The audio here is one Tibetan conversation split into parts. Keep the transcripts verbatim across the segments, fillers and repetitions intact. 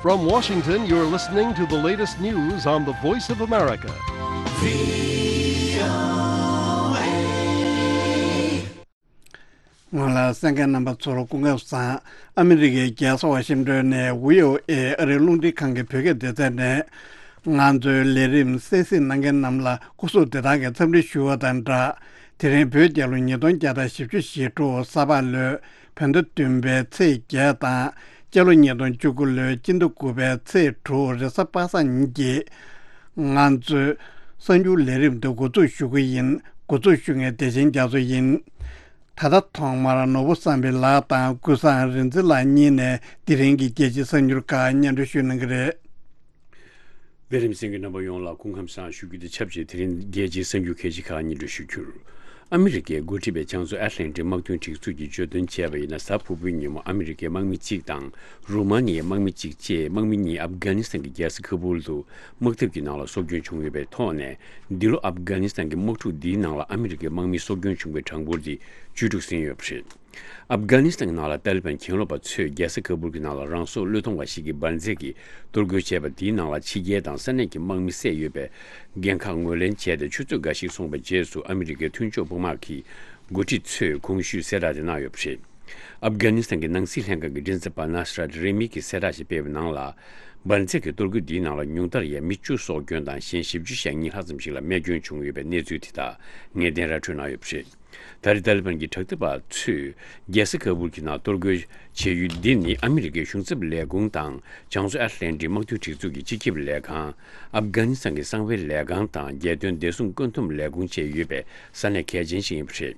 From Washington, you're listening to the latest news on the Voice of America. ང་ལ་གསན་མཁན་རྣམ་པ་ཚོར་སྐུ་ཁམས་བཟང་། ཨ་མི་རི་ཀའི་རྒྱལ་ས་ཝ་ཤིང་ཏོན་ནས་བྷི་ཨོ་ཨེ་ཨ་རིའི་རླུང་འཕྲིན་ཁང་གི་བོད་སྐད་སྡེ་ཚན་ནས། ང་ཚོའི་ལས་རིམ་གསན་གཟིགས་གནང་མཁན་རྣམས་ལ་སྐུ་གཟུགས་བདེ་ཐང་གི་འཚམས་འདྲི་ཞུ་བ་དང་སྦྲགས། དེ་རིང་བོད་རྒྱལ་ལོ་ཉིས་སྟོང་བརྒྱ་དང་བཞི་བཅུ་ཞེ་དྲུག་ས་ཕག་ལོའི་བོད་ཟླ་བདུན་པའི་ཚེས་བརྒྱད་དང་། སྤྱི་ལོ་ཉིས་སྟོང་བཅུ་དགུ་ལོའི་སྤྱི་ཟླ་དགུ་པའི་ཚེས་དྲུག་རེས་གཟའ་པ་སངས་ཉིན་གྱི་ང་ཚོའི་གསར་འགྱུར་ལས་རིམ་འདི་འགོ་འཛུགས་ཞུ་གི་ཡིན། འགོ་འཛུགས་ཞུ་མཁན་བདེ་ཆེན་རྒྱ་མཚོ་ཡིན། ད་ལྟ་ཐོག་མར་ནོར་བུ་བསམ་འཕེལ་ལགས་དང་ཀུན་བཟང་རིག་འཛིན་ལགས་གཉིས་ནས་དེ་རིང་གི་རྒྱལ་སྤྱིའི་གསར་འགྱུར་ཁག་སྙན་སྒྲོན་ཞུ་གནང་གི་རེད། ལས་རིམ་གསན་མཁན་རྣམ་པ་ཡོངས་ལ་སྐུ་ཁམས་བཟང་ཞུ་རྒྱུ་དང་ཆབས་ཅིག་དེ་རིང་རྒྱལ་སྤྱིའི་གསར་འགྱུར་གལ་ཆེ་ཁག་སྙན་སྒྲོན་ཞུ་རྒྱུར། ཨ་མི་རི་ཀས་འགོ་ཁྲིད་པའི་བྱང་མཚོ་ཨེཊ་ལན་ཊིག་དམག་དོན་སྒྲིག་འཛུགས་ཀྱིས་བརྗོད་དོན་བྱས་པ་ཡིན་ན། གཟའ་ཕུར་བུའི་ཉིན་མོ་ཨ་མི་རི་ཀའི་དམག་མི་གཅིག་དང་རུ་མ་ནི་ཡའི་དམག་མི་གཅིག་བཅས་དམག་མི་གཉིས་ཨབ་གྷ་ནི་སི་ཐན་གྱི་རྒྱལ་ས་ཁ་བུལ་དུ་དམག་འཐབ་ཀྱི་ནང་ལ་སྲོག་སྐྱོན་བྱུང་ཡོད་པའི་ཐོག་ནས། འདི་ལོ་ཨབ་གྷ་ནི་སི་ཐན་གྱི་དམག་འཁྲུག་འདིའི་ནང་ལ་ཨ་མི་རི་ཀའི་དམག་མི་སྲོག་སྐྱོན་བྱུང་བའི་གྲངས་འབོར་དེ་བཅུ་དྲུག་ཟིན་ཡོད་པ་རེད། ཨབ་གྷ་ནི་སི་ཐན་གྱི་ནང་ལ་ཏཱ་ལི་བན་གྱེན་ལོག་པ་ཚོས་རྒྱལ་ས་ཁ་བུལ་གྱི་ནང་ལ་རང་སྲོག་བློས་གཏོང་བ་ཞིག་གིས་འབར་འཛེགས་ཀྱིས་གཏོར་རྒོལ་བྱས་པ་དེའི་ནང་ལ་ཕྱི་རྒྱལ་དང་ས་གནས་ཀྱི་དམག་མི་བསད་ཡོད་པའི་འགན་ཁག་ངོས་ལེན་བྱས་ཏེ། ཆུ་ཚོད་འགའ་ཞིག་སོང་བའི་རྗེས་སུ་ཨ་མི་རི་ཀའི་མཐུན་ཕྱོགས་དཔུང་དམག་གི་འགོ་ཁྲིད་ཚོས་གོང་ཞུས་གསལ་བསྒྲགས་དེ་གནང་ཡོད་པ་རེད། ཨབ་གྷ་ནི་སི་ཐན་གྱི་ནང་སྲིད་ལྷན་ཁང་གི་མགྲིན་ཚབ་པ་ནཱ་སི་ར་ཏི་རེ་མི་གིས་གསལ་བསྒྲགས་ཤིག་སྤེལ་བའི་ནང་ལ། འབར་འཛེགས་ཀྱི་གཏོར་རྒོལ་འདིའི་ནང་ལ་ཉུང་མཐར་ཡང་མི་བཅུ་སྲོག་སྐྱོན་དང་། གཞན་བཞི་བཅུ་ཞེ་གཉིས་ལྷག་ཙམ་ཞིག་ལ་རྨས་སྐྱོན་བྱུང་ཡོད་པའི་གནས་ཚུལ་དེ་དག་ངེས་གཏན་ར་འཕྲོད་གནང་ཡོད་པ་རེད། ད་རེས་ཏཱ་ལི་བན་གྱི་དྲག་འཐབ་པ་ཚོས་རྒྱལ་ས་ཁ་བུལ་གྱི་ནང་གཏོར་རྒོལ་བྱེད་ཡུལ་འདི་ནི་ཨ་མི་རི་ཀའི་གཞུང་ཚབ་ལས་ཁུངས་དང་། བྱང་མཚོ་ཨེཊ་ལན་ཊིག་དམག་དོན་སྒྲིག་འཛུགས་ཀྱི་སྤྱི་ཁྱབ་ལས་ཁང་། ཨབ་གྷ་ནི་སི་ཐན་གྱི་གསང་བའི་ལས་ཁང་དང་། རྒྱལ་དོན་བདེ་སྲུང་བཀོད་འདོམས་ལས་ཁུངས་བཅས་ཡོད་པའི་ས་གནས་གལ་ཆེན་ཞིག་ཡིན་པ་རེད།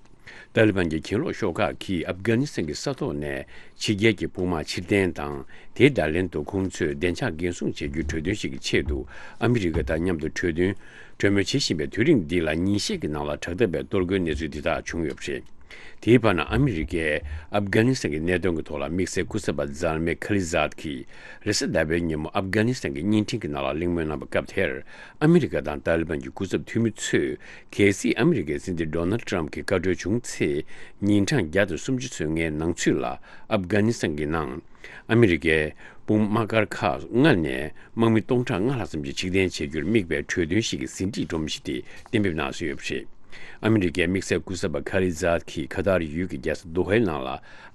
ཏཱ་ལི་བན་གྱི་གྱེན་ལོག་ཤོག་ཁག་གིས་ཨབ་གྷ་ནི་སི་ཐན་གྱི་ས་ཐོག་ནས་ཕྱི་རྒྱལ་གྱི་དཔུང་དམག་ཕྱིར་འཐེན་དང་། དེའི་བརྡ་ལན་དུ་ཁོང་ཚོས་བདེ་འཇགས་འགན་སྲུང་བྱེད་རྒྱུའི་གྲོས་མཐུན་ཞིག་གི་ཆེད་དུ་ཨ་མི་རི་ཀ་དང་མཉམ་དུ་གྲོས་མཐུན། གྲོས་མོལ་བྱེད་བཞིན་པའི་དུས་རིང་འདི་ལ། ཉིན་ཤས་ཀྱི་ནང་ལ་དྲག་འཐབ་པའི་གཏོར་རྒོལ་གནས་ཚུལ་འདི་དག་བྱུང་ཡོད་པ་རེད། དེའི་བར་ན་ཨ་མི་རི་ཀས་ཨབ་གྷ་ནི་སི་ཐན་གྱི་གནད་དོན་གྱི་ཐོག་ལ་དམིགས་བསལ་སྐུ་ཚབ་པ་ཛལ་མེ་ཁ་ལི་ཛཱད་ཀྱིས་རེས་གཟའ་ཟླ་བའི་ཉིན་མོ་ཨབ་གྷ་ནི་སི་ཐན་གྱི་བརྙན་འཕྲིན་གྱི་ནང་ལ་གླེང་མོལ་གནང་བའི་སྐབས་དེར། ཨ་མི་རི་ཀ་དང་ཏཱ་ལི་བན་གྱི་སྐུ་ཚབ་འཐུས་མི་ཚོས། གལ་སྲིད་ཨ་མི་རི་ཀའི་སྲིད་འཛིན་ཌོ་ནལ་ཏྲམ་གྱི་བཀའ་འཁྲོལ་བྱུང་ཚེ། ཉིན་གྲངས་བརྒྱ་དང་སུམ་ཅུ་ཚོད་ལྔའི་ནང་ཚུད་ལ་ཨབ་གྷ་ནི་སི་ཐན་གྱི་ནང་། ཨ་མི་རི་ཀའི་དཔུང་དམག་སྒར་ཁག་ལྔ་ནས་དམག་མི་སྟོང་ཕྲག་ལྔ་ལྷག་ཙམ་ཞིག་ཕྱིར་འཐེན་བྱེད་རྒྱུར་དམིགས་པའི་གྲོས་མཐུན་ཞིག་གི་ཟིན་བྲིས་སྒྲོམ་གཞི་དེ་གཏན་འབེབས་གནང་སྲོལ་ཡོད་པ་རེད། ཨ་མི་རི་ཀའི་དམིགས་བསལ་སྐུ་ཚབ་པ་ཁ་ལི་ཛཱད་ཀྱིས་ཁ་ཐར་ཡུལ་གྱི་རྒྱལ་ས་དོ་ཧའི་ནང་ལ།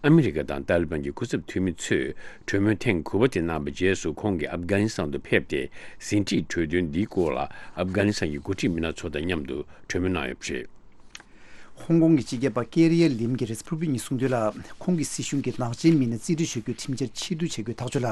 ཨ་མི་རི་ཀ་དང་ཏཱ་ལི་བན་གྱི་སྐུ་ཚབ་འཐུས་མི་ཚོས་གྲོས་མོལ་ཐེངས་དགུ་པ་དེ་གནང་བའི་རྗེས་སུ། ཁོང་གིས་ཨབ་གྷ་ནི་སི་ཐན་དུ་ཕེབས་ཏེ། ཟིན་བྲིས་གྲོས་མཐུན་འདིའི་སྐོར་ལ་ཨབ་གྷ་ནི་སི་ཐན་གྱི་འགོ་ཁྲིད་མི་སྣ་ཚོ་དང་མཉམ་དུ་གྲོས་མོལ་གནང་ཡོད་པ་རེད། ཧོང་ཀོང་གི་སྤྱི་ཁྱབ་པ་ཀེ་རི་ཡ་ལིམ་གྱིས་རེས་གཟའ་ཕུར་བུའི་ཉིན་གསུངས་དོན་ལ། ཁོང་གི་སྲིད་གཞུང་གིས་ནག་ཅན་མི་སྣ་རྩིས་སྤྲོད་བྱ་རྒྱུའི་ཁྲིམས་འཆར་ཕྱིར་བསྡུ་བྱ་རྒྱུའི་ཐག་གཅོད་ལ།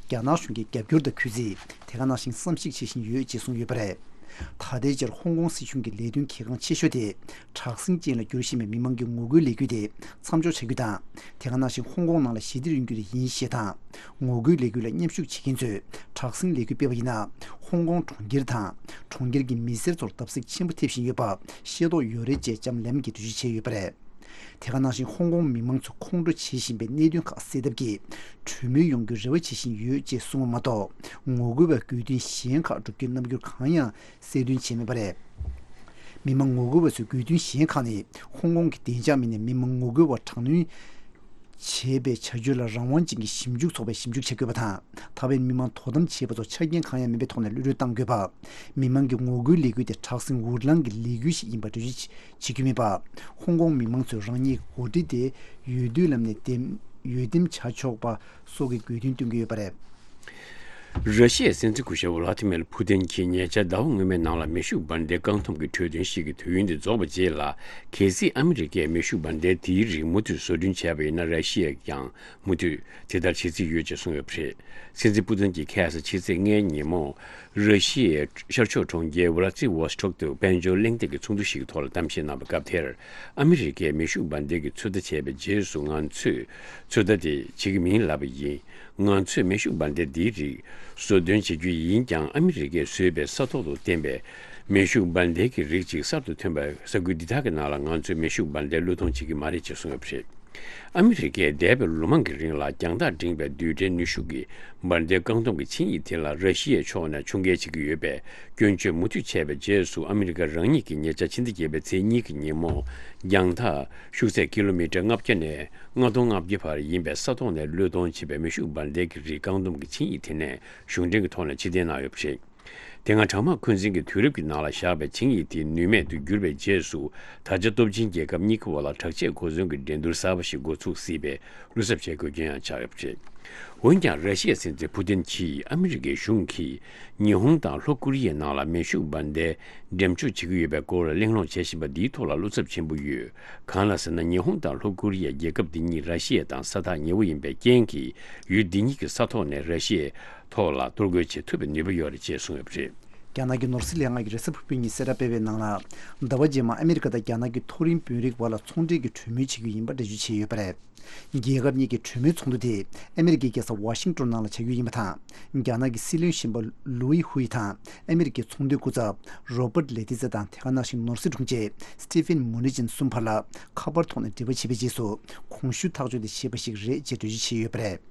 རྒྱ་ནག་གཞུང་གིས་རྒྱབ་སྐྱོར་དང་གུས་བརྩི། དེ་ག་ནང་བཞིན་བསམ་གཞིག་བྱེད་བཞིན་ཡོད་ཅེས་གསུངས་ཡོད་པ་རེད། ད་ལྟའི་ཆར་ཧོང་ཀོང་སྲིད་གཞུང་གི་ལས་དོན་གལ་འགངས་ཆེ་ཤོས་དེ། དྲག་ཟིང་ཅན་ལ་འགྱུར་བཞིན་པའི་མི་མང་གི་ངོ་རྒོལ་ལས་འགུལ་དེ་མཚམས་འཇོག་བྱ་རྒྱུ་དང་། དེ་ག་ནང་བཞིན་ཧོང་ཀོང་ནང་ལ་ཞི་བདེ་རང་རྒྱུད་ཡིན་ཞེས་དང་། ངོ་རྒོལ་ལས་འགུལ་ལ་མཉམ་ཞུགས་བྱེད་མཁན་ཚོས་དྲག་ཟིང་ལས་འགུལ་སྤེལ་བ་ཡིན་ན། ཧོང་ཀོང་གྲོང་ཁྱེར་དང་། གྲོང་ཁྱེར་གྱི་མི་སེར་ཚོར་བརྡབ་གསིག་ཆེན་པོ་ཐེབས་བཞིན་ཡོད་པ་ཤེས་རྟོགས་ཡོད་རེད་ཅེས་ལྕམ་ལེམ་གྱིས་འགྲེལ་བརྗོད་བྱས་ཡོད་པ་རེད། དེ་ག་ནང་བཞིན་ཧོང་ཀོང་མི་མང་ཚོ་ཁོང་ཁྲོ་བྱེད་བཞིན་པའི་གནད་དོན་ཁག་སེལ་ཐབས་ཀྱི་གྲོས་མོལ་ཡོང་རྒྱུའི་རེ་བ་བྱེད་བཞིན་ཡོད་ཅེས་གསུངས་པ་མ་གཏོགས། ངོ་རྒོལ་བའི་དགོས་འདུན་གཞན་ཁག་སྒྲུབ་རྒྱུའི་རྣམ་འགྱུར་གང་ཡང་གསལ་སྟོན་བྱས་མེད་པ་རེད། མི་མང་ངོ་རྒོལ་བ་ཚོའི་དགོས་འདུན་གཞན་ཁག་ནི། ཧོང་ཀོང་གི་བདེ་འཇགས་མི་སྣས་མི་མང་ངོ་རྒོལ་བར་དྲག་གནོན་བྱས་པའི་བྱ་སྤྱོད་ལ་རང་དབང་ཅན་གྱི་ཞིབ་འཇུག་ཚོགས་པས་ཞིབ་འཇུག་བྱེད་དགོས་པ་དང་། ད་བར་མི་མང་དོ་དམ་བྱས་པ་ཚོ་ཆ་རྐྱེན་གང་ཡང་མེད་པའི་ཐོག་ནས་གློད་གྲོལ་གཏང་དགོས་པ། མི་མང་གི་ངོ་རྒོལ་ལས་འགུལ་དེ་དྲག་ཟིང་འུར་ལངས་ཀྱི་ལས་འགུལ་ཞིག་ཡིན་པ་འགྲེལ་བརྗོད་བྱེད་རྒྱུ་མེད་པ། ཧོང་ཀོང་མི་མང་ཚོས་རང་ཉིད་འགོ་ཁྲིད་དེ་འོས་བསྡུའི་ལམ་ནས་འདེམས་འོས་འདེམས་བྱ་ཆོག་པ་སོགས་ཀྱི་དགོས་འདུན་བཏོན་གྱི་ཡོད་པ་རེད། ར་ཤི་ཡའི་སྲིད་འཛིན་སྐུ་ཞབས་ཝ་ལ་ཏི་མེར་ཕུ་ཏིན་གྱིས་ཉེ་ཆར་ཟླ་བ་སྔོན་མའི་ནང་ལ་མེ་ཤུགས་འབར་མདེལ་བཀག་སྡོམ་གྱི་གྲོས་མཐུན་ཞིག་གི་དུས་ཡུན་དེ་རྫོགས་པའི་རྗེས་ལ། གལ་སྲིད་ཨ་མི་རི་ཀས་མེ་ཤུགས་འབར་མདེལ་དེའི་རིགས་མུ་མཐུད་བཟོ་སྐྲུན་བྱས་པ་ཡིན་ན། ར་ཤི་ཡས་ཀྱང་མུ་མཐུད་དེ་ལྟར་བྱེད་རྩིས་ཡོད་ཅེས་གསུངས་ཡོད་པ་རེད། སྲིད་འཛིན་ཕུ་ཏིན་གྱིས་ཁ་སང་ཕྱི་ཚེས་ལྔའི་ཉིན་མོ། ར་ཤི་ཡའི་ཤར་ཕྱོགས་གྲོང་ཁྱེར་ཝ་ལ་ཙི་ཝོ་སི་ཊོག་ཏུ་དཔལ་འབྱོར་གླེང་སྟེགས་ཀྱི་ཚོགས་འདུ་ཞིག་གི་ཐོག་ལ་གཏམ་བཤད་གནང་བའི་སྐབས་དེར། ཨ་མི་རི་ཀས་མེ་ཤུགས་འབར་མདེལ་གྱི་ཚོད་ལྟ་བྱས་པའི་རྗེས་སུ། ང་ཚོས་ཚོད་ལྟ་དེ་བྱེད་ཀྱི་མིན་ལབ་པ་ཡིན། ང་ཚོས་མེ་ཤུགས་འབར་མདེལ་འདིའི་རིགས་བཟོ་འདོན་བྱེད་རྒྱུ་ཡིན་ཀྱང་། ཨ་མི་རི་ཀས་བཟོས་པའི་ས་ཐོག་ཏུ་བསྟན་པའི་མེ་ཤུགས་འབར་མདེལ་གྱི་རིགས་ཅིག་གསར་དུ་ཐོན་པའི་ས་ཁུལ་འདི་དག་གི་ནང་ལ་ང་ཚོས་མེ་ཤུགས་འབར་མདེལ་བློས་གཏོང་བྱེད་ཀྱི་མ་རེད་ཅེས་གསུངས་ཡོད་པ་རེད། ཨ་མི་རི་ཀས་འདས་པའི་ལོ་མང་གི་རིང་ལ་རྒྱང་ཐག་འབྲིང་བའི་རྡུལ་ཕྲན་ནུས་ཤུགས་ཀྱི་འབར་མདེལ་བཀག་སྡོམ་གྱི་ཆིངས་ཡིག་དེ་ལ་ར་ཤི་ཡའི་ཕྱོགས་ནས་ཕྱོགས་འགལ་བྱེད་ཀྱི་ཡོད་པའི་སྐྱོན་བརྗོད་མུ་མཐུད་བྱས་པའི་རྗེས་སུ། ཨ་མི་རི་ཀ་རང་ཉིད་ཀྱིས་ཉེ་ཆར་ཕྱི་ཟླ་བརྒྱད་པའི་ཚེས་གཉིས་ཀྱི་ཉིན་མོ་རྒྱང་ཐག་ཤུགས་ཚད་ཀི་ལོ་མི་ཊར་ལྔ་བརྒྱ་ནས་ལྔ་སྟོང་ལྔ་བརྒྱ་བར་ཡིན་པའི་ས་ཐོག་ནས་བློས་གཏོང་བྱེད་པའི་མེ་ཤུགས་འབར་མདེལ་གྱི་རིགས་བཀག་སྡོམ་གྱི་ཆིངས་ཡིག་དེ་ནས་གཞུང་འབྲེལ་གྱི་ཐོག་ནས་ཕྱིར་འཐེན་གནང་ཡོད་པ་རེད། དེ་སྔ་གྲང་དམག་འཁོན་འཛིན་གྱི་དུས་རབས་ཀྱི་ནང་ལ་བཞག་པའི་ཆིངས་ཡིག་དེ་ནུས་མེད་དུ་གྱུར་བའི་རྗེས་སུ། ད་ཆ་སྟོབས་ཆེན་རྒྱལ་ཁབ་གཉིས་ཀ་བར་ལ་དྲག་ཆས་གོ་མཚོན་གྱི་འགྲན་བསྡུར་གསར་པ་ཞིག་འགོ་ཚུགས་སྲིད་པའི་བློ་འཚབ་བྱེད་དགོས་རྐྱེན་ཡང་ཆགས་ཡོད་པ་རེད། འོན་ཀྱང་། ར་ཤི་ཡའི་སྲིད་འཛིན་ཕུ་ཏིན་གྱིས་ཨ་མི་རི་ཀའི་གཞུང་གིས་ཉི་ཧོང་དང་ལྷོ་ཀོ་རི་ཡའི་ནང་ལ་མེ་ཤུགས་འབར་མདེལ་འགྲེམས་འཇོག་བྱེད་ཀྱི་ཡོད་པའི་སྐོར་གླེང་སློང་བྱེད་བཞིན་པ་འདིའི་ཐོག་ལ་བློ་འཚབ་ཆེན་པོ་ཡོད། གང་ལ་ཟེར་ན། ཉི་ཧོང་དང་ལྷོ་ཀོ་རི་ཡ་རྒྱལ་ཁབ་འདི་གཉིས་ར་ཤི་ཡ་དང་ས་ཐག་ཉེ་བོ་ཡིན་པའི་རྐྱེན་གྱིས། ཡུལ་འདི་གཉིས་ཀྱི་ས་ཐོག་ནས་ར་ཤི་ཡའི་ཐོག་ལ་གཏོར་རྒོལ་བྱེད་ཐུབ་པའི་ནུས་པ་ཡོད་རེད་ཅེས་གསུངས་ཡོད་པ་རེད། རྒྱ་ནག་གི་ནོར་སྲིད་ལས་ཁང་གིས་རེས་གཟའ་ཕུར་བུའི་ཉིན་གསལ་བསྒྲགས་སྤེལ་བའི་ནང་ལ། ཟླ་བ་རྗེས་མར་ཨ་མི་རི་ཀ་དང་རྒྱ་ནག་གི་མཐོ་རིམ་དཔོན་རིགས་བར་ལ་ཚོང་འབྲེལ་གྱི་གྲོས་མོལ་བྱེད་རྒྱུ་ཡིན་པ་འགྲེལ་བརྗོད་བྱས་ཡོད་པ་རེད། རྒྱལ་ཁབ་གཉིས་ཀྱི་གྲོས་མོལ་ཚོགས་འདུ་དེ་ཨ་མི་རི་ཀའི་རྒྱལ་ས་ཝ་ཤིང་ཏོན་ནང་ལ་བྱ་རྒྱུ་ཡིན་པ་དང་། རྒྱ་ནག་གི་སྲིད་བློན་གཞོན་པ་ལུའི་ཧུའེ་དང་ཨ་མི་རི་ཀའི་ཚོང་དོན་སྐུ་ཚབ་རོ་པར་ལེ་ཏི་ཙེ་དང་། དེ་ག་ནང་བཞིན་ནོར་སྲིད་དྲུང་ཆེ་སི་ཏི་ཕིན་མུ་ནི་ཅིན་གསུམ་བར་ལ་ཁ་པར་ཐོག་ནས་འབྲེལ་བ་བྱས་པའི་རྗེས་སུ། གོང་ཞུས་ཐག་གཅོད་དེ་བྱས་པ་ཞིག་རེད་ཅེས་འགྲེལ་བརྗོད་བྱས་ཡོད་པ་རེད།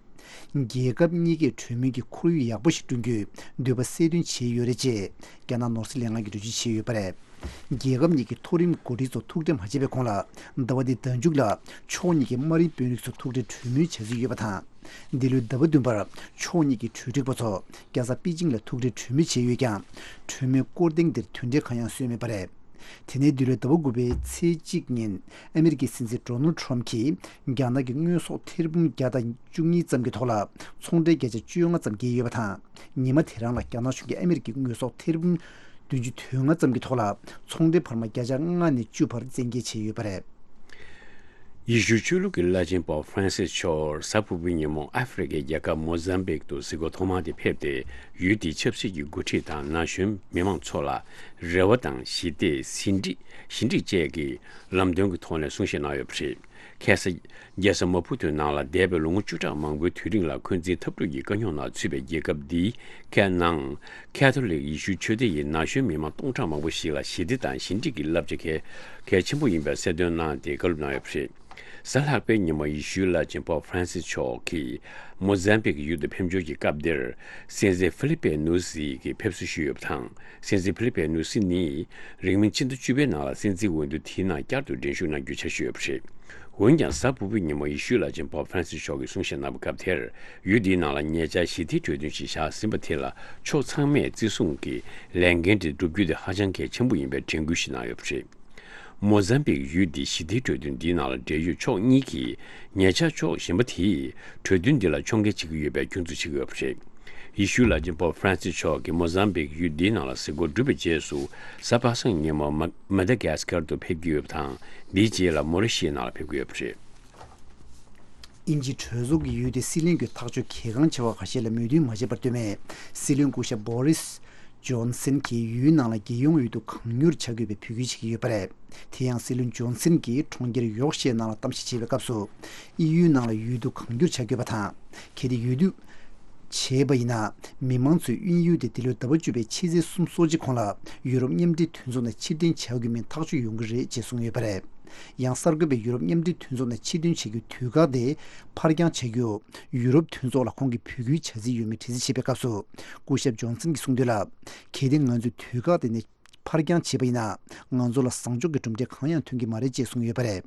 རྒྱལ་ཁབ་གཉིས་ཀས་གྲོས་མོལ་གྱི་ཁོར་ཡུག་ཡག་པོ་ཞིག་བསྐྲུན་རྒྱུའི་འདོད་པ་གསལ་སྟོན་བྱས་ཡོད་རེད་ཅེས་རྒྱ་ནག་ནོར་སྲིད་ལས་ཁང་གིས་འགྲེལ་བརྗོད་བྱས་ཡོད་པ་རེད། རྒྱལ་ཁབ་གཉིས་ཀྱི་མཐོ་རིམ་འགོ་ཁྲིད་ཚོ་ཐུག་འཕྲད་མ་བྱས་པའི་གོང་ལ། ཟླ་བ་འདིའི་ཟླ་མཇུག་ལ་ཕྱོགས་གཉིས་ཀྱི་དམའ་རིམ་དཔོན་རིགས་ཚོ་ཐུག་འཕྲད་གྲོས་མོལ་བྱ་རྩིས་ཡོད་པ་དང་། འདི་ལོའི་ཟླ་བ་བདུན་པར་ཕྱོགས་གཉིས་ཀྱི་གྲོས་སྒྲིག་པ་ཚོ་རྒྱལ་ས་པེ་ཅིང་ལ་ཐུག་འཕྲད་གྲོས་མོལ་བྱས་ཡོད་ཀྱང་། གྲོས་མོལ་སྐོར་ཐེངས་འདིར་དོན་འབྲས་གང་ཡང་སོན་མེད་པ་རེད། དེ་ནས་འདི་ལོའི་ཟླ་བ་དགུ་པའི་ཚེས་གཅིག་ཉིན། ཨ་མི་རི་ཀའི་སྲིད་འཛིན་ཌོ་ནལ་ཌི་ཊརམ་ཕི་གྱིས་རྒྱ་ནག་གི་དངོས་ཟོག་ཐེར་འབུམ་བརྒྱ་དང་བཅུ་གཉིས་ཙམ་གྱི་ཐོག་ལ་ཚོང་འབྲེལ་བརྒྱ་ཆ་བཅོ་ལྔ་ཙམ་བརྒལ་ཡོད་པ་དང་། ཉི་མ་དེ་རང་ལ་རྒྱ་ནག་གཞུང་གིས་ཨ་མི་རི་ཀའི་དངོས་ཟོག་ཐེར་འབུམ་བདུན་ཅུ་དོན་ལྔ་ཙམ་གྱི་ཐོག་ལ་ཚོང་འབྲེལ་འཕར་མ་བརྒྱ་ཆ་ལྔ་ནས་བཅུ་བར་བཙན་འགེལ་བྱས་ཡོད་པ་རེད། ཡེ་ཤུའི་ཆོས་ལུགས་ཀྱི་བླ་ཆེན་པོབ་ཧྥ་རན་སིས་མཆོག་གཟའ་ཕུར་བུའི་ཉིན་མོ་ཨ་ཧྥེ་རི་ཁའི་རྒྱལ་ཁབ་མོ་ཟམ་བིག་ཏུ་གཟིགས་སྐོར་ཐོག་མ་དེ་ཕེབས་ཏེ། ཡུལ་དེའི་ཆབ་སྲིད་ཀྱི་འགོ་ཁྲིད་དང་ན་གཞོན་མི་མང་ཚོ་ལ་རེ་བ་དང་ཞི་བདེ། ཟིན་བྲིས་ཞི་འགྲིག་བཅས་ཀྱི་ལམ་སྟོན་གྱི་ཐོག་ནས་གསུང་བཤད་གནང་ཡོད་པ་རེད། ཁ་སང་རྒྱལ་ས་མ་ཕུ་ཏུའི་ནང་ལ་འདས་པའི་ལོ་ངོ་བཅུ་ཕྲག་མང་པོའི་དུས་རིང་ལ་འཁོན་འཛིན་འཐབ་རྩོད་ཀྱི་དཀའ་རྙོག་ནང་ཚུད་པའི་རྒྱལ་ཁབ་འདིའི་ཁའི་ནང་། ཁ་ཐོ་ལིག་ཡེ་ཤུའི་ཆོས་སྡེ་ཡི་ན་གཞོན་མི་མང་སྟོང་ཕྲག་མང་པོ་ཞིག་ལ་ཞི་བདེ་དང་ཞི་འགྲིག་གི་བསླབ་བྱ་གལ་གལ་ཆེན་པོ་ཡིན་པའི་གསལ་སྟོན་གནང་སྟེ་བཀའ་སློབ་གནང་ཡོད་པ་རེད། གཟའ་ལྷག་པའི་ཉིན་མོ་ཡེ་ཤུའི་བླ་ཆེན་པོབ་ཧྥ་རན་སིས་མཆོག་གིས་མོ་ཟམ་བིག་ཡུལ་དུ་ཕེབས་འབྱོར་གྱི་སྐབས་དེར། སྲིད་འཛིན་ཧྥི་ལི་པེ་ནུ་སི་གི་ཕེབས་བསུ་ཞུས་ཡོད་པ་དང་། སྲིད་འཛིན་ཧྥི་ལི་པེ་ནུ་སི་ནི་རིང་མིན་ཕྱི་ཟླ་བཅུ་པའི་ནང་ལ་སྲིད་འཛིན་འོས་བསྡུ་དེའི་ནང་བསྐྱར་དུ་འགྲན་ཞུགས་གནང་རྒྱུའི་འཆར་གཞི་ཡོད་པ་རེད། འོན་ཀྱང་། གཟའ་ཕུར་བུའི་ཉིན་མོ་ཡེ་ཤུའི་བླ་ཆེན་པོབ་ཧྥ་རན་སིས་མཆོག་གིས་གསུང་བཤད་གནང་བའི་སྐབས་དེར། ཡུལ་འདིའི་ནང་ལ་ཉེ་ཆར་ཞི་བདེའི་གྲོས་མཐུན་ཞིག་བཞག་ཟིན་པ་དེ་ལ་ཕྱོགས་ཚང་མས་བརྩི་སྲུང་གི་ལས་འགན་དེ་བསྒྲུབ་རྒྱུ་དེ་ཧ་ཅང་གལ་ཆེན་པོ་ཡིན་པའི་དྲན་སྐུལ་ཞིག་གནང་ཡོད་པ་རེད། མོ་ཟམ་བིག་ཡུལ་འདིའི་ཞི་བདེའི་གྲོས་མཐུན་འདིའི་ནང་ལ་འབྲེལ་ཡོད་ཕྱོགས་གཉིས་ཀྱིས་ཉེ་ཆར་ཕྱོགས་གཞན་པ་དེས་གྲོས་མཐུན་འདི་ལ་ཕྱོགས་འགལ་བྱེད་ཀྱི་ཡོད་པའི་སྐྱོན་འཛུགས་བྱེད་ཀྱི་ཡོད་པ་རེད། ཡེ་ཤུའི་བླ་ཆེན་པོབ་ཧྥ་རན་སིས་མཆོག་གིས་མོ་ཟམ་བིག་ཡུལ་འདིའི་ནང་ལ་གཟིགས་སྐོར་བསྒྲུབས་པའི་རྗེས་སུ། གཟའ་པ་སངས་ཉིན་མོ་མ་མ་ད་གྷ་སི་ཀར་དུ་ཕེབས་ཀྱི་ཡོད་པ་དང་། འདིའི་རྗེས་ལ་མོ་རི་ཤི་ཡའི་ནང་ལ་ཕེབས་ཀྱི་ཡོད་པ་རེད། དབྱིན་ཇིའི་གྲོས་ཚོགས་ཀྱི་ཡུལ་དེའི་སྲིད་བློན་གྱི་ཐག་གཅོད་གལ་འགངས་ཆེ་བ་ཁ་ཤས་ལ་མོས་མཐུན་མ་བྱས་པར་བསྟུད་མེད། སྲིད་བློན་སྐུ་ཞབས་བྷོ་རིས་ཇོན་སན་གྱིས་ཡུལ་ནང་ལ་རྒྱལ་ཡོངས་འོས་བསྡུ་གང་མྱུར་བྱ་དགོས་པའི་འབོད་སྐུལ་བྱེད་ཀྱི་ཡོད་པ་རེད། དེ་ཡང་། སྲིད་བློན་ཇོན་སན་གྱིས་གྲོང་ཁྱེར་ཡོག་ཤའི་ནང་ལ་གཏམ་བཤད་བྱེད་པའི་སྐབས་སུ། དབྱིན་ཡུལ་ནང་ལ་འོས་བསྡུ་གང་མྱུར་བྱ་དགོས་པ་དང་། གལ་ཏེ་འོས་བསྡུ་བྱས་པ་ཡིན་ན། མི་མང་ཚོས་དབྱིན་ཡུལ་དེ་འདི་ལོའི་ཟླ་བ་བཅུ་པའི་ཕྱི་ཚེས་སོ་གཅིག་གོང་ལ་ཡུ་རོབ་མཉམ་འབྲེལ་མཐུན་ཚོགས་ནས་ཕྱིར་འཐེན་བྱ་དགོས་མིན་ཐག་གཅོད་ཡོང་གི་རེད་ཅེས་གསུངས་ཡོད་པ་རེད། ཡང་། གསར་འགོད་པས་ཡུ་རོབ་མཉམ་འབྲེལ་མཐུན་ཚོགས་ནས་ཕྱིར་འཐེན་བྱ་རྒྱུའི་དུས་བཀག་དེ་ཕར་འགྱངས་བྱ་རྒྱུ། ཡུ་རོབ་མཐུན་ཚོགས་ལ་ཁོང་གིས་འབོད་སྐུལ་བྱ་རྩིས་ཡོད་མེད་དྲི་རྩད་བྱས་པའི་སྐབས་སུ། སྐུ་ཞབས་ཇོན་སན་གྱིས་གསུངས་དོན་ལ། གལ་ཏེ་ང་ཚོས་དུས་བཀག་དེ་ནས་ཕར་འགྱངས་བྱས་པ་ཡིན་ན། ང་ཚོ་ལ་བཟང་ཕྱོགས་ཀྱི་གྲུབ་འབྲས་གང་ཡང་ཐོན་གྱི་མ་རེད་ཅེས་གསུངས་ཡོད་པ་རེད།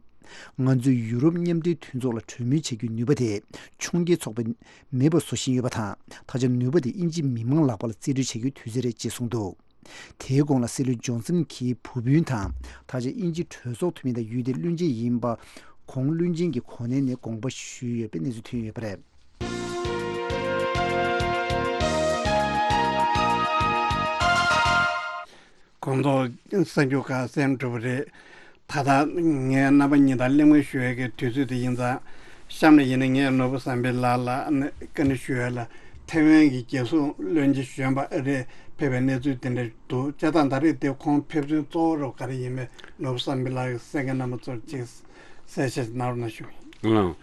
ང་ཚོས་ཡུ་རོབ་མཉམ་འབྲེལ་མཐུན་ཚོགས་ལ་གྲོས་མོལ་བྱ་རྒྱུའི་ནུས་པ་དེ་ཕྱོགས་འགལ་ཚོགས་པས་མེད་པ་བཟོ་བཞིན་ཡོད་པ་དང་། ད་ཆ་ནུས་པ་དེ་དབྱིན་ཇིའི་མི་མང་ལག་པ་ལ་རྩིས་སྤྲོད་བྱ་རྒྱུའི་དུས་ཚོད་རེད་ཅེས་གསུངས་འདུག་དེའི་གོང་ལ་སྲིད་བློན་ཇོན་སན་གྱིས་བུ་སྤུན་དང་། ད་ཆ་དབྱིན་ཇིའི་གྲོས་ཚོགས་འཐུས་མི་དང་ཡུལ་དེའི་བློན་ཆེན་ཡིན་པ། གོང་བློན་ཆེན་གྱི་གོ་གནས་ནས་དགོངས་པ་ཞུས་ཡོད་པའི་གནས་ཚུལ་ཐོན་ཡོད་པ་རེད། གོང་དུ་གསར་འགྱུར་ཁག་གསན་གྲུབ་པ་རེད། ད་ལྟ་ངས་རྣམ་པ་གཉིས་དང་གླེང་མོལ་ཞུ་ཡས་ཀྱི་དུས་ཚོད་དེ་ཡིན་ཙང་། གཤམ་ལ་ཡིན་ན་ངས་ནོར་བུ་བསམ་འཕེལ་ལགས་ལ་ནི་བཀའ་འདྲི་ཞུ་ཡས་ལ། ཐའེ་ཝན་གྱི་རྒྱལ་སྲུང་བློན་ཆེན་གཞོན་པ་ཨ་རིར་ཕེབས་པའི་གནས་ཚུལ་དེ་འདྲ་འདུག་བྱས་ཙང་ད་རེས་དེ་ཁོང་ཕེབས་དོན་གཙོ་བོ་རུ་ག་རེ་ཡིན་མིན་ནོར་བུ་བསམ་འཕེལ་ལགས་ཀྱིས་གསན་མཁན་རྣམ་པ་ཚོར་ཅིག་གསལ་བཤད་གནང་རོགས་གནང་ཞུ། ལགས།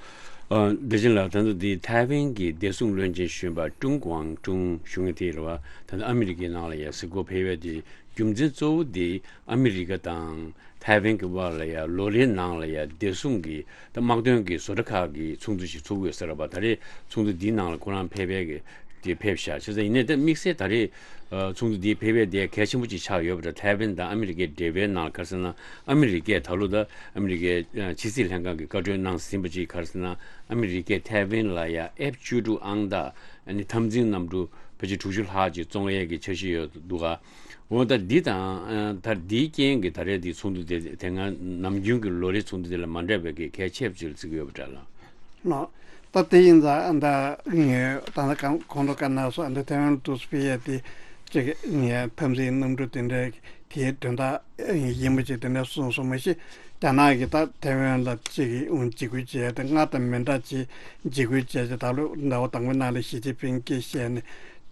ཨ། བདེ་ཆེན་ལགས། ད་ལྟ་འདི་ཐའེ་ཝན་གྱི་བདེ་སྲུང་བློན་ཆེན་གཞོན་པ་ཀྲུང་ཀུའང་ཀྲུང་ཞུ་མཁན་དེ་རེད་བ། ད་ལྟ་ཨ་མི་རི་ཀའི་ནང་ལ་ཡ་གཟིགས་སྐོར་ཕེབས་ཡས་དེ་རྒྱུ་མཚན་གཙོ་བོ་དེ་ཨ་མི་རི་ཀ་དང་ ཐའེ་ཝན་གྱི་དབར་ལ་ཡ་ལོ་རེའི་ནང་ལ་ཡ་བདེ་སྲུང་གི་ད་དམག་དོན་གྱི་བཟོ་གྲྭ་ཁག་གི་ཚོགས་འདུ་ཞིག་ཚོགས་ཀྱི་ཡོད་ས་རེད་པ། ད་རེས་ཚོགས་འདུ་འདིའི་ནང་ལ་ཁོ་རང་ཕེབས་པའི་གི་དེ་ཕེབས་ཤག་བྱས་ཙང་ཡིན་ནའི་ད་དམིགས་བསལ་ད་རེས་ཚོགས་འདུ་འདིའི་ཕེབས་པའི་དེ་གལ་ཆེན་པོ་ཅིག་ཆགས་ཡོད་པ་འདྲ། ཐའེ་ཝན་དང་ཨ་མི་རི་ཀའི་འབྲེལ་བའི་ནང་ག་རེ་ཟེར་ན། ཨ་མི་རི་ཀས་ད་ལོ་ད་ཨ་མི་རི་ཀའི་ཕྱི་སྲིད་ལྷན་ཁང་གི་བཀའ་འཁྲོལ་གནང་ཟིན་པ་ཅིག་ག་རེ་ཟེར་ན། ཨ་མི་རི་ཀས་ཐའེ་ཝན་ལ་ཡ་ཨེཕ་བཅུ་དྲུག་ཨང་རྟགས་ཨ་ནི་འཐབ་འཛིང་གནམ་གྲུ་ཕལ་ཆེར་དྲུག་ཅུ་ལྷག་ཅིག་བཙོང་ཡས་ཀྱི་འཆར་གཞི་ཡོད་འདུག་ག་འོ་ད་འདི་དང་ད་འདིའི་རྐྱེན་གྱིས་ད་རེས་འདི་ཚོགས་འདུ་དེ་དེ་སྔ་ནམ་རྒྱུན་གྱི་ལོ་རེའི་ཚོགས་འདུ་དེ་ལ་མ་འདྲ་བའི་གི་གལ་ཆེ་བ་ཅིག་ལ་བརྩི་གི་ཡོད་པ་འདྲ་ལ། ལགས། ད་དེ་ཡིན་ཙང་ད་ངས་ད་ལྟ་གང་གོང་དུ་བཀའ་གནང་སོགས་འདི་ཐའེ་ཝན་དུ་སྤེལ་ཡས་དེ་ཅིག་ངས་འཐབ་འཛིང་གནམ་གྲུ་དེ་འདྲའི་དེའི་དོན་དག་ཡིན་པ་ཅིག་དེ་འདྲ་གསུངས་སོང་མ་གཞི། རྒྱ་ནག་གིས་ད་ཐའེ་ཝན་ལ་ཅིག་འཇིགས་སྐུལ་བྱས་ཏེ་སྔར་དང་མི་འདྲ་ཅིག་འཇིགས་སྐུལ་བྱས་ཏེ། ད་ལོ་ཟླ་བ་དང་པོའི་ནང་ལ་ཞི་ཅིན་ཕིང་གིས་བཤད་ནས་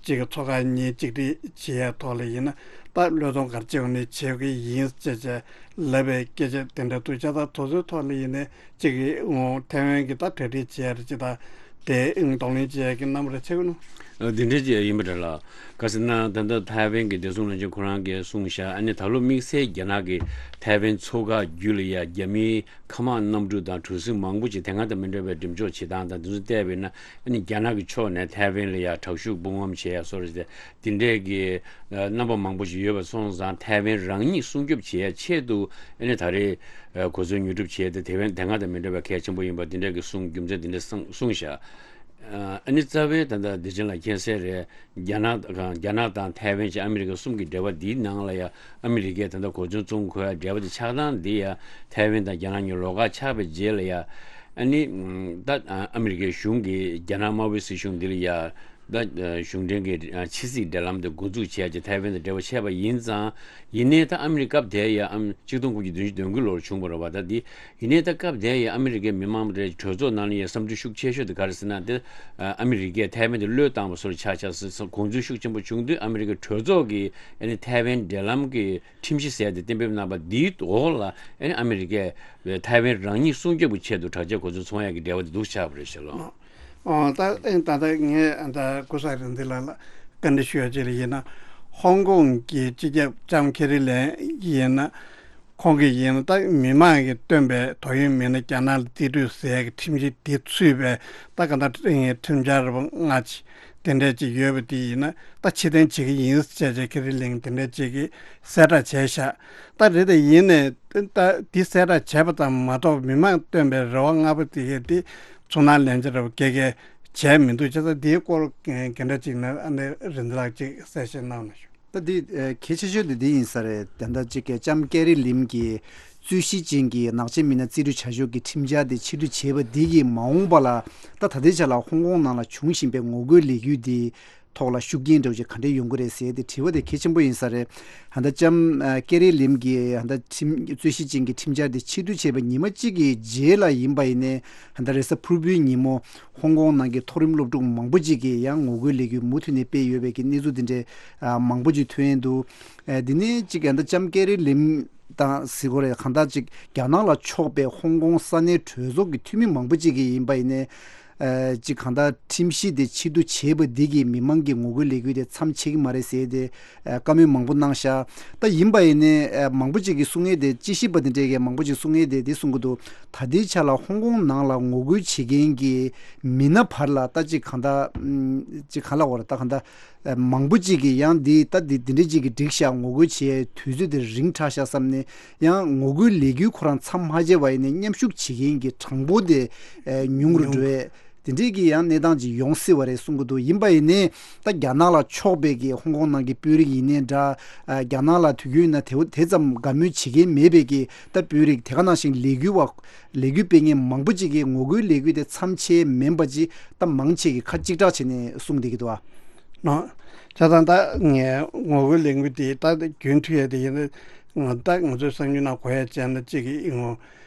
ཅིག་ཚོགས་ཁག་གཉིས་གཅིག་སྒྲིལ་བྱེད་ཡས་ཐོག་ལ་ཡིན་ན་ད་བློས་གཏོང་ག་རེ་བྱེད་དགོས་ནས་བྱེད་ཀྱི་ཡིན་ཅེས་བྱས་ལབ་པའི་སྐད་ཆ་དེ་འདྲ་འདུག་བྱས་ཙང་དེ་ཚོའི་ཐོག་ལ་ཡིན་ནའི་ཅིག་ཐའེ་ཝན་གྱིས་ད་གྲ་སྒྲིག་བྱེད་ཡ་རེད་ཅེས་དང་དེ་གདོང་ལེན་བྱེད་ཡ་གི་རྣམ་པ་རེ་ཆགས་ཀྱི་འདུག་འདི་འདྲ་ཅིག་ཡིན་པ་འདྲ་ལ། ག་ཟེར་ན་ད་ལྟ་ཐའེ་ཝན་གྱི་བདེ་སྲུང་བློན་ཆེན་ཁོ་རང་གིས་གསུངས་ཤག་ཨ་ནི་ད་ལོ་དམིགས་བསལ་རྒྱ་ནག་གིས་ཐའེ་ཝན་མཚོ་འགག་བརྒྱུད་ལ་ཡ་རྒྱ་མིའི་མཁའ་དམག་གནམ་གྲུ་དང་གྲུ་གཟིངས་མང་པོ་ཅིག་དེ་སྔ་དང་མི་འདྲ་བའི་འགྲེམས་འཇོག་བྱེད་སྟངས་དང་དེ་ཚོ་བལྟས་པ་ཡིན་ན། ཨ་ནི་རྒྱ་ནག་གི་ཕྱོགས་ནས་ཐའེ་ཝན་ལ་ཡ་དྲག་ཤུགས་དཔུང་དམ་བྱེད་ཡ་སོགས་རེད། དེ་འདྲས་ཀྱི་རྣམ་པ་མང་པོ་ཞིག་ཡོད་པ་སོང་ཙང་ཐའེ་ཝན་རང་ཉིད་སྲུང་སྐྱོབ་བྱེད་ཡ་ཆེད་དུ་ཨ་ནི་ད་རེས་གོ་མཚོན་ཉོ་སྒྲུབ་བྱས་ཏེ་ཐའེ་ཝན་དེ་སྔ་དང་མི་འདྲ་བའི་གལ་ཆེན་པོ་ཡིན་པ་དེ་འདྲ་གི་གསུང་རྒྱུ་མཚན་དེ་འདྲ་གསུངས་གསུངས་ཤག་ཨ་ནི་རྩ་བའི་ད་ལྟ་བདེ་ཆེན་ལགས་མཁྱེན་གསལ་རེད། རྒྱ་ནག་དང་རྒྱ་ནག་དང་ཐའེ་ཝན་བཅས་ཨ་མི་རི་ཀ་གསུམ་གྱི་འབྲེལ་བ་འདིའི་ནང་ལ་ཡ་ཨ་མི་རི་ཀས་ད་ལྟ་གོ་མཚོན་བཙོང་དགོས་ཡ་འབྲེལ་བ་དེ་ཆགས་སྟངས་འདི་ཡ་ཐའེ་ཝན་དང་རྒྱ་ནག་གཉིས་ལོགས་ཀ་ཆགས་པའི་རྗེས་ལ་ཡ་ཨ་ནི་ད་ཨ་མི་རི་ཀའི་གཞུང་གིས་རྒྱ་ནག་དམར་པོའི་སྲིད་གཞུང་འདི་ལ་ཡ། ད་གཞུང་འབྲེལ་གྱི་ཕྱི་སྲིད་འབྲེལ་ལམ་དེ་འགོ་འཛུགས་བྱས་རྗེས་ཐའེ་ཝན་དང་འབྲེལ་བ་བྱས་པ་ཡིན་ཙང་། ཡིན་ནའི་ད་ཨ་མི་རི་ཀ་སྐབས་དེ་ཡ་ཨམ་གཅིག་སྟོང་དགུ་བརྒྱ་བདུན་ཅུ་དོན་དགུ་ལོར་བྱུང་བ་རེད་བ། ད་འདི་ཡིན་ནའི་ད་སྐབས་དེ་ཡ་ཨ་མི་རི་ཀའི་མི་མང་རེ་གྲོས་ཚོགས་ནང་ལ་ཡ་བསམ་ཚུལ་ཤུགས་ཆེ་ཤོས་དེ་ག་རེ་ཟེར་ན། དེ་ཨ་མི་རི་ཀས་ཐའེ་ཝན་དེ་བློས་བཏང་བ་སོར་ཆགས་ཆགས་ཟེར་དགོངས་ཚུལ་ཤུགས་ཆེན་པོ་བྱུང་དུས་ཨ་མི་རི་ཀའི་གྲོས་ཚོགས་ཀྱིས་ཨ་ནི་ཐའེ་ཝན་འབྲེལ་ལམ་གྱི་ཁྲིམས་གཞི་ཟེར་དེ་གཏན་འབེབས་གནང་བ་འདིའི་འོག་ལ་ཨ་ནི་ཨ་མི་རི་ཀས་ཐའེ་ཝན་རང་ཉིད་སྲུང་སྐྱོབ་ཀྱི་ཆེད་དུ་དྲག་ཆས་གོ་མཚོན་ཚོང་ཡག་གི་འབྲེལ་བ་དེ་འདུག་ཆགས་པ་རེད་ཤག་ལགས། ཨོ་ད་ཨེ་ད་ལྟ་ངས་ད་ལྟ་ཀུ་ས་རིན་འདི་ལ་ལ་བཀའ་འདྲི་ཞུ་ཡ་ཅིག་ལ་ཡིན་ན། ཧོང་ཀོང་གི་སྤྱི་ཁྱབ་ལྕམ་ཁེ་རི་ལེམ་ཡིན་ན་ཁོང་གིས་ཡིན་ན་ད་མི་མང་གིས་བཏོན་པའི་དོ་དབྱིངས་མེད་ན་རྒྱ་ནག་ལ་རྩིས་སྤྲོད་ཟེར་ཡ་གི་ཁྲིམས་གཞི་དེ་ཚུད་པའི་ད་ག་ད་ཁྲིམས་འཆར་ར་ལྔ་ཅིག་དེ་འདྲས་ཅིག་ཡོད་པ་དེ་ཡིན་ན་ད་ཕྱིར་འཐེན་བྱེད་ཀྱི་ཡིན་ཟེར་བྱས་ཁེ་རི་ལེམ་དེ་འདྲས་ཅིག་གིས་གསལ་བསྒྲགས་བྱས་ཤག་ད་རེད་དེ་ཡིན་ནས་ད་འདི་གསལ་བསྒྲགས་བྱས་པ་ཙམ་མ་གཏོགས་མི་མང་བཏོན་པའི་རེ་བ་ལྔ་པོ་དེ་གས་དེ་ཚུར་སྣང་ལན་ཆ་ར་བ་སྐྱེ་གས་བྱས་མི་འདུག་བྱས་ཙང་འདིའི་སྐོར་ག་འདྲ་ཅིག་ན་ཨ་ནི་རིན་ལགས་ཅིག་གསལ་བཤད་གནང་ན་ཞུ། ད་འདི་ཨ་གལ་ཆེ་ཤོས་དེ་འདི་ཡིན་ས་རེད། ད་ལྟ་ཅིག་གི་ལྕམ་ཀེ་རི་ལེམ་གྱིས་རྩོད་གཞི་ཅན་གྱི་ནག་ཆེན་མི་སྣ་རྩིས་སྤྲོད་བྱ་ཕྱོགས་ཀྱི་ཁྲིམས་འཆར་དེ་ཕྱིར་བསྡུ་བྱས་པ་འདི་གིས་མ་འོངས་པ་ལ་ད་ད་ལྟའི་ཆ་ལ་ཧོང་ཀོང་ནང་ལ་འབྱུང་བཞིན་པའི་ངོ་རྒོལ་ལས་འགུལ་འདི་ཐོག་ལ་ཤུགས་རྐྱེན་འདྲ་བོ་ཅིག་ག་འདྲས་ཡོང་གི་རེད་ཟེར་ཏེ་དྲི་བ་དེ་གལ་ཆེན་པོ་ཡིན་ས་རེད། ད་ལྟ་ལྕམ་ཨ་ཀེ་རི་ལེམ་གྱིས་ད་ལྟ་ཁྲིམས་རྩོད་གཞི་ཅན་གྱི་ཁྲིམས་འཆར་དེ་ཕྱིར་བསྡུ་བྱས་པ་ཉི་མ་གཅིག་གི་རྗེས་ལ་ཡིན་པ་ཡིན་ནའི་ད་ལྟ་རེས་གཟའ་ཕུར་བུའི་ཉིན་མོ་ཧོང་ཀོང་ནང་གི་མཐོ་རིམ་སློབ་ཕྲུག་མང་པོ་ཅིག་གིས་ཡང་ངོ་རྒོལ་ལས་འགུལ་མུ་མཐུད་ནས་སྤེལ་ཡོད་པའི་གི་གནས་ཚུལ་དེ་འདྲའི་ཨ་མང་པོ་ཅིག་ཐོན་ཡོང་འདུག་ཨ་དེ་ནས་གཅིག་ད་ལྟ་ལྕམ་ཀེ་རི་ལེམ་དང་ཟེར་དགོས་རེད། གང་ལྟར་གཅིག་རྒྱ་ནག་ལ་ཕྱོགས་པའི་ཧོང་ཀོང་ས་གནས་གྲོས་ཚོགས་ཀྱི་འཐུས་མི་མང་པོ་ཅིག་གིས་ཡིན་པ་ཡིན་ནའི། ཨ་གཅིག་གང་ལྟར་ཁྲིམས་གཞི་དེ་ཕྱིར་བསྡུ་བྱས་པ་འདི་གིས་མི་མང་གི་ངོ་རྒོལ་ལས་འགུལ་དེ་མཚམས་ཆད་ཀྱི་མ་རེད་ཟེར་ཏེ་ཨ་བཀའ་མོལ་མང་པོ་གནང་ཤག་ད་ཡིན་པ་ཡིན་ནའི་ཨ་མང་པོ་ཅིག་གིས་གསུང་མཁན་དེ་དཔྱད་ཞིབ་པ་དེ་འདྲས་ཀྱིས་མང་པོ་ཅིག་གསུང་མཁན་དེ་འདི་གསུང་གི་འདུག་ད་ལྟའི་ཆ་ལ་ཧོང་ཀོང་ནང་ལ་ངོ་རྒོལ་བྱེད་མཁན་གྱི་མི་སྣ་བར་ལ་ད་གཅིག་གང་ལྟར་ཨམ་གཅིག་གང་ལ་འོ་ར་ད་གང་ལྟར་ཨ་མང་པོ་ཅིག་གིས་ཡང་འདི་ད་འདི་འདི་འདྲས་ཅིག་གིས་འགྲིག་ཤག་ངོ་རྒོལ་བྱེད་དུས་ཚོད་དེ་རིང་དྲགས་ཤག་བསམ་ནས་ཡང་ངོ་རྒོལ་ལས་འགུལ་ཁོ་རང་མཚམས་མ་ཆད་པ་ཡིན་ནའི་མཉམ་ཞུགས་བྱེད་མཁན་གྱི་གྲངས་འབོར་དེ་ཨ་ཉུང་རུ་ཉུང་འགྲོ་ཡས། དེ་འདྲའི་གི་ཡང་གནས་སྟངས་ཅིག་ཡོང་སྲིད་པ་རེད་གསུང་གི་འདུག་ཡིན་པ་ཡིན་ནའི་ད་རྒྱ་ནག་ལ་ཕྱོགས་པའི་གི་ཧོང་ཀོང་ནང་གི་དཔོན་རིགས་ཡིན་ནའི་འདྲ། ཨ་རྒྱ་ནག་ལ་དུས་རྒྱུན་ན་དེ་དེ་ཙམ་དགའ་མོས་བྱེད་མཁན་མེད་པའི་གི་ད་དཔོན་རིགས་དེ་ག་ནང་བཞིན་ལས་འགུལ་བ་ལས་འགུལ་སྤེལ་མཁན་མང་པོ་ཅིག་གིས་ངོ་རྒོལ་ལས་འགུལ་དེ་མཚམས་ཆད་མིན་པ་ཅིག་ད་མང་ཆེ་གིས་ཁ་གཅིག་གྲགས་བྱས་ནས་གསུངས་བསྡད་ཀྱི་འདུག་ཨ། ནོ། བྱས་ཙང་ད་ངས་ངོ་རྒོལ་ལས་འགུལ་དེ་ད་རྒྱུན་མཐུད་ཡས་དེ་ཡིན་ན་ད་ང་ཚོའི་གསར་འགྱུར་ནང་གོ་ཡས་བྱས་ན་གཅིག་གི་ཨིན་ངོ་།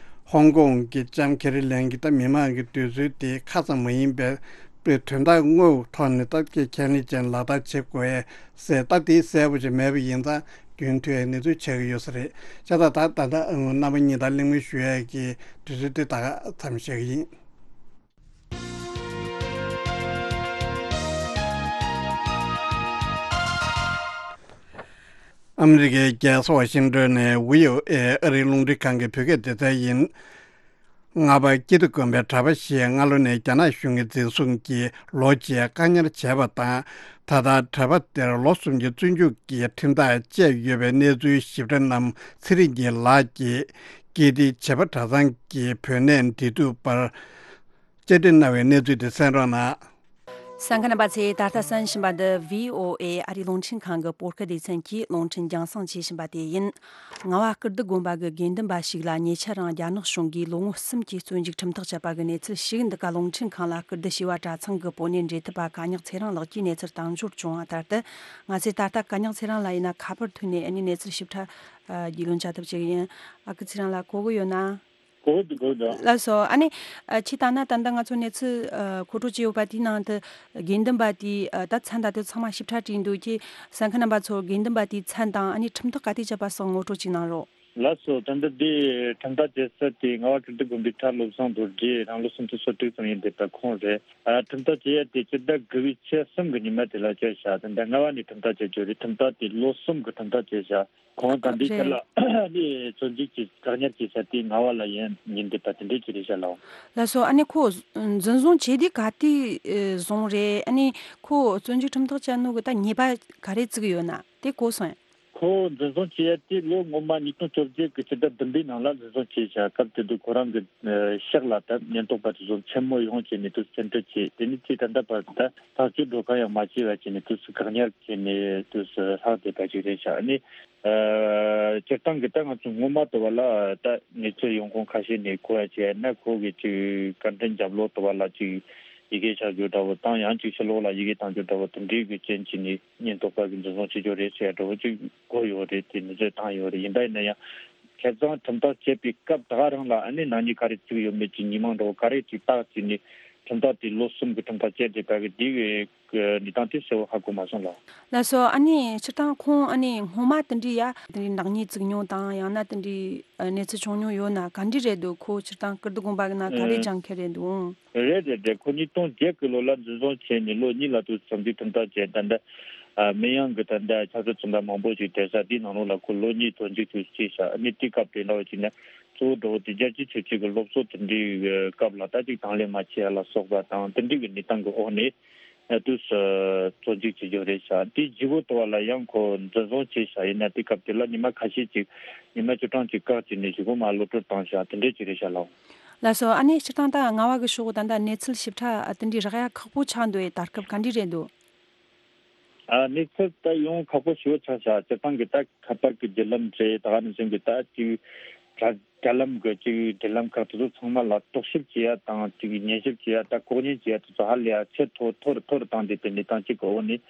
ཧོང་ཀོང་གི་ལྕམ་ཁེ་རི་ལེམ་གྱིས་ད་མི་མང་གི་འདོད་ཚུལ་དེ་ཁ་ཙམ་མ་ཡིན་པའི་པའི་དོན་དག་དངོས་ཐོག་ནས་ད་ཀྱི་ཁས་ལེན་ཅན་ལག་བསྟར་བྱེད་དགོས་ཡས་ཟེར། ད་དེ་གསལ་པོ་ཅིག་མེད་པ་ཡིན་ཙང་རྒྱུན་མཐུད་ཡས་གནས་ཚུལ་ཆགས་ཀྱི་ཡོད་ས་རེད། བྱས་ཙང་ད་ད་ལྟ་རྣམ་པ་གཉིས་དང་གླེང་མོལ་ཞུ་ཡས་ཀྱི་དུས་ཚོད་དེ་ད་ག་མཚམས་བཞག་གི་ཡིན། ཨ་མི་རི་ཀའི་རྒྱལ་ས་ཝ་ཤིང་ཏོན་ནས་བྷི་ཨོ་ཨེ་ཨ་རིའི་རླུང་འཕྲིན་ཁང་གི་བོད་སྐད་སྡེ་ཚན་ཡིན། རྔ་པ་སྐྱིད་སྡུག་དགོན་པའི་གྲྭ་པ་ཞིག་སྔ་ལོ་ནས་རྒྱ་ནག་གཞུང་གིས་འཛིན་བཟུང་གིས་ལོ་བརྒྱད་བཀག་ཉར་བྱས་པ་དང་། ད་ལྟ་གྲྭ་པ་དེར་ལོ་གསུམ་གྱི་བཙོན་འཇུག་གི་ཁྲིམས་ཐག་བཅད་ཡོད་པའི་གནས་ཚུལ་ཞིབ་ཕྲ་རྣམས་ཚེ་རིང་སྐྱིད་ལགས་ཀྱིས་ཀིརྟི་བྱེས་པ་གྲྭ་ཚང་གི་བུད་མེད་འབྲེལ་གཏུག་པར་བཅར་འདྲི་གནང་བའི་གནས་ཚུལ་དེ་གསན་རོགས་གནང་། གསན་མཁན་རྣམ་པ་ཚོས་ད་ལྟ་གསན་བཞིན་པ་འདི་བྷི་ཨོ་ཨེ་ཨ་རིའི་རླུང་འཕྲིན་ཁང་གི་བོད་སྐད་སྡེ་ཚན་གྱི་རླུང་འཕྲིན་རྒྱང་སྲིང་བྱེད་བཞིན་པ་དེ་ཡིན། རྔ་བ་ཀིརྟི་དགོན་པ་གི་དགེ་འདུན་པ་ཞིག་ལ་ཉེ་ཆར་རང་རྒྱ་ནག་གཞུང་གིས་ལོ་ངོ་གསུམ་གྱི་བཙོན་འཇུག་ཁྲིམས་ཐག་བཅད་པ་གི་གནས་ཚུལ་ཞིག་འདི་ག་རླུང་འཕྲིན་ཁང་ལ་ཀིརྟི་བྱེས་པ་གྲྭ་ཚང་གི་བུད་མེད་འབྲེལ་མཐུད་པ་ག་ཉག་ཚེ་རིང་ལགས་ཀྱིས་གནས་ཚུལ་བཏང་འབྱོར་བྱུང་བ་ལྟར་དུ། ང་ཚོས་ད་ལྟ་ག་ཉག་ཚེ་རིང་ལགས་ཡིན་ན་ཁ་པར་ཐོག་ནས་ཨ་ནི་གནས་ཚུལ་ཞིབ་ཕྲ་ཨ་རྒྱུས་ལོན་བྱ་ཐབས་བྱེད་ཀྱི་ཡིན། ཨ་ཁུ་ཚེ་རིང་ལགས་གོ་གི་ཡོད་ན། གོ་འདུག་གོ་འདུག་ལགས་སོ། ཨ་ནི་ཨ་ཁྱེད་ལྟ་ན་ད་ལྟ་ང་ཚོ་གནས་ཚུལ་ཨ་མཁོ་སྤྲོད་བྱས་ཡོད་པ་དེའི་ནང་དུ་དགེ་འདུན་པ་དེའི་ཨ་ད་མཚན་ད་དུང་ཚང་མ་ཞིབ་ཕྲ་བྲིས་འདུག་ཁྱེད་གསན་མཁན་རྣམ་པ་ཚོར་དགེ་འདུན་པ་དེའི་མཚན་དང་ཨ་ནི་ཁྲིམས་ཐག་ག་དུས་བཅད་པ་སོགས་ངོ་སྤྲོད་ཅིག་གནང་རོགས། ལགས་སོ། ད་ལྟ་འདི་ཁྲིམས་ཐག་བཅད་ས་དེ་རྔ་བ་ཀིརྟི་དགོན་པའི་གྲྭ་བློ་བཟང་རྡོ་རྗེ་རང་ལོ་སུམ་ཅུ་སོ་དྲུག་ཙམ་ཡིན་བསྡད་པ་ཁོང་རེད། ཨ་ཁྲིམས་ཐག་བཅད་ཡ་དེ་སྤྱི་ཟླ་དགུ་པའི་ཚེས་གསུམ་གྱི་ཉི་མ་དེ་ལ་བཅད་བཞག་ད་ལྟ་རྔ་བ་ནས་ཁྲིམས་ཐག་བཅད་རྒྱུ་རེད། ཁྲིམས་ཐག་དེ་ལོ་གསུམ་གྱི་ཁྲིམས་ཐག་བཅད་བཞག་ཁོང་ད་འདི་ཆ་རེད། ལ་ནི་བཙོན་འཇུག་གི་བཀག་ཉར་བྱེད་ས་དེ་རྔ་བ་ལ་ཡིན་ཡིན་བསྡད་པ་དེ་འདྲའི་ཅིག་རེད་ཤག་ལགས། ལགས་སོ། ཨ་ནི་ཁོ་འཛིན་བཟུང་བྱས་དུས་ག་དུས་ཨེ་བཟུང་རེད། ཨ་ནི་ཁོ་བཙོན་འཇུག་ཁྲིམས་ཐག་བཅད་ནོ་གི་ད་ཉེས་པ་ག་རེ་བཙུགས་ཡོད་ན་དེ་གོ་སོང་ཡ། ཁོ་འཛིན་བཟུང་བྱས་ཡ་དེ་ལོ་སྔོན་མ་ཉིས་སྟོང་བཅོ་བརྒྱད་ཀྱི་ཕྱི་ཟླ་བདུན་པའི་ནང་ལ་འཛིན་བཟུང་བྱས་ཤག་སྐབས་དེ་དུས་ཁོ་རང་གི་ཨེ་ཕྱག་ལ་ད་ཉེན་རྟོག་པ་དེ་ཚོ་མཚན་མོ་ཡོང་བྱས་ནས་དུ་བཙན་ཁྲིད་བྱས། དེ་ནས་དེ་ད་ལྟ་བར་དུ་ད་ཐག་གཅོད་འགྲོ་ཁ་ཡང་མ་བྱས་པ་བྱས་ནས་དུས་སུ་བཀག་ཉར་བྱས་ནས་དུས་སུ་ལྷག་བསྡད་པ་ཅིག་རེད་ཤག་ཨ་ནི། ཨ་སྤྱིར་བཏང་གི་ད་ང་ཚོ་སྔོན་མ་དུ་བ་ལ་ད་གནས་ཚུལ་ཡོང་ཁུངས་ཁ་ཤས་ནས་གོ་ཡ་བྱས་ན་ཁོ་གི་ཅིག་བཀའ་དྲིན་རྒྱབ་ལོགས་དུ་བ་ལ་ཅིག་ཡི་གེ་བཞག་རྒྱུ་འདྲ་བོ་དང་ཡང་ཅིག་ཕྱི་ལོགས་ལ་ཡི་གེ་བཏང་རྒྱུ་འདྲ་བོ་དེ་འདྲའི་གི་རྐྱེན་གྱིས་ནི་ཉེན་རྟོག་པ་གི་འཛིན་བཟུང་བྱེད་རྒྱུ་རེད་ཟེར་ཡ་འདྲ་བོ་ཅིག་གོ་ཡོད་རེད། དེ་ནི་ཚོད་བཏང་ཡོད་རེད། ཡིན་པ་ཡིན་ན་ཡང་ཁ་སང་ཁྲིམས་ཐག་བཅད་པའི་སྐབས་ད་ག་རང་ལ་ཨ་ནི་ནག་ཉེས་ག་རེ་བཙུགས་ཡོད་མེད་ཀྱི་ཉི་མ་འདྲ་བོ་ག་རེ་ཅིག་བཏགས་ཀྱི་ནི་ཁྲིམས་ཐག་དེ་ལོ་གསུམ་གི་ཁྲིམས་ཐག་བཅད་བསྡད་པ་གི་དེ་གི་གནས་སྟངས་དེ་གསལ་བོ་ཧ་གོ་མ་སོང་ལགས། ལགས་སོ། ཨ་ནི་སྤྱིར་བཏང་ཁོང་ཨ་ནི་སྔོན་མ་དེ་འདྲའི་ཡ་དེ་འདྲའི་ནག་ཉེས་བཙུགས་མྱོང་དང་ཡང་ན་དེ་འདྲའི་ཨ་གནས་ཚུལ་བྱུང་མྱོང་ཡོད་ན་ག་འདྲ་རེད་འདུག་ཁོ་སྤྱིར་བཏང་ཀིརྟི་དགོན་པ་གི་ནང་ག་རེ་ཨེ། སྦྱང་མཁན་རེད་འདུག་རེད་རེད་རེད། ཁོ་ཉིས་སྟོང་བརྒྱད་གི་ལོ་ལ་འཛིན་བཟུང་བྱས་ནས་ལོ་གཉིས་ལ་དུ་བཙོན་འཇུག་ཁྲིམས་ཐག་བཅད། ད་ལྟ་ཨ་མི་ཡང་གི་ད་ལྟ་ཆབ་སྲིད་བཙོན་པ་མང་པོ་ཞིག་བསྡད་ས་འདིའི་ནང་ལོགས་ལ་ཁོ་ལོ་གཉིས་བཙོན་འཇུག་ཏུ་བྱས་ཤག་ཨ་ནི་དེའི་སྐབས་དེ་འདྲ་བ་ཅིག་ན་གཙོ་བོ་འདྲ་བོ་དེ་རྒྱལ་སྤྱིའི་ཆོས་བརྒྱུད་ཀྱི་སློབ་གསོ་དེ་འདྲའི་སྐབས་ལ་ད་ཅིག་དང་ལེན་མ་བྱས་ལ་སོགས་པ་དང་དེ་འདྲའི་གི་གནས་སྟངས་ཀྱི་འོག་ནས། ཨ་དུས་སུ་བཙོན་འཇུག་བྱེད་རྒྱུ་རེད་ཤག་དེའི་རྗེས་པོ་དུ་བ་ལ་ཡང་ཁོ་འཛིན་བཟུང་བྱས་ཤག་ཡིན་ན་དེ་སྐབས་དེ་ལ་ཉི་མ་ཁ་ཤས་ཅིག་ཉི་མ་བཅུ་གྲངས་ཅིག་བཀག་བྱས་ནས་གཞུག་གུ་མར་གློད་གྲོལ་བཏང་ཤག་དེ་འདྲས་ཅིག་རེད་ཤག་ལགས། ལགས་སོ། ཨ་ནི་སྤྱིར་བཏང་ད་རྔ་བ་གི་ཕྱོགས་ད་ལྟ་གནས་ཚུལ་ཞིབ་ཕྲ་ཨ་དེ་འདྲའི་རག་ཡ་ཁག་པོ་ཆགས་འདུག་ཨེ། ད་སྐབས་ག་འདྲས་རེད་འདུག་ཨ་གནས་ཚུལ་ད་ཡོང་ཁག་པོ་ཞེ་པོ་ཆགས་ཤག་སྤྱིར་བཏང་གི་ད་ཁ་པར་གི་བརྒྱུད་ལམ་རེད། ད་ག་ནང་བཞིན་གི་ད་ཅིག་དྲ་དྲ་ལམ་གི་ཅིག་འབྲེལ་ལམ་ཁག་དེ་ཚོ་ཚང་མ་ལ་རྟོག་ཞིབ་བྱེད་ཡ་དང་ཅིག་ཉན་ཞིབ་བྱེད་ཡ་ད་ལྐོག་ཉན་བྱེད་ཡ་དེ་ཚོ་ཧ་ལས་ཡ་ཆེས་མཐོ་མཐོ་རུ་མཐོ་རུ་བཏང་བསྡད་པའི་གནས་སྟངས་ཅིག་གི་འོག་ནས།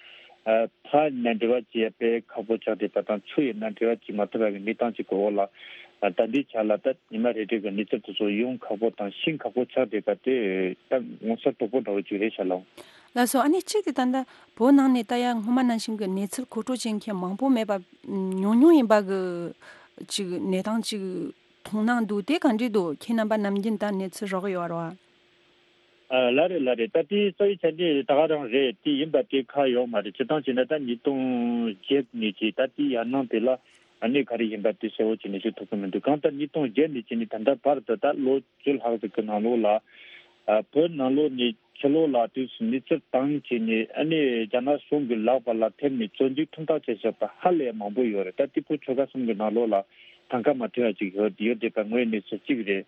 ཨ་ཕར་ནས་འབྲེལ་བ་བྱེད་ཡ་དཔེ་ཁག་པོ་ཆགས་བསྡད་པ་དང་ཚུར་ཡིན་ན་འབྲེལ་བ་བྱེད་མ་ཐུབ་པ་གི་གནས་སྟངས་ཅིག་གི་འོག་ལ། ཨ་ད་འདིའི་ཆ་ལ་ད་ཉི་མ་རེ་རེ་གི་གནས་ཚུལ་དེ་ཚོ་ཡོང་ཁག་པོ་དང་ཤེས་ཁག་པོ་ཆགས་བསྡད་པ་དེ་ད་ངོ་མཚར་དོག་པོ་འདྲ་བོ་ཅིག་རེད་ཤག་ལགས། ལགས་སོ། ཨ་ནི་གཅིག་དེ་ད་ལྟ་བོད་ནང་ནས་ད་ཡ་སྔོན་མ་ནང་བཞིན་གྱི་གནས་ཚུལ་མཁོ་སྤྲོད་བྱེད་མཁན་མང་པོ་མེད་པ། ཉུང་ཉུང་ཡིན་པ་གི་ཅིག་གནས་སྟངས་ཅིག་མཐོང་སྣང་འདུག་དེ་ག་འདྲས་འདུག་ཁྱེད་རྣམ་པ་ནམ་རྒྱུན་ད་གནས་ཚུལ་རག་ཡོད་རེད་བ། ཨ་ལགས་རེད་ལགས་རེད། ད་དེ་རྩ་བའི་ཆ་ནས་ད་ག་རང་རེད། དེ་ཡིན་པ་དེ་ཁ་ཡོད་མ་རེད། སྤྱིར་བཏང་བྱས་ན་ད་ཉིས་སྟོང་བརྒྱད་ནས་ཀྱི་ད་དེ་ཡར་ནང་དེ་ལ་ཨ་ནི་ག་རེ་ཡིན་པ་དེ་གསལ་བོ་བྱས་ནས་ཞུ་ཐུབ་ཀྱི་མི་འདུག་གང་ལྟར་ཉིས་སྟོང་བརྒྱད་ནས་བྱས་ནས་ད་ལྟ་བར་དུ་ད་ལོ་བཅུ་ལྷག་ཙམ་གྱི་ནང་ལོགས་ལ། ཨ་བོད་ནང་ལོགས་ནས་ཕྱི་ལོགས་ལ་དུས་སུ་མི་ཚེ་བཏང་བྱས་ནས་ཨ་ནི་རྒྱ་ནག་གཞུང་གི་ལག་པ་ལ་ཐེབས་ནས་བཙོན་འཇུག་ཁྲིམས་ཐག་བཅད་བཞག་པ་ཧ་ལས་མང་པོ་ཡོད་རེད། ད་དེ་ཁོ་ཆོལ་ཁ་གསུམ་གྱི་ནང་ལོགས་ལ་ཐང་ཀ་མ་མཐུན་པ་ཅིག་ཡོད་ཡོད་བསྡད་པ་དངོས་གནས་སུ་གཅིག་རེད།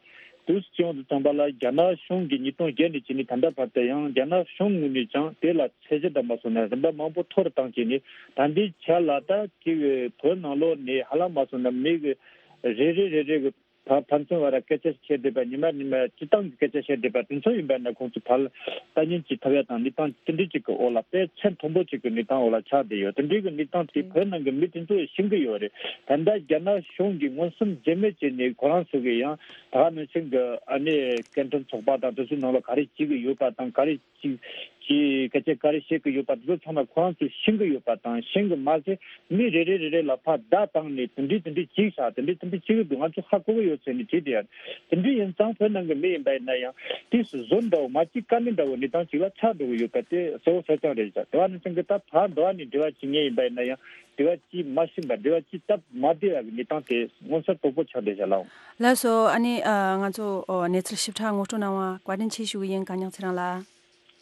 དུས་སུ་བྱུང་དུ་བཏང་པ་ལ་རྒྱ་ནག་གཞུང་གིས་ཉིས་སྟོང་བརྒྱད་ནས་བྱས་ནས་ད་ལྟ་བར་དུ་ཡང་རྒྱ་ནག་གཞུང་ངོས་ནས་ཀྱང་དེ་ལ་ཚད་གཞི་འདྲ་མ་སོང་ན་རིམ་པ་མང་པོ་མཐོ་རུ་བཏང་བྱས་ནས་ད་ལྟའི་ཆ་ལ་ད་ཅིག་བོད་ནང་ལོགས་ནས་ཧ་ལམ་མ་སོང་ན་མི་གི་རེ་རེ་རེ་རེ་གི་ཕ་ཕན་ཚུན་བར་སྐད་ཆ་བཤད་བསྡད་པ་ཉི་མ་ཉི་མ་སྤྱི་བཏང་གི་སྐད་ཆ་བཤད་བསྡད་པ་དེ་ཚོ་ཡིན་པ་ན་ཁོང་ཚོ་ཕར་ལྟ་ཉན་གྱི་ཐུབ་ཡ་དང་གནས་སྟངས་དེ་འདྲ་ཅིག་གི་འོག་ལ་དཔེ་ཚད་མཐོན་པོ་ཅིག་གི་གནས་སྟངས་འོག་ལ་ཆགས་བསྡད་ཡོད། དེ་འདྲའི་གི་གནས་སྟངས་དེ་བོད་ནང་གི་མི་དེ་ཚོ་ཤེས་ཀྱི་ཡོད་རེད། ད་ལྟ་རྒྱ་ནག་གཞུང་གིས་མངོན་སུམ་རྗེས་མོ་བྱས་ནས་ཁོ་རང་ཚོ་གི་ཡང་ད་ག་ནང་བཞིན་གི་ཨ་ནི་སྐད་འཕྲིན་ཚོགས་པ་དང་དེ་ཚོའི་ནང་ལ་ག་རེ་བྱེད་ཀྱི་ཡོད་པ་དང་ག་རེ་ཅིག་ཅིག་སྐད་ཆ་ག་རེ་བཤད་ཀྱི་ཡོད་པ་དེ་ཚོ་ཚང་མ་ཁོ་རང་ཚོས་ཤེས་ཀྱི་ཡོད་པ་དང་ཤེས་ཀྱི་མ་ཟད་མི་རེ་རེ་རེ་རེ་ལ་ཕར་བརྡ་བཏང་ནས་དེ་འདྲའི་དེ་འདྲའི་ཅིག་བྱ་དེ་འདྲའི་དེ་འདྲའི་ཅིག་འདུག་ང་ཚོ་ཧ་གོ་གི་ཡོད་ཟེར་ནས་བྲིས་ཏེ་ཡ། དེ་འདྲའི་ཡིན་ཙང་བོད་ནང་གི་མི་ཡིན་པ་ཡིན་ན་ཡང་དེ་སུ་བཟོ་འདྲ་བོ་མ་གཅིག་དཀའ་ལས་འདྲ་བོ་གནས་སྟངས་ཅིག་ལ་ཆགས་འགྲོ་གི་ཡོད་པ་དེ་གསལ་བོ་གསལ་རྐྱང་རེད་ཤག་དེ་བ་ནི་ཚང་གི་ད་ཕར་འགྲོ་བ་ནས་འབྲེལ་བ་བྱེད་མཁན་ཡིན་པ་ཡིན་ན་ཡང་། འབྲེལ་བ་ཅིག་མ་ཤེས་པ། འབྲེལ་བ་ཅིག་སྟབས་མ་བདེ་བ་གི་གནས་སྟངས་དེ་མངོན་གསལ་དོད་པོ་ཆགས་བསྡད་ཤག་ལགས། ལགས་སོ། ཨ་ནི་ཨ་ང་ཚོ་ཨོ་གནས་ཚུལ་ཞིབ་ཕྲ་ངོ་སྤྲོད་གནང་བ་བཀའ་དྲིན་ཆེ་ཞུ་གི་ཡིན། དཀོན་མཆོག་ཚེ་རིང་ལགས།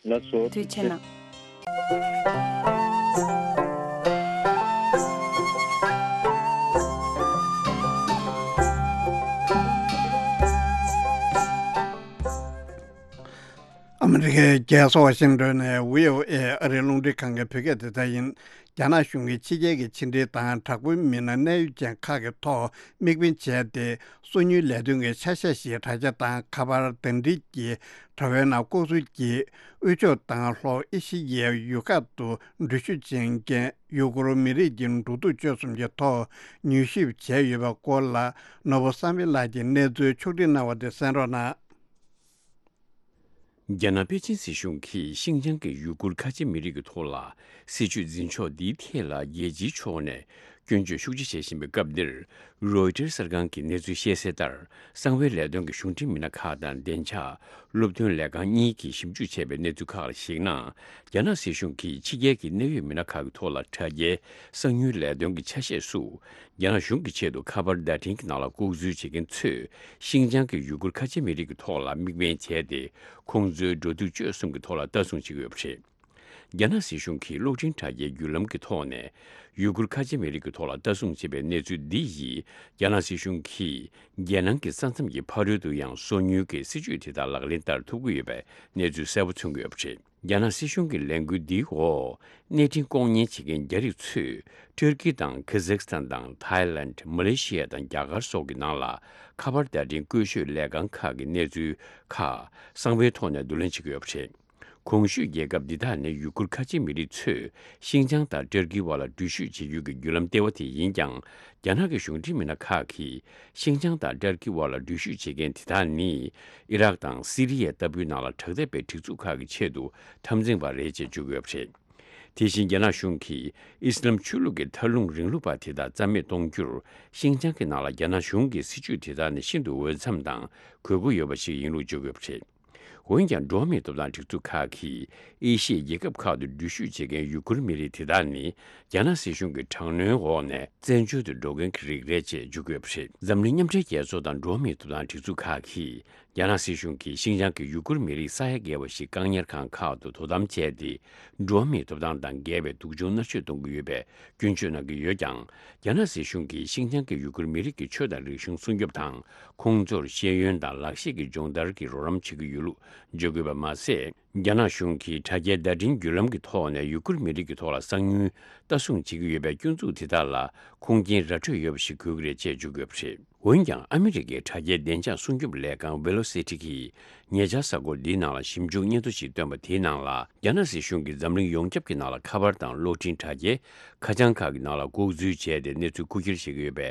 ལགས་སོ། ཐུགས་རྗེ་གནང་། ཨ་མི་རི་ཀའི་རྒྱལ་ས་ཝ་ཤིང་ཏོན་ནས་བྷི་ཨོ་ཨེ་ཨ་རིའི་རླུང་འཕྲིན་ཁང་གི་བོད་སྐད་སྡེ་ཚན་ཡིན། རྒྱ་ནག་གཞུང་གིས་ཕྱི་རྒྱལ་གྱི་ཕྱི་འབྲེལ་དང་དྲག་པོའི་མི་སྣ་གནད་ཡོད་ཅན་ཁག་གི་ཐོག་དམིགས་འབེན་བྱས་ཏེ། སོ་ཉུལ་ལས་དོན་གྱི་ཆ་ཤས་ཤིག་དྲ་རྒྱ་དང་ཁ་པར་བརྡ་འཕྲིན་གྱི་དྲ་བའི་ནང་ལྐོག་འཛུལ་གྱིས་དབུས་ཕྱོགས་དང་ལྷོ་ཨེ་ཤི་ཡའི་ཡུལ་ཁག་ཏུ་འགྲུལ་བཞུད་བྱེད་མཁན་ཡུ་གུར་མི་རིགས་ཀྱི་འགྲོ་འདུག་སྤྱོད་གསུམ་གྱི་ཐོག་མྱུལ་ཞིབ་བྱས་ཡོད་པའི་སྐོར་ལ། ནོར་བུ་བསམ་འཕེལ་ལགས་ཀྱིས་གནས་ཚུལ་ཕྱོགས་སྒྲིག་གནང་བ་དེ་གསན་རོགས་གནང་། རྒྱ་ནག་པེ་ཅིན་སྲིད་གཞུང་གིས་ཤིན་ཅང་གི་ཡུ་གུར་ཁ་ཆེ་མི་རིགས་ཀྱི་ཐོག་ལ་སྲིད་བྱུས་འཛིན་ཕྱོགས་འདིའི་ཐད་ལ་རྒྱལ་སྤྱིའི་ཕྱོགས་ནས་སྐྱོན་བརྗོད་ཤུགས་ཆེ་བྱེད་བཞིན་པའི་སྐབས་འདིར། རོའི་ཊར་གསར་ཁང་གིས་གནས་ཚུལ་བཤད་གསལ་ལྟར། གསང་བའི་ལས་དོན་གྱི་གཞུང་འབྲེལ་མི་སྣ་ཁག་དང་བདེ་འཇགས་སློབ་སྟོན་ལས་ཁང་གཉིས་ཀྱིས་ཞིབ་འཇུག་བྱས་པའི་གནས་ཚུལ་ཁག་ལ་གཞིགས་ན། རྒྱ་ནག་སྲིད་གཞུང་གིས་ཕྱི་རྒྱལ་གྱི་གནད་ཡོད་མི་སྣ་ཁག་གི་ཐོག་ལ་དྲ་རྒྱའི་གསང་ཉུལ་ལས་དོན་གྱི་ཆ་ཤས་སུ། རྒྱ་ནག་གཞུང་གི་ཆེད་དུ་ཁ་པར་བརྡ་འཕྲིན་གྱི་ནང་ལ་ལྐོག་འཛུལ་བྱེད་མཁན་ཚོས་ཤིན་ཅང་གི་ཡུ་གུར་ཁ་ཆེ་མི་རིགས་ཀྱི་ཐོག་ལ་དམིགས་འབེན་བྱས་ཏེ། ཁོང་ཚོའི་འགྲོ་འདུག་སྤྱོད་གསུམ་གྱི་ཐོག་ལ་ལྟ་སྲུང་བྱེད་ཀྱི་ཡོད་པ་རེད། རྒྱ་ནག་སྲིད་གཞུང་གིས་གློག་འཕྲིན་དྲ་རྒྱའི་བརྒྱུད་ལམ་གྱི་ཐོག་ནས་ཡུ་གུར་ཁ་ཆེ་མི་རིགས་ཀྱི་ཐོག་ལ་ལྟ་སྲུང་བྱེད་པའི་གནས་ཚུལ་འདི་ཡིས། རྒྱ་ནག་སྲིད་གཞུང་གིས་རྒྱལ་ནང་གི་ས་མཚམས་ཀྱི་ཕ་རོལ་ཏུ་ཡང་སོ་ཉུལ་གྱི་སྲིད་བྱུས་དེ་དག་ལག་ལེན་བསྟར་ཐུབ་ཀྱི་ཡོད་པའི་གནས་ཚུལ་གསལ་པོ་མཚོན་གྱི་ཡོད་པ་རེད། རྒྱ་ནག་སྲིད་གཞུང་གི་ལས་འགུལ་འདིའི་འོག་གནས་འཕྲིན་ལྐོག་ཉན་བྱེད་མཁན་རྒྱ་རིགས་ཚོས་ཏུར་ཀི་དང་ཁ་ཛག་སི་ཐན་དང་ཐའི་ལན། མ་ལེ་ཤི་ཡ་དང་རྒྱ་གར་སོགས་ཀྱི་ནང་ལ་ཁ་པར་བརྡ་འཕྲིན་བཀོལ་སྤྱོད་ལས་ཁང་ཁག་གི་གནས་ཚུལ་ཁག་གསང་བའི་ཐོག་ནས་བསྡུ་ལེན་བྱེད་ཀྱི་ཡོད་པ་རེད། གོང་ཞུས་རྒྱལ་ཁབ་འདི་དག་ནས་ཡུ་གུར་ཁ་ཆེ་མི་རིགས་ཚོས་ཤིན་ཅང་དང་ཏུར་ཀིའི་བར་ལ་འགྲུལ་བཞུད་བྱེད་རྒྱུ་གི་བརྒྱུད་ལམ་ལྟེ་བ་དེ་ཡིན་ཀྱང་། རྒྱ་ནག་གི་གཞུང་འབྲེལ་མི་སྣ་ཁག་གིས་ཤིན་ཅང་དང་ཏུར་ཀིའི་བར་ལ་འགྲུལ་བཞུད་བྱེད་མཁན་དེ་དག་ནི། ཨི་རག་དང་སི་རི་ཡ་ལྟ་བུའི་ནང་ལ་དྲག་འཐབ་པའི་སྒྲིག་འཛུགས་ཁག་གི་ཆེད་དུ་འཐབ་འཛིང་པ་རེད་ཅེས་བརྗོད་ཀྱི་ཡོད་པ་རེད། དེ་བཞིན་རྒྱ་ནག་གཞུང་གིས་ཨི་སི་ལམ་ཆོས་ལུགས་ཀྱི་མཐའ་ལྷུང་རིང་ལུགས་པ་དེ་དག་རྩ་མེད་གཏོང་རྒྱུར། ཤིན་ཅང་གི་ནང་ལ་རྒྱ་ནག་གཞུང་གི་སྲིད་བྱུས་དེ་དག་ནི་ཤིན་ཏུ་འོས་འཚམ་དང་དགོས་མཁོ་ཡོད་པ་ཞིག་ཡིན་ལུགས་བརྗོད་ཀྱི་ཡོད་པ་རེད། འོན་ཀྱང་། འགྲོ་བ་མིའི་ཐོབ་ཐང་སྒྲིག་འཛུགས་ཁག་གིས་ཨེ་ཤི་ཡའི་རྒྱལ་ཁབ་ཁག་ཏུ་འགྲུལ་བཞུད་བྱེད་མཁན་ཡུ་གུར་མི་རིགས་དེ་དག་ནི། རྒྱ་ནག་སྲིད་གཞུང་གི་དྲག་གནོན་འོག་ནས་བཙན་བྱོལ་དུ་འགྲོ་མཁན་གྱི་རིགས་རེད་ཅེས་བརྗོད་ཀྱི་ཡོད་པ་རེད། འཛམ་གླིང་མཉམ་འབྲེལ་རྒྱལ་ཚོགས་དང་འགྲོ་བ་མིའི་ཐོབ་ཐང་སྒྲིག་འཛུགས་ཁག་གིས། རྒྱ་ནག་སྲིད་གཞུང་གིས་ཤིན་ཅང་གི་ཡུ་གུར་མི་རིགས་ས་ཡ་བརྒལ་བ་ཞིག་བཀག་ཉར་ཁང་ཁག་ཏུ་དོ་དམ་བྱས་ཏེ། འགྲོ་བ་མིའི་ཐོབ་ཐང་དང་འགལ་བའི་སྡུག་སྦྱོང་མནར་གཅོད་གཏོང་གི་ཡོད་པའི་སྐྱོན་བརྗོད་གནང་གི་ཡོད་ཀྱང་། རྒྱ་ནག་སྲིད་གཞུང་གིས་ཤིན་ཅང་གི་ཡུ་གུར་མི་རིགས་ཀྱི་ཆོས་དང་རིག་གཞུང་སྲུང་སྐྱོབ་དང་། ཁོང་ཚོར་ཤེས་ཡོན་དང་ལག་ཤེས་ཀྱི་སྦྱོང་བརྡར་གྱི་རོགས་རམ་བྱེད་ཀྱི་ཡོད་ལུགས་བརྗོད་དགོས་པ་མ་ཟད། རྒྱ་ནག་གཞུང་གིས་དྲ་རྒྱའི་བརྡ་འཕྲིན་བརྒྱུད་ལམ་གྱི་ཐོག་ནས་ཡུ་གུར་མི་རིགས་ཀྱི་ཐོག་ལ་གསང་ཉུལ་ལྟ་སྲུང་བྱེད་ཀྱི་ཡོད་པའི་སྐྱོན་འཛུགས་དེ་དག་ལ་ཁུངས་སྐྱེལ་ར་འཕྲོད་ཡོད་པ་ཞིག་དགོས་ཀྱི་རེད་ཅེས་བརྗོད་ཀྱི་ཡོད་པ་རེད། འོན་ཀྱང་། ཨ་མི་རི་ཀའི་དྲ་རྒྱའི་བདེ་འཇགས་སྲུང་སྐྱོབ་ལས་ཁང་Velocity གིས་ཉེ་ཆར་གཟའ་འཁོར་འདིའི་ནང་ལ་ཞིབ་འཇུག་སྙན་ཐོ་ཞིག་བཏོན་པ་དེའི་ནང་ལ། རྒྱ་ནག་སྲིད་གཞུང་གིས་འཛམ་གླིང་ཡོངས་ཁྱབ་ཀྱི་ནང་ལ་ཁ་པར་དང་གློག་འཕྲིན་དྲ་རྒྱའི་ཁ་བྱང་ཁག་གི་ནང་ལ་ལྐོག་འཛུལ་བྱས་ཏེ་གནས་ཚུལ་རྐུ་འཁྱེར་བྱེད་ཀྱི་ཡོད་པའི་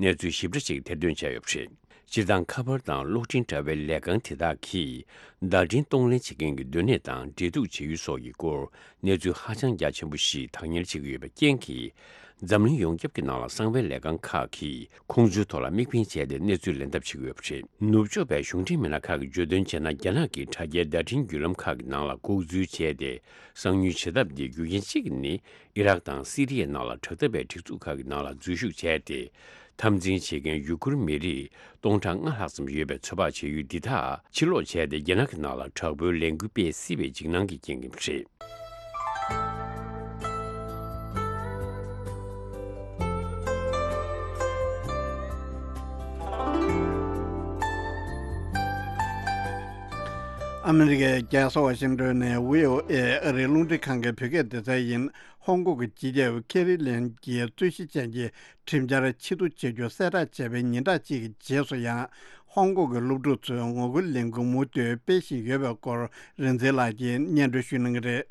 གནས་ཚུལ་ཞིབ་ཕྲ་ཞིག་ཐེར་འདོན་བྱས་ཡོད་པ་རེད། སྤྱིར་བཏང་། ཁ་པར་དང་གློག་འཕྲིན་དྲ་བའི་ལས་ཁང་དེ་དག་གིས་བརྡ་འཕྲིན་གཏོང་ལེན་བྱེད་མཁན་གྱི་སྡོད་གནས་དང་འབྲེལ་གཏུག་བྱེད་ཡུལ་སོགས་ཀྱི་སྐོར་གནས་ཚུལ་ཧ་ཅང་རྒྱ་ཆེན་པོ་ཞིག་བདག་གཉེར་བྱེད་ཀྱི་ཡོད་པའི་རྐྱེན་གྱིས། འཛམ་གླིང་ཡོངས་ཁྱབ་ཀྱི་ནང་ལ་གསང་བའི་ལས་ཁང་ཁག་གིས་ཁོང་ཚོའི་ཐོག་ལ་དམིགས་འབེན་བྱས་ཏེ་གནས་ཚུལ་ལེན་ཐབས་བྱེད་ཀྱི་ཡོད་པ་རེད། ནུབ་ཕྱོགས་པའི་གཞུང་འབྲེལ་མི་སྣ་ཁག་གིས་བརྗོད་དོན་བྱས་ན། རྒྱ་ནག་གིས་དྲ་རྒྱའི་བརྡ་འཕྲིན་བརྒྱུད་ལམ་ཁག་གི་ནང་ལ་ལྐོག་འཛུལ་བྱས་ཏེ་གསང་ཉུལ་བྱེད་ཐབས་འདི་རྒྱུ་རྐྱེན་གཅིག་ནི། ཨི་རག་དང་སི་རི་ཡའི་ནང་ལ་དྲག་འཐབ་པའི་སྒྲིག་འཛུགས་ཁག་གི་ནང་ལ་འཛུལ་ཞུགས་བྱས་ཏེ། འཐབ་འཛིང་བྱེད་མཁན་ཡུ་གུར་མི་རིགས་སྟོང་ཕྲག་ལྔ་ལྷག་ཙམ་ཡོད་པའི་ཚོད་དཔག་བྱེད་ཡུལ་འདི་དག་ཕྱིར་སློག་བྱས་ཏེ། རྒྱ་ནག་གི་ནང་ལ་དྲག་པོའི་ལས་འགུལ་སྤེལ་སྲིད་པའི་འཇིགས་སྣང་གི་རྐྱེན་ཡིན་པ་རེད། ཨ་མི་རི་ཀའི་རྒྱལ་ས་ཝ་ཤིང་ཏོན་ནས་བྷི་ཨོ་ཨེ་ཨ་རིའི་རླུང་འཕྲིན་ཁང་གི་བོད་སྐད་སྡེ་ཚན་ཡིན། ཧོང་ཀོང་གི་སྤྱི་ཁྱབ་ཀེ་རི་ལེམ་གྱིས་རྩོད་གཞི་ཅན་གྱི་ཁྲིམས་འཆར་ཕྱིར་བསྡུ་བྱ་རྒྱུ་གསལ་བསྒྲགས་བྱས་པའི་ཉིན་གྲངས་གཅིག་གི་རྗེས་སུ་ཡང་། ཧོང་ཀོང་གི་སློབ་ཕྲུག་ཚོས་ངོ་རྒོལ་ལས་འགུལ་མུ་མཐུད་སྤེལ་བཞིན་ཡོད་པའི་སྐོར་རིག་འཛིན་ལགས་ཀྱིས་སྙན་སྒྲོན་ཞུ་གནང་གི་རེད།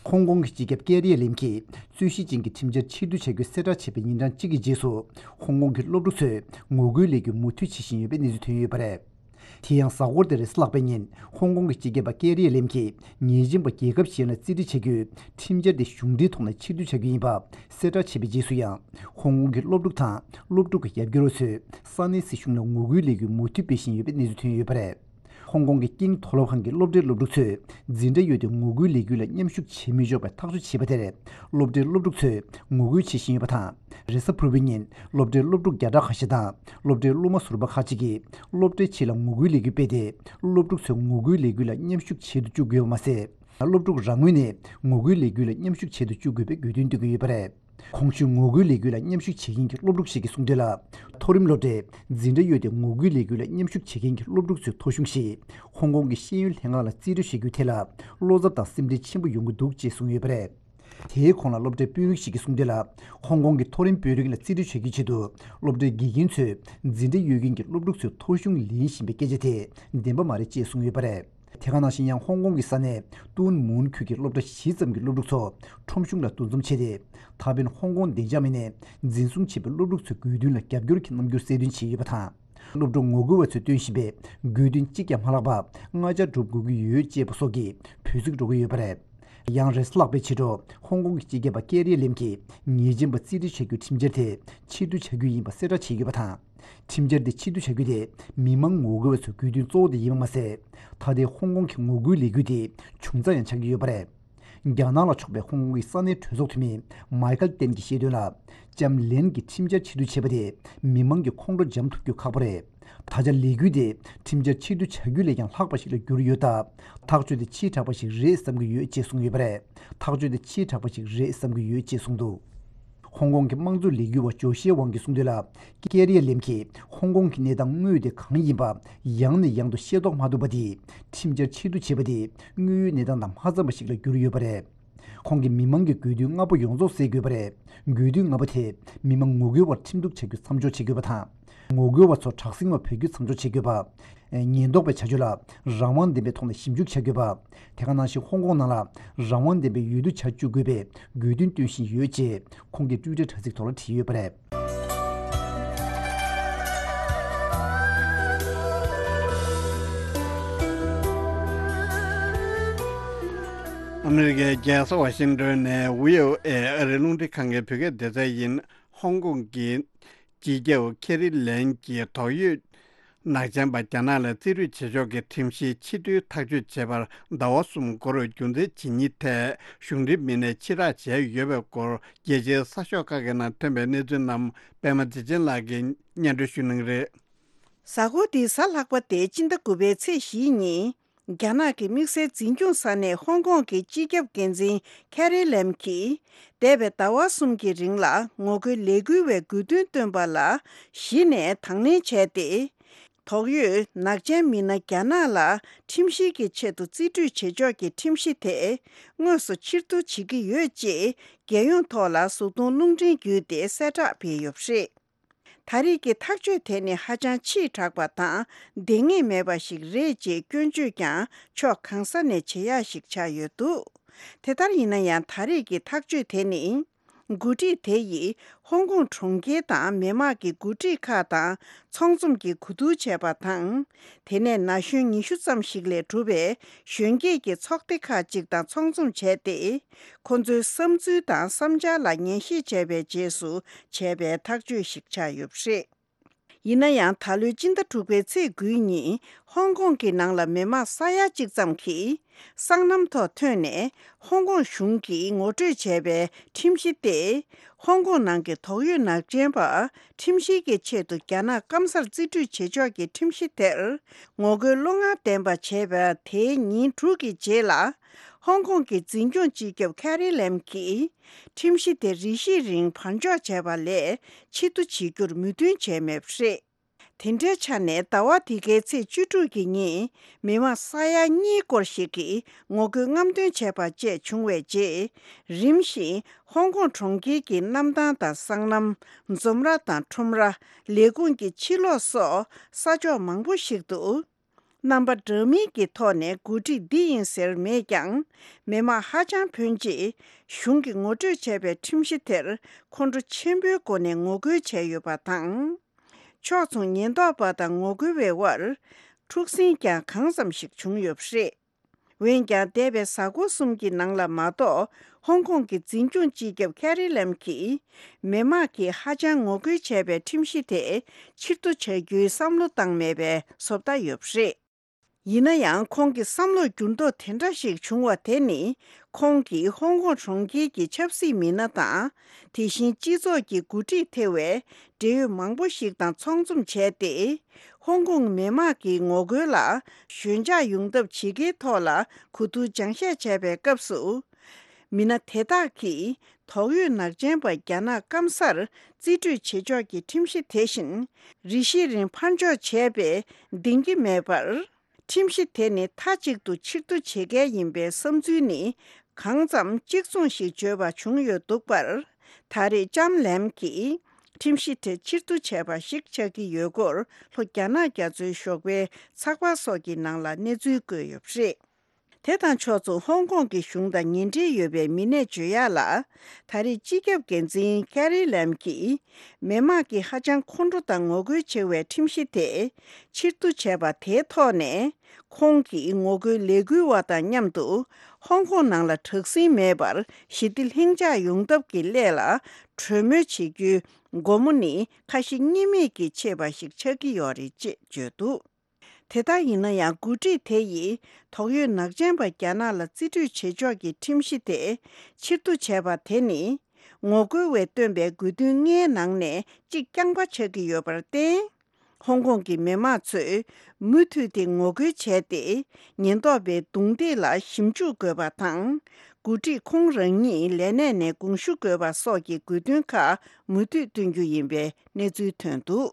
ཧོང་ཀོང་གི་སྤྱི་ཁྱབ་ཀེ་རི་ལེམ་གྱིས་རྩོད་གཞི་ཅན་གྱི་ཁྲིམས་འཆར་ཕྱིར་བསྡུ་བྱ་རྒྱུ་གསལ་བསྒྲགས་བྱས་པའི་ཉིན་གྲངས་གཅིག་གི་རྗེས་སུ། ཧོང་ཀོང་གི་སློབ་ཕྲུག་ཚོས་ངོ་རྒོལ་ལས་འགུལ་མུ་མཐུད་བྱེད་བཞིན་ཡོད་པའི་གནས་ཚུལ་ཐོན་ཡོད་པ་རེད། དེ་ཡང་། གཟའ་འཁོར་འདིར་ལྷག་པའི་ཉིན། ཧོང་ཀོང་གི་སྤྱི་ཁྱབ་པ་ཀེ་རི་ལེམ་གྱིས་ཉེས་ཅན་པ་རྒྱལ་ཁབ་གཞན་ལ་རྩིས་འབྲི་བྱ་རྒྱུའི་ཁྲིམས་འཆར་དེ་གཞུང་འབྲེལ་ཐོག་ནས་ཕྱིར་བསྡུ་བྱ་རྒྱུ་ཡིན་པ་གསལ་བསྒྲགས་བྱས་པའི་རྗེས་སུ་ཡང་། ཧོང་ཀོང་གི་སློབ་ཕྲུག་དང་སློབ་ཕྲུག་གི་ཡར་རྒྱས་རོགས་ཚོས་ས་གནས་སྲིད་གཞུང་ལ་ངོ་རྒོལ་ལས་འགུལ་མུ་མཐུད་སྤེལ་བཞིན་ཡོད་པའི་གནས་ཚུལ་ཐོན་ཡོད་པ་རེད། ཧོང་ཀོང་གི་དཀྱིལ་མཐོ་སློབ་ཁང་གི་སློབ་གྲྭའི་སློབ་ཕྲུག་ཚོས་འཛིན་གྲྭ་ཡོད་དེ་ངོ་རྒོལ་ལས་འགུལ་ལ་མཉམ་ཞུགས་བྱེད་མི་ཆོག་པའི་ཐག་གཅོད་བྱས་པ་དེར་སློབ་གྲྭའི་སློབ་ཕྲུག་ཚོས་ངོ་རྒོལ་བྱེད་བཞིན་ཡོད་པ་དང་། རེས་གཟའ་ཕུར་བུའི་ཉིན་སློབ་གྲྭའི་སློབ་ཕྲུག་བརྒྱ་ཕྲག་ཁ་ཤས་དང་སློབ་གྲྭའི་སློབ་མ་ཟུར་པ་ཁག་ཅིག་གིས་སློབ་གྲྭའི་ཕྱི་ལ་ངོ་རྒོལ་ལས་འགུལ་སྤེལ་ཏེ། སློབ་ཕྲུག་ཚོས་ངོ་རྒོལ་ལས་འགུལ་ལ་མཉམ་ཞུགས་བྱེད་དུ་བཅུག་དགོས་པ་མ་ཟད། སློབ་ཕྲུག་རང་ངོས་ནས་ངོ་རྒོལ་ལས་འགུལ་ལ་མཉམ་ཞུགས་བྱེད་དུ་བཅུག་དགོས་པའི་དགོས་འདུན་བཏོན་གྱི་ཡོད་པ་རེད། གོང་ཞུས་ངོ་རྒོལ་ལས་འགུལ་ལ་མཉམ་ཞུགས་བྱེད་མཁན་གྱི་སློབ་ཕྲུག་ཞིག་གིས་གསུངས་དོན་ལ། མཐོ་རིམ་སློབ་གྲྭའི་འཛིན་གྲྭ་ཡོད་དེ་ངོ་རྒོལ་ལས་འགུལ་ལ་མཉམ་ཞུགས་བྱེད་མཁན་གྱི་སློབ་ཕྲུག་ཚོའི་ཐོ་གཞུང་ཞིག་ཧོང་ཀོང་གི་ཤེས་ཡོན་ལྷན་ཁང་ལ་རྩིས་སྤྲོད་བྱ་རྒྱུའི་ཐད་ལ་བློ་འཚབ་དང་སེམས་ཁྲལ་ཆེན་པོ་ཡོང་གི་འདུག་ཅེས་གསུངས་ཡོད་པ་རེད། དེའི་གོང་ལ་སློབ་གྲྭའི་དཔོན་རིགས་ཤིག་གིས་གསུངས་དོན་ལ། ཧོང་ཀོང་གི་མཐོ་རིམ་དཔོན་རིགས་ལ་རྩིས་སྤྲོད་བྱ་རྒྱུའི་ཆེད་དུ་སློབ་གྲྭའི་དགེ་རྒན་ཚོས་འཛིན་གྲྭ་ཡོད་མཁན་གྱི་སློབ་ཕྲུག་ཚོའི་ཐོ་གཞུང་ལེན་བཞིན་པའི་སྐད་ཆ་དེ་བདེན་པ་མ་རེད་ཅེས་གསུངས་ཡོད་པ་རེད། དེ་ག་ནང་བཞིན་ཡང་ཧོང་ཀོང་གི་ས་གནས་ཏུན་མུན་ཁུལ་གྱི་སློབ་གྲྭ་བཞི་ཙམ་གྱི་སློབ་ཕྲུག་ཚོ་ཁྲོམ་གཞུང་ལ་འདུ་འཛོམས་བྱས་ཏེ། ད་ཕན་ཧོང་ཀོང་བདེ་འཇགས་མི་སྣས་འཛིན་བཟུང་བྱས་པའི་སློབ་ཕྲུག་ཚོའི་དགོས་འདུན་ལ་རྒྱབ་སྐྱོར་གྱི་རྣམ་འགྱུར་གསལ་སྟོན་བྱས་ཡོད་པ་དང་། སློབ་ཕྲུག་ངོ་རྒོལ་བ་ཚོས་སྟོན་བཞིན་པའི་དགོས་འདུན་གཅིག་ཀྱང་མ་ལྷག་པ་ལྔ་ཆ་སྒྲུབ་དགོས་ཀྱི་ཡོད་ཅེས་པ་སོགས་ཀྱི་འབོད་ཚིག་སྒྲོག་གི་ཡོད་པ་རེད། ཡང་རེས་ལྷག་པའི་ཕྱི་དྲོ་ཧོང་ཀོང་གི་སྤྱི་ཁྱབ་པ་ཀེ་རི་ལེམ་གྱིས་ཉེས་ཅན་པ་རྩིས་སྤྲོད་བྱ་རྒྱུའི་ཁྲིམས་འཆར་དེ་ཕྱིར་བསྡུ་བྱ་རྒྱུ་ཡིན་པ་གསལ་བསྒྲགས་བྱས་ཡོད་པ་དང་། ཁྲིམས་འཆར་དེ་ཕྱིར་བསྡུ་བྱ་རྒྱུ་དེ་མི་མང་ངོ་རྒོལ་བ་ཚོའི་དགོས་འདུན་གཙོ་བོ་དེ་ཡིན་པ་མ་ཟད། ད་ལྟའི་ཧོང་ཀོང་གི་ངོ་རྒོལ་ལས་འགུལ་དེ་བྱུང་རྩ་ཡང་ཆགས་ཀྱི་ཡོད་པ་རེད། རྒྱ་ནག་ལ་ཕྱོགས་པའི་ཧོང་ཀོང་གི་ས་གནས་གྲོས་ཚོགས་འཐུས་མི་མའི་ཁལ་ཏན་གྱིས་བཤད་དོན་ལ། ལྕམ་ལེན་གྱིས་ཁྲིམས་འཆར་ཕྱིར་བསྡུ་བྱས་པ་དེ་མི་མང་གི་ཁོང་ཁྲོ་འཇམ་ཐུབ་རྒྱུ་ཁག་པོ་རེད། ད་ཆ་ལས་འགུལ་དེ་ཁྲིམས་འཆར་ཕྱིར་བསྡུ་བྱ་རྒྱུ་ལས་ཀྱང་ལྷག་པ་ཞིག་ལ་གྱུར་ཡོད་སྟབས། ཐག་གཅོད་དེ་ཕྱིའི་དྲག་པ་ཞིག་རེད་བསམ་གྱི་ཡོད་ཅེས་གསུངས་ཡོད་པ་རེད། ཐག་གཅོད་དེ་ཕྱིའི་དྲག་པ་ཞིག་རེད་བསམ་གྱི་ཡོད་ཅེས་གསུངས་འདུག་ཧོང་ཀོང་གི་དམངས་གཙོ་ལས་འགུལ་བ་ཇོ་ཤེ་ཝང་གིས་གསུངས་དོན་ལ། ཀེ་རི་ཡ་ལེམ་གྱིས་ཧོང་ཀོང་གི་གནས་སྟངས་དངོས་དེ་གང་ཡིན་པ་ཡང་ནས་ཡང་དུ་ཤེས་རྟོགས་མ་ཐུབ་པ་དེས་ཁྲིམས་འཆར་ཕྱིར་བསྡུ་བྱས་པ་དེ་དངོས་ཡོད་གནས་སྟངས་དང་མ་འཚམས་པ་ཞིག་ལ་གྱུར་ཡོད་པ་རེད། ཁོང་གིས་མི་མང་གི་དགོས་འདུན་ལྔ་པོ་ཡོངས་རྫོགས་གསལ་དགོས་པ་རེད། དགོས་འདུན་ལྔ་པོ་དེ་མི་མང་ངོ་རྒོལ་བར་ཁྲིམས་གཏུག་བྱ་རྒྱུ་མཚམས་འཇོག་བྱེད་དགོས་པ་དང་། ངོ་རྒོལ་བ་ཚོ་དྲག་ཟིང་བ་བོད་རྒྱུ་མཚམས་འཇོག་བྱེད་དགོས་པ། ཉེན་རྟོག་པའི་བྱ་སྤྱོད་ལ་རང་དབང་ལྡན་པའི་ཐོག་ནས་ཞིབ་འཇུག་བྱ་དགོས་པ། དེ་ག་ནང་བཞིན་ཧོང་ཀོང་ནང་ལ་རང་དབང་ལྡན་པའི་འོས་བསྡུ་བྱ་བཅུག་དགོས་པའི་དགོས་འདུན་བཏོན་བཞིན་ཡོད་ཅེས་ཁོང་གིས་ཊུའི་ཊར་དྲ་ཚིགས་ཐོག་ལ་བྲིས་ཡོད་པ་རེད། ཨ་མི་རི་ཀའི་རྒྱལ་ས་ཝ་ཤིང་ཏོན་ནས་བྷི་ཨོ་ཨེ་ཨ་རིའི་རླུང་འཕྲིན་ཁང་གི་བོད་སྐད་སྡེ་ཚན་ཡིན། ཧོང་ཀོང་གི་སྤྱི་ཁྱབ་ཁེ་རི་ལེམ་གྱིས་དོགས་ཡོད་ནག་ཅན་པ་རྒྱ་ནག་ལ་རྩིས་སྤྲོད་བྱེད་ཕྱོགས་ཀྱི་ཁྲིམས་གཞི་ཕྱིར་བསྡུའི་ཐག་གཅོད་བྱས་པར་ཟླ་བ་གསུམ་འགོར་རྒྱུ་མཚན་ཇི་སྙེད་ཐད་གཞུང་འབྲེལ་མི་སྣས་ཕྱིར་བསྒྲགས་བྱས་ཡོད་པའི་སྐོར། རྒྱལ་སྤྱིའི་གསར་ཤོག་ཁག་གི་ནང་ཐོན་པའི་གནས་ཚུལ་རྣམས་པདྨ་བདེ་ཆེན་ལགས་ཀྱིས་སྙན་སྒྲོན་ཞུ་གནང་གི་རེད། གཟའ་འཁོར་འདིའི་གཟའ་ལྷག་པ་སྟེ་སྤྱི་ཟླ་དགུ་པའི་ཚེས་བཞིའི་ཉིན། རྒྱ་ནག་གི་དམིགས་བསལ་འཛིན་སྐྱོང་ས་གནས་ཧོང་ཀོང་གི་སྤྱི་ཁྱབ་འགན་འཛིན་ཁེ་རི་ལེམ་གྱིས། འདས་པའི་ཟླ་བ་གསུམ་གྱི་རིང་ལ་ངོ་རྒོལ་ལས་འགུལ་བའི་དགོས་འདུན་བཏོན་པ་ལ་གཞི་ནས་དང་ལེན་བྱས་ཏེ། དོགས་ཡོད་ནག་ཅན་མི་སྣ་རྒྱ་ནག་ལ་ཁྲིམས་གཞི་གི་ཆེད་དུ་རྩིས་སྤྲོད་བྱེད་ཕྱོགས་ཀྱི་ཁྲིམས་གཞི་དེ་དངོས་སུ་ཕྱིར་བསྡུ་བྱེད་ཀྱི་ཡོད་ཅེས་རྒྱལ་ཡོངས་ཐོག་ལ་གཟུགས་མཐོང་རླུང་འཕྲིན་བརྒྱུད་དེ་གསལ་བསྒྲགས་སྤེལ་ཡོད་པ་རེད། ད་རེས་ཀྱི་ཐག་གཅོད་དེ་ནི་ཧ་ཅང་ཕྱིས་དྲགས་པ་དང་ལྡང་ངེས་མེད་པ་ཞིག་རེད་ཅེས་སྐྱོན་བརྗོད་ཀྱང་ཕྱོགས་གང་ས་ནས་བྱེད་ཡག་ཞིག་ཆགས་ཡོད་འདུག་དེ་ལྟར་ཡིན་ན་ཡང་ད་རེས་ཀྱི་ཐག་གཅོད་དེ་ནི། འགོ་ཁྲིད་དེ་ཡིས་ཧོང་ཀོང་གྲོང་ཁྱེར་དང་མི་དམངས་ཀྱི་འགོ་ཁྲིད་ཁག་དང་ཚོགས་འཛོམས་ཀྱི་གོ་བསྡུར་བྱས་པ་དང་། དེ་ནས་ན་གཞོན་ཉི་ཤུ་ཙམ་ཞིག་ལས་གྲུབ་པའི་གཞོན་སྐྱེས་ཀྱི་ཚོགས་སྡེ་ཁག་ཅིག་དང་ཚོགས་འཛོམས་བྱས་ཏེ། ཁོ་ཚོའི་བསམ་ཚུལ་དང་བསམ་འཆར་ལ་ཉན་ཞིབ་བྱས་པའི་རྗེས་སུ་བྱས་པའི་ཐག་གཅོད་ཞིག་ཆགས་ཡོད་པ་རེད། ཡིན་ན་ཡང་ད་ལོའི་སྤྱི་ཟླ་དྲུག་པའི་ཚེས་དགུའི་ཉིན་ཧོང་ཀོང་གི་ནང་ལ་མི་མང་ས་ཡ་གཅིག་ཙམ་གྱིས་སྲང་ལམ་ཐོག་ཐོན་ནས་ཧོང་ཀོང་གཞུང་གིས་ངོ་སྤྲོད་བྱས་པའི་ཁྲིམས་གཞི་སྟེ། ཧོང་ཀོང་ནང་གི་དོགས་ཡོད་ནག་ཅན་པ་ཁྲིམས་བཤེར་གྱི་ཆེད་དུ་རྒྱ་ནག་སྐམ་སར་རྩིས་སྤྲོད་བྱེད་ཕྱོགས་ཀྱི་ཁྲིམས་གཞི་དེར་ངོ་རྒོལ་བློ་ངར་ལྡན་པ་བྱས་པ་དེའི་ཉིན་དྲུག་གི་རྗེས་ལ། ཧོང་ཀོང་གི་འཛིན་སྐྱོང་སྤྱི་ཁྱབ་ཁེ་རི་ལེམ་གྱིས་ཁྲིམས་གཞི་དེ་རེ་ཞིག་རིང་བར་འཇོག་བྱས་པ་ལས་ཕྱིར་བསྡུ་བྱེད་རྒྱུར་མོས་མཐུན་བྱས་མེད་པ་རེད། དེ་འདྲའི་ཆ་ནས་ཟླ་བ་འདི་གའི་ཚེས་བཅུ་དྲུག་གི་ཉིན་མི་མང་ས་ཡ་གཉིས་སྐོར་ཞིག་གིས་ངོ་རྒོལ་རྔམ་སྟོན་བྱས་པ་བཅས་བྱུང་བའི་རྗེས། རིམ་བཞིན་ཧོང་ཀོང་གྲོང་ཁྱེར་གྱི་གནམ་ཐང་དང་སྲང་ལམ། འཛོམས་ར་དང་ཁྲོམ་ར། ལས་ཁུངས་ཀྱི་ཕྱི་ལོགས་སོགས་ས་ཕྱོགས་མང་པོ་ཞིག་ཏུ། རྣམ་པ་འདྲ་མིན་གྱི་ཐོག་ནས་འགོ་ཁྲིད་འདི་ཡིན་ཟེར་མེད་ཀྱང་། མི་མང་ཧ་ཅང་ཕོན་ཆེ་གཞུང་གིས་ངོ་སྤྲོད་བྱས་པའི་ཁྲིམས་གཞི་དེར་ཁོང་ཁྲོ་ཆེན་པོའི་སྒོ་ནས་ངོ་རྒོལ་བྱས་ཡོད་པ་དང་། ཕྱོགས་མཚུངས་ཉེན་རྟོག་པ་དང་ངོ་རྒོལ་བའི་དབར་འཁྲུག་ཟིང་ཀྱང་གང་འཚམ་ཞིག་བྱུང་ཡོད་པ་རེད། འོན་ཀྱང་འདས་པའི་གཟའ་འཁོར་གསུམ་གྱི་ནང་ལ་མ་གཏོགས་ཧོང་ཀོང་གི་འཛིན་སྐྱོང་སྤྱི་ཁྱབ་ཁེ་རི་ལེམ་གྱིས་མི་དམངས་ཀྱིས་ཧ་ཅང་ངོ་རྒོལ་བྱས་པའི་ཁྲིམས་གཞི་དེ་ཕྱིར་བསྡུ་བྱ་རྒྱུའི་བསམ་བློ་བཏང་མེད་པའི་བཟོ་ལྟ་ཡོད་པ་རེད། ཡིན་ན་ཡང་ཁོང་གི་བསམ་བློར་འགྱུར་ལྡོག་དེ་འདྲ་ཞིག་བྱུང་བ་དེ་ནི། ཁོང་གིས་ཧོང་ཀོང་གྲོང་ཁྱེར་གྱི་ཆབ་སྲིད་མི་སྣ་དང་། དེ་བཞིན་སྤྱི་ཚོགས་ཀྱི་འགོ་ཁྲིད་ཐེ་བའི་འབྲེལ་ཡོད་མང་པོ་ཞིག་དང་ཚོགས་འཛོམས་བྱས་ཏེ། ཧོང་ཀོང་མི་དམངས་ཀྱི་ངོ་རྒོལ་ལ་ཞོད་འཇགས་ཡོང་ཐབས་བྱེད་ཀའི་ཐོག་ལ་གོ་བསྡུར་སྦྱང་བཤད་བྱས་པའི་སྐབས་སུ། མི་སྣ་དེ་དག་གིས་དོགས་ཡོད་ནག་ཅན་པ་རྒྱ་ནག་སྐམ་སར་རྩིས་སྤྲོད་བྱེད་ཕྱོགས་ཀྱི་ཁྲིམས་གཞི་དེ་བཞིན་རེ་ཞིག་རིང་ཕར་འཇོག་བྱས་པས་བདེན་གྱི་མེད་པར། ཁྲིམས་གཞི་དེ་ནི་མཐའ་གཅིག་ཏུ་ཕྱིར་བསྡུ་བྱེད་གལ་ཡིན་པའི་བསམ་ཚུལ་ནི་གང་ཙམ་གཅིག་མཚུངས་ཤིག་བརྗོད་པ་བྱུང་ཡོད་འདུག་པར། ད་རེས་ལྕམ་ལེམ་གྱིས་ཁྲིམས་གཞི་དེ་ཕྱིར་བསྡུ་བྱས་པ་ཞིག་ཆགས་ཀྱི་ཡོད་སྐོར་ལྷོ་རྒྱ་ནག་རྒྱ་མཚོའི་ཞོགས་པའི་ཚགས་པར་སོགས་ཀྱི་ནང་ལ་གནས་ཚུལ་བཀོད་ཡོད་པ་རེད། དེ་དང་ཕྱོགས་མཚུངས་ཧོང་ཀོང་གི་གཞུང་དང་ཉེ་འབྲེལ་ཡོད་པའི་མི་སྣས་བརྗོད་ཡག་ལ། ད་རེས་སྤྱི་ཁྱབ་འགན་འཛིན་ཀེ་རི་ལེམ་གྱིས་མི་དམངས་ཀྱིས་ཧ་ཅང་ཁོང་ཁྲོ་དང་ངོ་རྒོལ་ཆེ་བའི་ཁྲིམས་གཞི་དེ་ཕྱིར་བསྡུ་བྱས་པ་དེའི་ཐོག་ནས། ཁོང་གིས་ངོ་རྒོལ་ལས་འགུལ་བ་དང་མཉམ་དུ་ཧོང་ཀོང་ནང་ལ་དྲག་ཟིང་མེད་པར་ཞི་བདེ་ལྷིང་འཇགས་ཡོང་ཐབས་ཀྱི་སླད་ལ་གྲོས་མོལ་བྱེད་རྒྱུའི་སྒོ་མོ་ནི་ཁ་ཞེ་གཉིས་མེད་ཀྱིས་ཕྱེས་པ་ཞིག་ཆགས་ཀྱི་ཡོད་རེད་ཅེས་བརྗོད་འདུག་དེ་ལྟར་ཡིན་ན་ཡང་འགོ་ཁྲིད་དེ་ཡིས་དོགས་ཡོད་ནག་ཅན་པ་རྒྱ་ནག་ལ་རྩིས་སྤྲོད་བྱེད་ཕྱོགས་ཀྱི་ཁྲིམས་གཞི་དེ་ཕྱིར་བསྡུ་བྱས་པ་དེ་ནི། ངོ་རྒོལ་བས་བཏོན་པའི་དགོས་འདུན་ལྔའི་ནང་ནས་གཅིག་རྐྱང་པ་ཆགས་ཀྱི་ཡོད་པར་བརྟེན། ཧོང་ཀོང་གི་མི་དམངས་ཚོས་མུ་མཐུད་དེ་ངོ་རྒོལ་བྱས་ཏེ། ཉེན་རྟོག་པའི་རྡུང་རྡེག་ལ་ཞིབ་འཇུག་དགོས་པ་དང་། འགོ་ཁྲིད་ཁོང་རང་ཉིད་ལས་གནས་ནས་དགོངས་ཞུ་དགོས་པ་སོགས་ཀྱི་དགོས་འདུན་ཁག་མུ་མཐུད་བཏོན་རྒྱུ་ཡིན་པའི་གནས་ཚུལ་ཐོན་འདུག་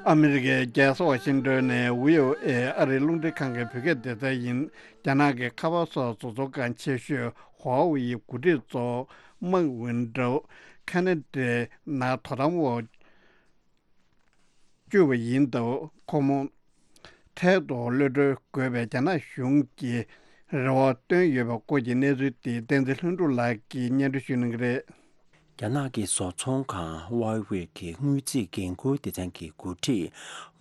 ཨ་མི་རི་ཀའི་རྒྱལ་ས་ཝ་ཤིང་ཏོན་ནས་བྷི་ཨོ་ཨེ་ཨ་རིའི་རླུང་འཕྲིན་ཁང་གི་བོད་སྐད་སྡེ་ཚན་ཡིན། རྒྱ་ནག་གི་ཁ་པར་སོགས་བཟོ་ཚོང་ཁང་ཆེ་ཤོས་ཧྭ་ཝེ་ཡི་འགོ་ཁྲིད་གཙོ་བོ་མཱིག་ཝུན་ཀྲོའུ་ཁ་ན་ཌའི་ནང་དོ་དམ་འོག་བཅུག་པ་ཡིན་སྟབས། ཁོ་མོ་འཕྲལ་དུ་གློད་གྲོལ་དགོས་པའི་རྒྱ་ནག་གཞུང་གིས་རེ་བ་བཏོན་ཡོད་པའི་སྐོར་གྱི་གནས་ཚུལ་དེ་བསྟན་འཛིན་ལྷུན་གྲུབ་ལགས་ཀྱིས་སྙན་སྒྲོན་ཞུ་གནང་གི་རེད། རྒྱ་ནག་གི་བཟོ་ཚོང་ཁང་ཝའེ་ཝེ་གི་དངུལ་རྩིས་འགན་འཁུར་སྡེ་ཚན་གྱི་འགོ་ཁྲིད་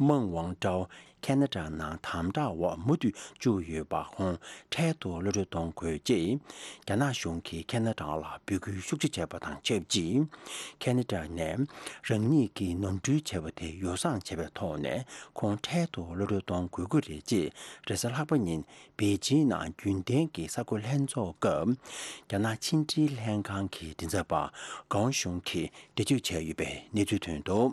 མཱིག་ཝུན་ཀྲོའུ་ཁ་ན་ཌ་ནང་དམ་དྲག་འོག་མུ་མཐུད་བཅུག་ཡོད་པ་ཁོང་འཕྲལ་དུ་གློད་གྲོལ་གཏོང་དགོས་ཅེས་རྒྱ་ནག་གཞུང་གིས་ཁ་ན་ཌ་ལ་འབོད་སྐུལ་ཤུགས་ཆེ་བྱས་པ་དང་ཆབས་ཅིག་ཁ་ན་ཌ་ནས་རང་ཉིད་ཀྱིས་ནོར་འཁྲུལ་བྱས་པ་དེ་ཡོ་བསྲང་བྱས་པའི་ཐོག་ནས་ཁོང་འཕྲལ་དུ་གློད་གྲོལ་གཏོང་དགོས་ཀྱི་རེད་ཅེས་རེས་གཟའ་ལྷག་པ་ཉིན་པེ་ཅིང་ནང་རྒྱུན་ལྡན་གྱི་གསར་འགོད་ལྷན་ཚོགས་སྐབས། རྒྱ་ནག་ཕྱི་འབྲེལ་ལྷན་ཁང་གི་མགྲིན་ཚབ་པ་ཀའོ་ཞུང་གིས་འགྲེལ་བརྗོད་བྱས་ཡོད་པའི་གནས་ཚུལ་ཐོན་འདུག་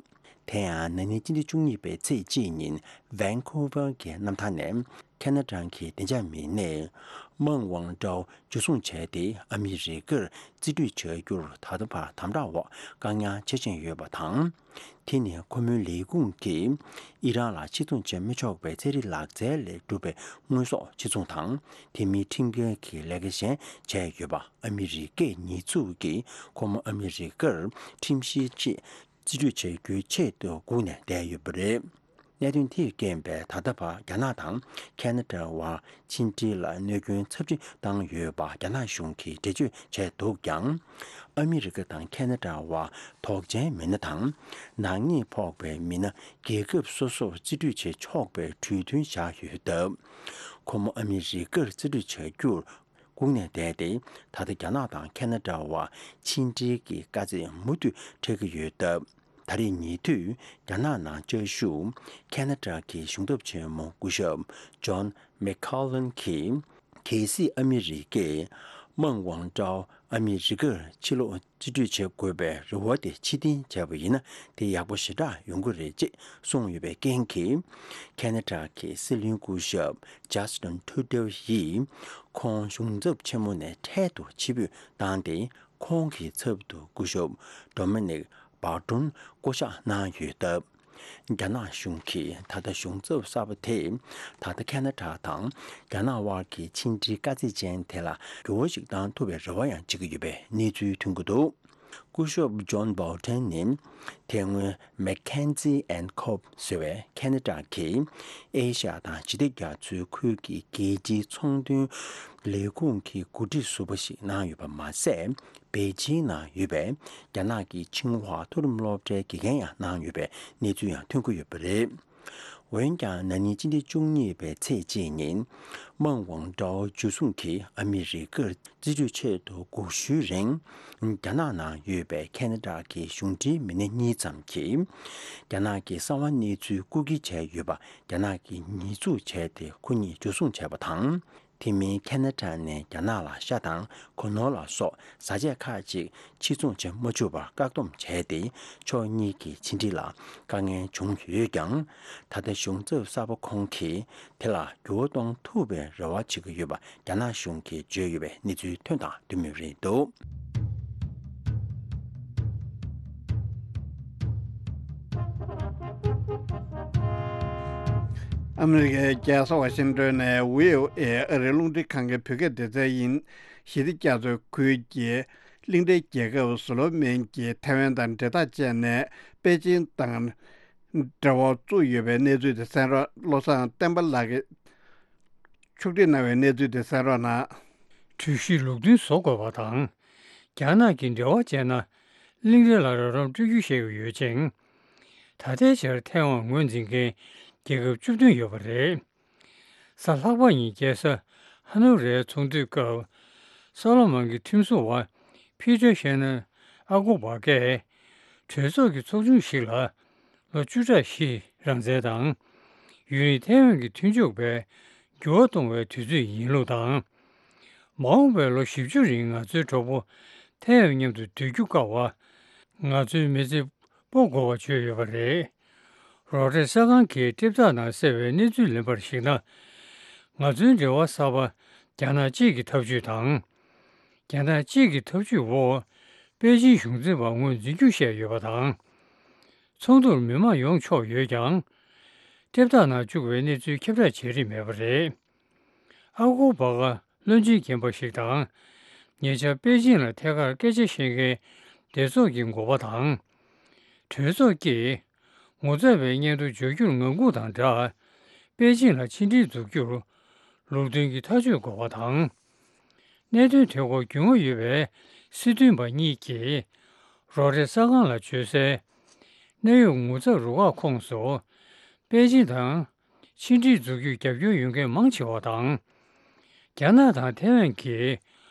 དེ་ཡང་ན་ནིང་སྤྱི་ཟླ་བཅུ་གཉིས་པའི་ཚེས་གཅིག་ཉིན་ཝན་ཁུ་ཝར་གྱི་གནམ་ཐང་ནས་ཁ་ན་ཌ་གི་བདེ་འཇགས་མི་སྣས་མཱིག་ཝུན་ཀྲོའུ་འཇུ་བཟུང་བྱས་ཏེ་ཨ་མི་རི་ཀར་རྩིས་སྤྲོད་བྱ་རྒྱུར་ད་ལྟ་བར་དམ་དྲག་འོག་བཀག་ཉར་བྱེད་བཞིན་ཡོད་པ་དང་། དེ་ནི་ཁོ་མོའི་ལས་ཁུངས་ཀྱིས་ཨི་རན་ལ་ཕྱིར་ཚོང་བྱེད་མི་ཆོག་པའི་ཚན་རིག་ལག་རྩལ་ལས་གྲུབ་པའི་དངོས་ཟོག་ཕྱིར་ཚོང་དང་། དེ་མིན་ཁྲིམས་འགལ་གྱི་ལས་ཀ་གཞན་བྱས་ཡོད་པ། ཨ་མི་རི་ཀས་ཉེས་འཛུགས་ཀྱིས་ཁོ་མོ་ཨ་མི་རི་ཀར་ཁྲིམས་གཞིའི་ཆེད་རྩིས་སྤྲོད་བྱ་རྒྱུའི་ཆེད་དུ་སྒུག་ནས་བསྡད་ཡོད་པ་རེད། གནད་དོན་དེས་རྐྱེན་པས་ད་ལྟ་བར་རྒྱ་ནག་དང་ཁ་ན་ཌ་བར་ཕྱི་འབྲེལ་ལ་གནོད་སྐྱོན་ཚབས་ཆེན་བཏང་ཡོད་པ་རྒྱ་ནག་གཞུང་གིས་འགྲེལ་བརྗོད་བྱས་འདུག་ཀྱང་། ཨ་མི་རི་ཀ་དང་ཁ་ན་ཌ་བར་དོགས་ཅན་མི་སྣ་དང་། ནག་ཉེས་ཕོག་པའི་མི་སྣ་རྒྱལ་ཁབ་སོ་སོར་རྩིས་སྤྲོད་བྱེད་ཆོག་པའི་གྲོས་མཐུན་བཞག་ཡོད་སྟབས། ཁོ་མོ་ཨ་མི་རི་ཀར་རྩིས་སྤྲོད་བྱ་རྒྱུར་སྒུག་ནས་བསྡད་དེ། ད་ལྟ་རྒྱ་ནག་དང་ཁ་ན་ཌ་བར་ཕྱི་འབྲེལ་གྱི་དཀའ་ཚེགས་མུ་མཐུད་འཕྲད་ཀྱི་ཡོད་སྟབས། ད་རེས་ཉེ་དུས་རྒྱ་ནག་ནང་བཅའ་བཞུགས་ཁ་ན་ཌ་གི་གཞུང་ཚབ་ཆེན་མོ་སྐུ་ཞབས་ཇོན་མེག་ཁ་ལན་གྱིས། གལ་སྲིད་ཨ་མི་རི་ཀས་མཱིག་ཝུན་ཀྲོའུ་ཨ་མི་རི་ཀར་ཕྱིར་ལོག་རྩིས་སྤྲོད་བྱེད་དགོས་པའི་རེ་བ་དེ་ཕྱིར་འཐེན་བྱས་པ་ཡིན་ན། དེ་ཡག་པོ་ཞེ་དྲག་ཡོང་གི་རེད་ཅེས་གསུངས་ཡོད་པའི་རྐྱེན་གྱིས། ཁ་ན་ཌ་གི་སྲིད་བློན་སྐུ་ཞབས་ཇ་སི་ཊིན་ཐུ་ཌེའུ་ཡིས་ཁོང་གཞུང་ཚབ་ཆེན་མོ་ནས་འཕྲལ་དུ་ཕྱིར་འབུད་བཏང་སྟེ། ཁོང་གི་ཚབ་ཏུ་སྐུ་ཞབས་ཌོ་མི་ནིག་བྷར་ཏོན་བསྐོ་གཞག་གནང་ཡོད་སྟབས། རྒྱ་ནག་གཞུང་གིས་ད་ལྟ་གཞུང་ཚབ་གསར་པ་དེས་ད་ལྟ་ཁ་ན་ཌ་དང་རྒྱ་ནག་དབར་གྱི་ཕྱི་འབྲེལ་དཀའ་ཚེགས་ཅན་དེ་ལ་འགྱུར་བ་ཞིག་བཏང་ཐུབ་པའི་རེ་བ་ཡང་བྱེད་ཀྱི་ཡོད་པའི་གནས་ཚུལ་ཐོན་གྱི་འདུག་སྐུ་ཞབས་ཇོན་བྷར་ཏོན་ནི་དེ་སྔོན་མེག་ཁེན་ཛི་ཨེན་ཁོབ་ཟེར་བའི་ཁ་ན་ཌ་གི་ཨེ་ཤ་ཡ་དང་ཞི་བདེ་རྒྱ་མཚོའི་ཁུལ་གྱི་རྒྱལ་སྤྱིའི་ཚོང་དོན་ལས་ཁུངས་ཀྱི་འགོ་ཁྲིད་ཟུར་པ་ཞིག་གནང་ཡོད་པ་མ་ཟད། པེ་ཅིང་ནང་ཡོད་པའི་རྒྱ་ནག་གི་ཆིང་ཧྭ་མཐོ་རིམ་སློབ་གྲྭའི་དགེ་རྒན་ཡང་གནང་ཡོད་པའི་གནས་ཚུལ་ཡང་ཐོན་གྱི་ཡོད་པ་རེད། འོན་ཀྱང་ན་ནིང་སྤྱི་ཟླ་བཅུ་གཉིས་པའི་ཚེས་གཅིག་ཉིན། དམངས་དབང་དགྲ་བོ་འཇུ་བཟུང་གིས་ཨ་མི་རི་ཀར་རྩིས་སྤྲོད་ཆེད་དུ་སྒུག་ཞུའི་རིང་། རྒྱ་ནག་ནང་ཡོད་པའི་ཁེ་ན་ཌ་གི་གཞུང་འབྲེལ་མི་སྣ་གཉིས་ཙམ་གྱིས། རྒྱ་ནག་གི་གསང་བ་གནས་ཚུལ་རྐུ་འཁྱེར་བྱས་ཡོད་པ་རྒྱ་ནག་གིས་ཉེས་འཛུགས་བྱས་ཏེ། ཁོ་གཉིས་འཇུ་བཟུང་བྱས་པ་དང་། དེ་མིན་ཁེ་ན་ཌ་ནས་རྒྱ་ནག་ལ་ཤ་དང་གོས་ནོར་ལ་སོགས་བཟའ་ཆས་ཁག་ཅིག་ཕྱིར་ཚོང་བྱེད་མ་བཅུག་པར་བཀག་སྡོམ་བྱས་ཏེ། ཕྱོགས་གཉིས་ཀྱི་ཕྱི་འབྲེལ་ལ་དཀའ་ངལ་བྱུང་ཡོད་ཀྱང་། ད་ལྟ་གཞུང་ཚབ་གསར་པ་ཁོང་གིས་དེ་ལ་འགྱུར་བ་གཏོང་ཐུབ་པའི་རེ་བ་བྱེད་ཀྱི་ཡོད་པ་རྒྱ་ནག་གཞུང་གིས་བརྗོད་ཡོད་པའི་གནས་ཚུལ་ཐོན་དང་ཐོན་མུས་རེད་འདུག། ཨ་མི་རི་ཀའི་རྒྱལ་ས་ཝ་ཤིང་ཏོན་ནས་བྷི་ཨོ་ཨེ་ཨ་རིའི་རླུང་འཕྲིན་ཁང་གི་བོད་སྐད་སྡེ་ཚན་ཡིན། ཞི་བདེ་རྒྱ་མཚོའི་ཁུལ་གྱི་གླིང་ཕྲན་རྒྱལ་ཁབ་སོ་ལོ་མོན་གྱིས་ཐའེ་ཝན་དང་འབྲེལ་ཐག་བཅད་ནས་པེ་ཅིང་དང་འབྲེལ་བ་བཙུགས་ཡོད་པའི་གནས་ཚུལ་དེ་གསན་རོགས། བློ་བཟང་བསྟན་པ་ལགས་ཀྱིས་ཕྱོགས་སྒྲིག་གནང་བའི་གནས་ཚུལ་དེ་གསན་རོགས་གནང་། གྲོས་གཞི་ལུགས་མཐུན་བཟོ་དགོས་པ་དང་། རྒྱ་ནག་གིས་འབྲེལ་བ་བཅད་ན། གླིང་ཕྲན་ལ་རོགས་རམ་སྤྲོད་རྒྱུ་བཤད་ཀྱི་ཡོད་ཅིང་། ད་ལྟའི་ཆར་ཐའེ་ཝན་ངོས་འཛིན་མཁན་རྒྱལ་ཁབ་བཅུ་བདུན་ཡོད་པ་རེད། གཟའ་ལྷག་པ་ཉིན་རྒྱལ་ས་ཧ་ནོ་རའི་ཚོགས་འདུའི་སྐབས། སོ་ལོ་མོན་གྱི་ཁྲིམས་བཟོ་བ་ཕི་ཏྲ་ཤེ་ནར་ཨ་གོ་བྷ་ཀས། གྲོས་ཚོགས་ཀྱི་ཚོགས་ཆུང་ཞིག་ལ་ལོ་བཅུ་ཕྲག་བཞི་རང་བཙན་དང་། ཡུན་རིང་ཐའེ་ཝན་གྱི་མཐུན་ཕྱོགས་པའི་འགྱུར་བ་གཏོང་བའི་དུས་ཚོད་ཡིན་ལུགས་དང་། མ་འོངས་པའི་ལོ་བཞི་བཅུ་རིང་ང་ཚོའི་གྲོགས་པོ་ཐའེ་ཝན་མཉམ་དུ་སྡོད་རྒྱུ་དཀའ་བ། ང་ཚོའི་མི་ཚེ་སྤོ་དགོས་པ་བརྗོད་ཡོད་པ་རེད། རོ་ཊར་གསར་ཁང་གིས་ཊེབ་ཐག་ནང་གསལ་བའི་གནས་ཚུལ་ལེན་པར་གཞིགས་ན། ང་ཚོའི་འབྲེལ་བ་གསར་པ་རྒྱ་ནག་གཅིག་གི་ཐབས་ཇུས་དང་། རྒྱ་ནག་གཅིག་གི་ཐབས་ཇུས་འོག་པེ་ཅིང་གཞུང་འཛིན་པ་ངོས་འཛིན་རྒྱུ་བཤད་ཡོད་པ་དང་། ཚོགས་འདུར་མི་མང་ཡོང་ཆོག་ཡོད་ཀྱང་། ཊེབ་ཐག་ནང་བཅུག་པའི་གནས་ཚུལ་ཁྱབ་བསྒྲགས་བྱེད་རིན་མེད་པ་རེད། ཨ་གོ་བྷ་ཀ་བློན་ཆེན་རྒན་པ་ཞིག་དང་། ཉེ་ཆར་པེ་ཅིང་ལ་ཐད་ཀར་སྐད་ཆ་བཤད་མཁན་སྡེ་ཚོགས་ཀྱི་འགོ་པ་དང་། གྲོས་ཚོགས་ཀྱིས་ངོ་ཚབ་པའི་སྙན་ཐོ་འབྱོར་རྒྱུར་ངང་སྒུག་དང་སྦྲགས། པེ་ཅིང་ལ་ཕྱི་འབྲེལ་འཛུགས་རྒྱུར་ལུགས་མཐུན་གྱི་ཐག་གཅོད་དགོས་པ་དང་། གནད་དོན་དེ་སྐོར་རྒྱུས་མངའ་ཡོད་པའི་སྲིད་དོན་པ་གཉིས་ཀྱིས་རོ་ཊར་གསར་ཁང་ལ་བརྗོད་གསལ། གནད་ཡོད་ངོ་ཚབ་རུ་ཁག་ཁོངས་སུ་པེ་ཅིང་དང་ཕྱི་འབྲེལ་འཛུགས་རྒྱུར་རྒྱབ་སྐྱོར་ཡོད་མཁན་མང་ཆེ་བ་དང་། རྒྱ་ནག་དང་ཐའེ་ཝན་གྱིས་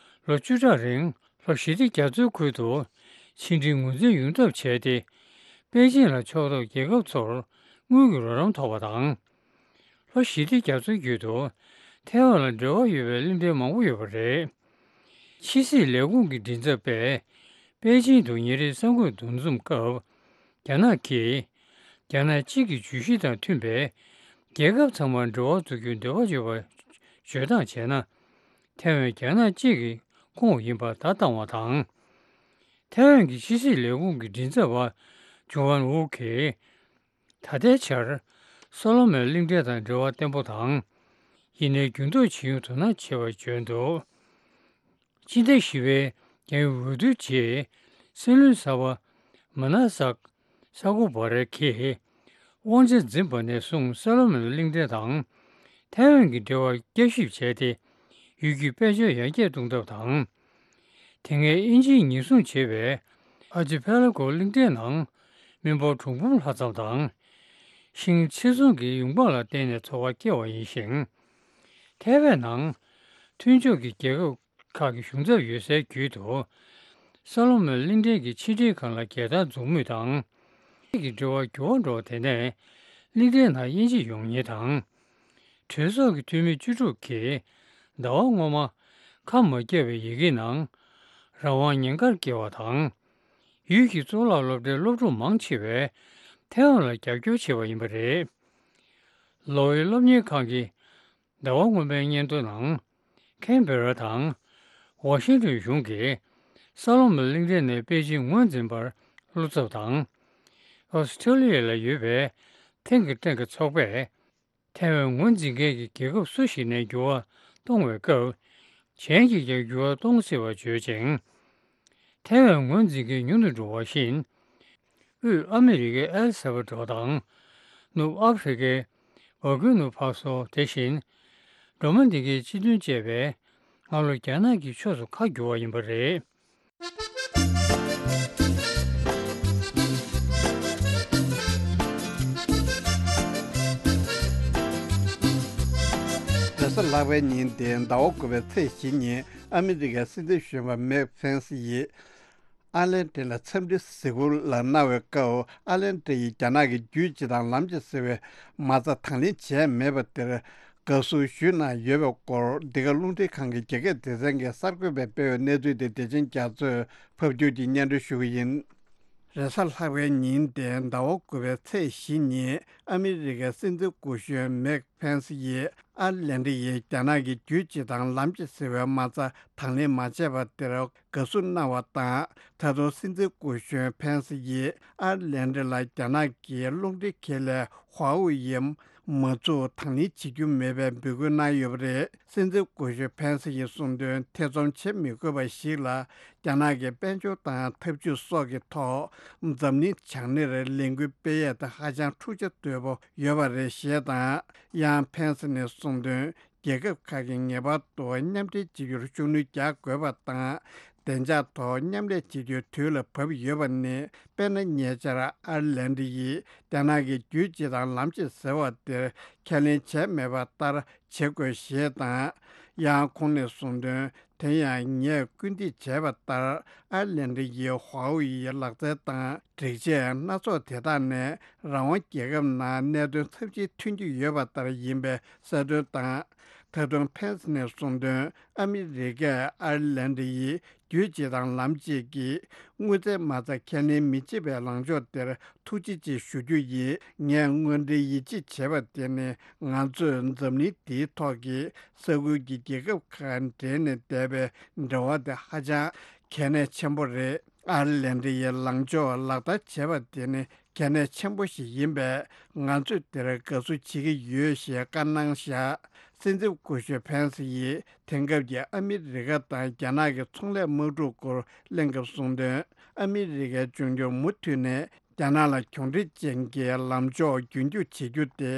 ལོ་བཅུ་ཕྲག་རིང་ལྷོ་ཞི་བདེ་རྒྱ་མཚོའི་ཁུལ་དུ་ཕྱི་འབྲེལ་ངོས་འཛིན་ཡོང་ཐབས་བྱས་ཏེ། པེ་ཅིང་ལ་ཕྱོགས་གཏོགས་རྒྱལ་ཁབ་ཚོར་དངུལ་གྱི་རོགས་རམ་ཐོབ་པ་དང་། ལྷོ་ཞི་བདེ་རྒྱ་མཚོ་བརྒྱུད་དུ་ཐའེ་ཝན་ལ་འབྲེལ་བ་ཡོད་པའི་གླིང་ཕྲན་མང་པོ་ཡོད་པ་རེད། ཕྱི་སྲིད་ལས་ཁུངས་ཀྱི་མགྲིན་ཚབ་པས་པེ་ཅིང་དུ་ཉིན་རེའི་གསར་འགོད་འདུ་འཛོམས་སྐབས། རྒྱ་ནག་གིས་རྒྱ་ནག་གཅིག་གི་བརྗོད་གཞི་དང་མཐུན་པའི་རྒྱལ་ཁབ་ཚང་མར་འབྲེལ་བ་འཛུགས་རྒྱུའི་འདོད་པ་ཡོད་པ་བརྗོད་སྟངས་བྱས་ན། ཐའེ་ཝན་རྒྱ་ནག་གཅིག་གི་ཁོངས་ཡིན་པར་བརྡ་བཏང་བ་དང་། ཐའེ་ཝན་གྱི་ཕྱི་སྲིད་ལས་ཁུངས་ཀྱི་མགྲིན་ཚབ་པ་ཇོ་ཝན་ཝུ་གིས། ད་ལྟའི་ཆར་སོ་ལོ་མོན་གླིང་ཕྲན་དང་འབྲེལ་བ་བརྟན་པོ་དང་། ཡིན་ནའི་འགྱུར་ལྡོག་ཇི་ཡོང་དོ་སྣང་ཆེ་བར་བརྗོད་འདུག། སྤྱི་ཟླ་བཞི་པའི་རྒྱལ་ཡོངས་འོས་བསྡུའི་རྗེས། སྲིད་བློན་གསར་པ་མ་ན་སག་ས་ཀོ་བྷ་ར་གིས་དབང་ཆ་འཛིན་པ་ནས་བཟུང་སོ་ལོ་མོན་གླིང་ཕྲན་དང་ཐའེ་ཝན་གྱི་འབྲེལ་བར་བསྐྱར་ཞིབ་བྱས་ཏེ། ཡུལ་རྒྱུད་དཔལ་འབྱོར་ཡར་རྒྱས་གཏོང་ཐབས་དང་། དེ་སྔའི་དབྱིན་ཇིས་ཉེན་སྲུང་བྱེད་པའི་ཨར་ཅི་ཕེ་ལ་གོ་གླིང་ཕྲན་ནང་མི་འབོར་གྲངས་འབུམ་ལྷག་ཙམ་དང་། ཤིང་ཚེ་སྲུང་གི་ཡོང་འབབ་ལ་བརྟེན་ནས་འཚོ་བ་སྐྱེལ་བ་ཡིན་ཞིང་། ཐའེ་ཝན་ནང་མཐུན་ཕྱོགས་ཀྱི་རྒྱལ་ཁབ་ཁག་གི་གཞུང་ཚབ་ཡོད་སའི་རྒྱུད་དུ། སོ་ལོ་མོན་གླིང་ཕྲན་གྱི་ཕྱི་འབྲེལ་ཁང་ལ་རྒྱལ་དར་འཛུགས་མུས་དང་། གི་འབྲེལ་བ་འགྱུར་བ་འགྲོ་བ་དེ་ནས་གླིང་ཕྲན་ནང་དབྱིན་ཇི་ཡོང་ཉེན་དང་། གྲོས་ཚོགས་ཀྱི་འཐུས་མི་བཅུ་དྲུག་གིས་ཟླ་བ་སྔོན་མ་ཁ་མ་བརྒྱབ་པའི་ཡི་གེའི་ནང་རང་དབང་ཉེན་ཁར་བཀལ་བ་དང་། ཡུལ་གྱི་གཙུག་ལག་སློབ་གྲྭའི་སློབ་ཕྲུག་མང་ཆེ་བས་ཐའེ་ཝན་ལ་རྒྱབ་སྐྱོར་བྱས་པ་ཡིན་པ་རེད། ལོ་ཝེ་སློབ་གཉེར་ཁང་གིས་ཟླ་བ་སྔོན་མའི་སྙན་ཐོ་ནང་། ཁེན་བེ་ར་དང་ཝ་ཤིང་ཏོན་གཞུང་གིས་སོ་ལོ་མོན་གླིང་ཕྲན་ནས་པེ་ཅིང་ངོས་འཛིན་པར་བློ་འཚབ་དང་། ཨོ་སི་ཁྲེ་ལི་ཡ་ལ་ཡོད་པའི་ཐེངས་ཀྱི་ཐེངས་ཀྱི་ཚོགས་པས་ཐའེ་ཝན་ངོས་འཛིན་མཁན་གྱི་རྒྱལ་ཁབ་སུ་ཞིག་ནས་འགྱུར་བ་གཏོང་བའི་སྐབས། གཞན་གྱིས་ཀྱང་འགྱུར་བ་གཏོང་སྲིད་པར་བརྗོད་ཅིང་། ཐའེ་ཝན་ངོས་འཛིན་མཁན་ཉུང་དུ་འགྲོ་བ་བཞིན། དབུས་ཨ་མི་རི་ཀའི་ཨེལ་སེ་བ་ཏོ་དང་། ནུབ་ཨ་ཧྥེ་རི་ཀའི་བར་ཀུ་ནུ་ཕ་སོ། དེ་བཞིན་རོ་མ་ནི་ཀའི་སྤྱི་མཐུན་བཅས་པས་སྔ་ལོ་རྒྱ་ནག་གི་ཕྱོགས་སུ་ཁ་བསྒྱུར་བ་ཡིན་པ་རེད། ལྷག་པའི་ཉིན་དེ་ཟླ་བ་དགུ་པའི་ཚེས་བཞི་ཉིན་ཨ་མི་རི་ཀའི་སྲིད་འཛིན་གཞོན་པ་མེག་ཕེན་སི་ཡིས་ཨར་ལན་ཏིན་ལ་འཚམས་འདྲི་གཟིགས་སྐོར་ལ་གནང་བའི་སྐབས། ཨར་ལན་ཏིན་ཡིས་རྒྱ་ནག་གི་རྒྱུད་སྤྱི་དང་ལམ་སྤྱི་ཟེར་བའི་མ་རྩ་དང་ལེན་བྱས་མེད་པ་དེར་དགའ་བསུ་ཞུས་གནང་ཡོད་པའི་སྐོར། འདི་ག་རླུང་འཕྲིན་ཁང་གི་རྒྱ་སྐད་སྡེ་ཚན་གྱིས་གསར་འགོད་པས་སྤེལ་བའི་གནས་ཚུལ་དེ་བདེ་ཆེན་རྒྱ་མཚོས་ཕབ་སྒྱུར་གྱིས་སྙན་སྒྲོན་ཞུ་གི་ཡིན། རེས་གཟའ་ལྷག་པའི་ཉིན་དེ་ཟླ་བ་དགུ་པའི་ཚེས་བཞི་ཉིན་ཨ་མི་རི་ཀའི་སྲིད་འཛིན་སྐུ་གཞོན་མེག་ཕེན་སི་ཡིས་ཨར་ལན་ཌི་ཡིས་རྒྱ་ནག་གི་རྒྱུད་སྤྱི་དང་ལམ་སྤྱི་ཟེར་བའི་མ་རྩ་དང་ལེན་མ་བྱས་པ་དེར་དགའ་བསུ་གནང་བ་དང་། ད་དུང་སྲིད་འཛིན་སྐུ་གཞོན་ཕེན་སི་ཡིས་ཨར་ལན་ཌི་ལ་རྒྱ་ནག་གི་རླུང་འཕྲིན་ཁེ་ལས་ཧྭ་ཝུའེ་ཡི་མ་རྩ་དང་ལེན་བྱེད་རྒྱུ་མེད་པའི་འབོད་སྐུལ་གནང་ཡོད་པ་རེད། སྲིད་འཛིན་སྐུ་ཞབས་ཕན་སི་ཡིས་གསུངས་དོན། ཐེ་ཚོམ་བྱེད་མི་དགོས་པ་ཞིག་ལ། རྒྱ་ནག་གི་དཔལ་འབྱོར་དང་འཐབ་ཇུས་སོགས་ཀྱི་ཐོག་འཛམ་གླིང་བྱང་སྣེར་ལས་འགུལ་སྤེལ་ཡས་དེ་ཧ་ཅང་འཁྲུག་ཆ་དོད་པོ་ཡོད་པ་རེད་ཞེས་དང་། ཡང་ཕན་སི་ནས་གསུངས་དོན། རྒྱལ་ཁབ་ཁག་གིས་ངེས་པར་དུ་མཉམ་འབྲེལ་བྱེད་རྒྱུར་ཤུགས་སྣོན་རྒྱག་དགོས་པ་དང་། བདེ་འཇགས་ཐོག་མཉམ་ལས་བྱེད་རྒྱུའི་དུས་ལ་བབ་ཡོད་པ་ནི། དཔེར་ན། ཉེ་ཆར་ཨར་ལན་ཌི་ཡིས་རྒྱ་ནག་གི་རྒྱུད་སྤྱི་དང་ལམ་སྤྱི་ཟེར་བ་དེར་ཁས་ལེན་བྱས་མེད་པ་ལྟར་བྱེད་དགོས་ཞེས་དང་། ཡང་ཁོང་ནས་གསུངས་དོན། དེ་ཡང་ངས་སྐུལ་འདེད་བྱས་པ་ལྟར། ཨར་ལན་ཌི་ཡི་ཧྭ་ཝུའེ་ཡི་ལག་རྩལ་དང་སྒྲིག་ཆས་སྣ་ཚོགས་དེ་དག་ནས་རང་དབང་རྒྱལ་ཁབ་ནང་གནད་དོན་ཚབས་ཆེན་ཐོན་གྱི་ཡོད་པ་ལྟར་ཡིན་པའི་གསལ་སྟོན་དང་། ད་དུང་ཕན་སི་ནས་གསུངས་དོན། ཨ་མི་རི་ཀས་ཨར་ལན་ཌི་ཡི་རྒྱུད་སྤྱི་དང་ལམ་སྤྱི་གི་དངུལ་རྩའི་མ་རྩ་ཁས་ལེན་མི་བྱེད་པའི་ལངས་ཕྱོགས་དེར་ཐུགས་རྗེ་ཆེ་ཞུ་རྒྱུ་ཡིན། ངས་དངོས་འབྲེལ་ཡིད་ཆེས་བྱས་པ་དེ་ནི། ང་ཚོས་འཛམ་གླིང་འདིའི་ཐོག་གི་ས་ཁུལ་གྱི་རྒྱལ་ཁབ་ཁག་འབྲེལ་ནས་བསྡད་པའི་འབྲེལ་བ་དེ་ཧ་ཅང་གལ་གནད་ཆེན་པོ་རེད། ཨར་ལན་ཌི་ཡི་ལངས་ཕྱོགས་ལག་བསྟར་བྱས་པ་དེ་ནི་གལ་གནད་ཆེན་པོ་ཞིག་ཡིན་པས། ང་ཚོས་དེར་དགའ་བསུ་བྱེད་ཀྱི་ཡོད་ཞེས་བཀའ་གནང་བཞག་སྲིད་འཛིན་སྐུ་ཞབས་ཕན་སི་ཡིས་དེང་སྐབས་ཀྱི་ཨ་མི་རི་ཀ་དང་རྒྱ་ནག་གི་ཚོང་ལས་དམག་འཁྲུག་སྐོར་གླེང་སྐབས་གསུངས་དོན། ཨ་མི་རི་ཀའི་འབྱུང་འགྱུར་མུ་མཐུད་ནས་རྒྱ་ནག་ལ་གྱོང་འཕྲུལ་ཅན་གྱི་ལངས་ཕྱོགས་རྒྱུན་སྐྱོང་བྱེད་རྒྱུ་དེ།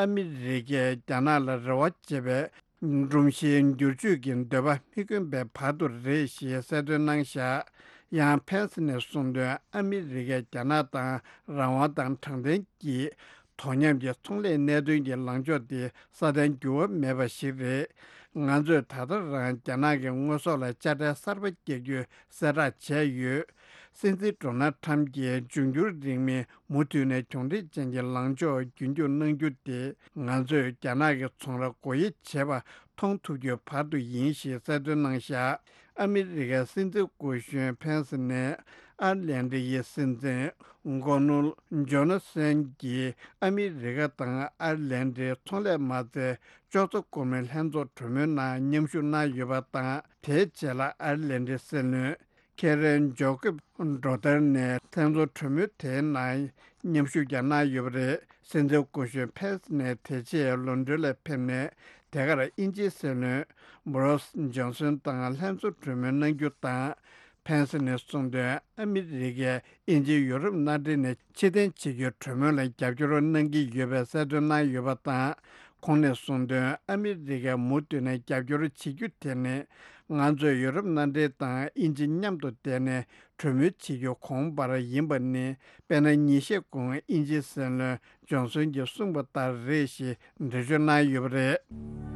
ཨ་མི་རི་ཀས་རྒྱ་ནག་ལ་རེ་བ་བྱེད་པའི་སྒྲོམ་གཞིའི་འགྱུར་བཅོས་ཀྱི་འདོད་པ་མི་དགོས་པའི་བར་དུ་རེད་ཞེས་གསལ་སྟོན་གནང་བཞག་ཡང་ཕན་སི་ནས་གསུངས་དོན། ཨ་མི་རི་ཀས་རྒྱ་ནག་དང་རང་དབང་དང་དྲང་བདེན་གྱི་དོ་མཉམ་གྱི་ཚོང་ལས་གནད་དོན་གྱི་ལངས་ཕྱོགས་དེ་སྲ་བརྟན་འགྱུར་བ་མེད་པ་ཞིག་རེད། ང་ཚོས་ད་ལྟ་རང་རྒྱ་ནག་གི་དངོས་ཟོག་ལ་དཔྱ་ཁྲལ་གསར་པ་བཀལ་རྒྱུ་གསལ་བསྒྲགས་བྱས་ཡོད། སྲིད་འཛིན་ཌོ་ནལ་ཁྲམ་གྱིས་འབྱུང་འགྱུར་རིང་མིན་མུ་མཐུད་ནས་གྱོང་འཕྲུལ་ཅན་གྱི་ལངས་ཕྱོགས་རྒྱུན་སྐྱོང་གནང་རྒྱུ་དེ། ང་ཚོས་རྒྱ་ནག་གི་ཚོང་ར་སྒོ་དབྱེ་བྱེད་པ་མཐོང་ཐུབ་རྒྱུའི་བར་དུ་ཡིན་ཞེས་གསལ་སྟོན་གནང་བཞག་ཨ་མི་རི་ཀའི་སྲིད་འཛིན་སྐུ་གཞོན་ཕན་སི་ནས། ཨར་ལན་ཌི་ཡི་སྲིད་འཛིན་གོ་ནོར་ཇོ་ན་སན་གྱིས་ཨ་མི་རི་ཀ་དང་ཨར་ལན་ཌིའི་ཚོང་ལས་མ་རྩའི་ཅོག་ཚ་བསྐོར་མའི་ལྷན་ཚོགས་གྲོས་མོལ་ནང་མཉམ་ཞུགས་གནང་ཡོད་པ་དང་། དེའི་རྗེས་ལ་ཨར་ལན་ཌིའི་སྲིད་བློན་ཁེ་རེན་ཇོ་ཀེབ་འགྲོ་ཐལ་ནས་ལྷན་ཚོགས་གྲོས་མོལ་དེའི་ནང་མཉམ་ཞུགས་ཀྱང་གནང་ཡོད་པ་རེད། སྲིད་འཛིན་སྐུ་གཞོན་ཕེན་སི་ནས་དེ་རྗེས་ལོན་ཌོན་ལ་ཕེབས་ནས། དེ་གར་དབྱིན་ཇིའི་སྲིད་བློན་བྷོ་རིས་ཇོན་སོན་དང་ལྷན་ཚོགས་གྲོས་མོལ་གནང་རྒྱུ་དང་། ཕེན་སི་ནས་གསུངས་དོན། ཨ་མི་རི་ཀས་དབྱིན་ཇི་ཡུ་རོབ་མནའ་འབྲེལ་ནས་ཕྱིར་འཐེན་བྱེད་རྒྱུའི་གྲོས་མོལ་ལ་རྒྱབ་སྐྱོར་གནང་གི་ཡོད་པའི་གསལ་སྟོན་གནང་ཡོད་པ་དང་། ཁོང་ནས་གསུངས་དོན། ཨ་མི་རི་ཀས་མུ་མཐུད་ནས་རྒྱབ་སྐྱོར་བྱེད་རྒྱུ་དེ་ནི། ང་ཚོས་ཡུ་རོབ་མནའ་འབྲེལ་དང་དབྱིན་ཇི་མཉམ་དུ་བསྡད་ནས་གྲོས་མོལ་བྱེད་རྒྱུ་གོང་འཕེལ་ཡིན་པ་ནི། དཔེར་ན། ཉིན་ཤས་གོང་དབྱིན་ཇིའི་སྲིད་བློན་ཇོན་སོན་གྱིས་གསུངས་པ་ལྟར་རེད་ཞེས་འགྲེལ་བརྗོད་གནང་ཡོད་པ་རེད།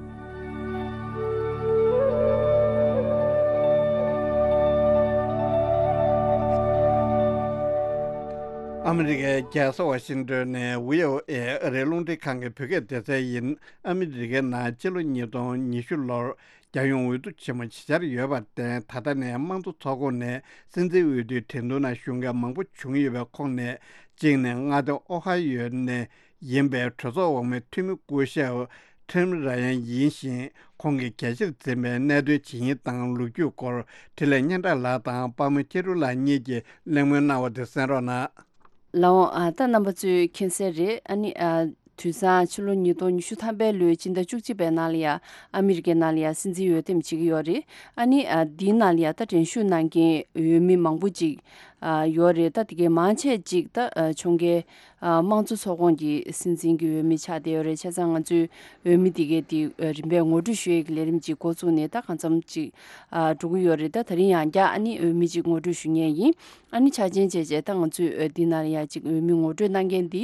ཨ་མི་རི་ཀའི་རྒྱལ་ས་ཝ་ཤིང་ཏོན་ནས་བྷི་ཨོ་ཨེ་ཨ་རིའི་རླུང་འཕྲིན་ཁང་གི་བོད་སྐད་སྡེ་ཚན་ཡིན། ཨ་མི་རི་ཀའི་ནང་ཕྱི་ལོ་ཉིས་སྟོང་ཉི་ཤུ་ལོར་རྒྱལ་ཡོངས་འོས་བསྡུ་ཆེན་མོ་ཞིག་བྱས་ཡོད་པར་བརྟེན། ད་ལྟ་ནས་དམངས་གཙོ་ཚོགས་ཁོངས་ནས་སྲིད་འཛིན་འོས་བསྡུའི་འགྲན་བསྡུར་ནང་ཞུགས་མཁན་མང་པོ་བྱུང་ཡོད་པའི་ཁོངས་ནས། གཅིག་ནས་མངའ་སྡེ་ཨོ་ཧ་ཡོ་ནས་ཡིན་པའི་གྲོས་ཚོགས་འོག་མའི་འཐུས་མི་སྐུ་ཞབས་ཁྲིམ་ར་ཡན་ཡིན་ཞིང་། ཁོང་གིས་གལ་ཆེར་འཛིན་པའི་གནད་དོན་ཇི་ཡིན་དང་ལོ་རྒྱུས་སྐོར་འཕྲིན་ལས་སྙན་གྲགས་ལགས་དང་དཔལ་མོ་སྐྱིད་སྒྲོན་ལགས་གཉིས་ཀྱིས་གླེང་མོལ་གནང་བ་དེ་གསན་རོགས་གནང་། ལགས་འོང་། ཨ། ད་རྣམ་པ་ཚོས་མཁྱེན་གསལ་རེད། ཨ་ནི། ཨ། དུས་སང་ཕྱི་ལོ་ཉིས་སྟོང་ཉི་ཤུ་ཐམ་པའི་ལོའི་སྤྱི་ཟླ་བཅུ་གཅིག་པའི་ནང་ལ་ཡ། ཨ་མི་རི་ཀའི་ནང་ལ་ཡ་སྲིད་འཛིན་འོས་འདེམས་བྱེད་ཀྱི་ཡོད་རེད། ཨ་ནི། ཨ། འདིའི་ནང་ལ་ཡ་ད་འགྲན་ཞུགས་གནང་མཁན་འོས་མི་མང་པོ་ཅིག་ ཨ་ཡོད་རེད། ད་དེ་གའི་མང་ཆེ་ཅིག་ད་ཨ་ཁྱོན་གའི་ཨ་དམངས་གཙོ་ཚོགས་ཁོངས་ཀྱི་སྲིད་འཛིན་གྱི་འོས་མི་ཆགས་བསྡད་ཡོད་རེད། བྱས་ཙང་ང་ཚོས་འོས་མི་དེ་གའི་དེ་ཨ་རིམ་པས་ངོ་སྤྲོད་ཞུ་ཡས་ཀྱི་ལས་རིམ་ཅིག་འགོ་བཙུགས་ནས་ད་གང་འཚམ་ཅིག་ཨ་འགྲོ་གི་ཡོད་རེད། ད་དེ་རིང་ཡང་བསྐྱར་ཨ་ནི་འོས་མི་ཅིག་ངོ་སྤྲོད་ཞུ་མཁན་ཡིན། ཨ་ནི་ཆ་རྐྱེན་བྱས་བྱས་ད་ང་ཚོས་ཨ་འདི་ནང་ལ་ཡང་ཅིག་འོས་མི་ངོ་སྤྲོད་གནང་མཁན་འདི་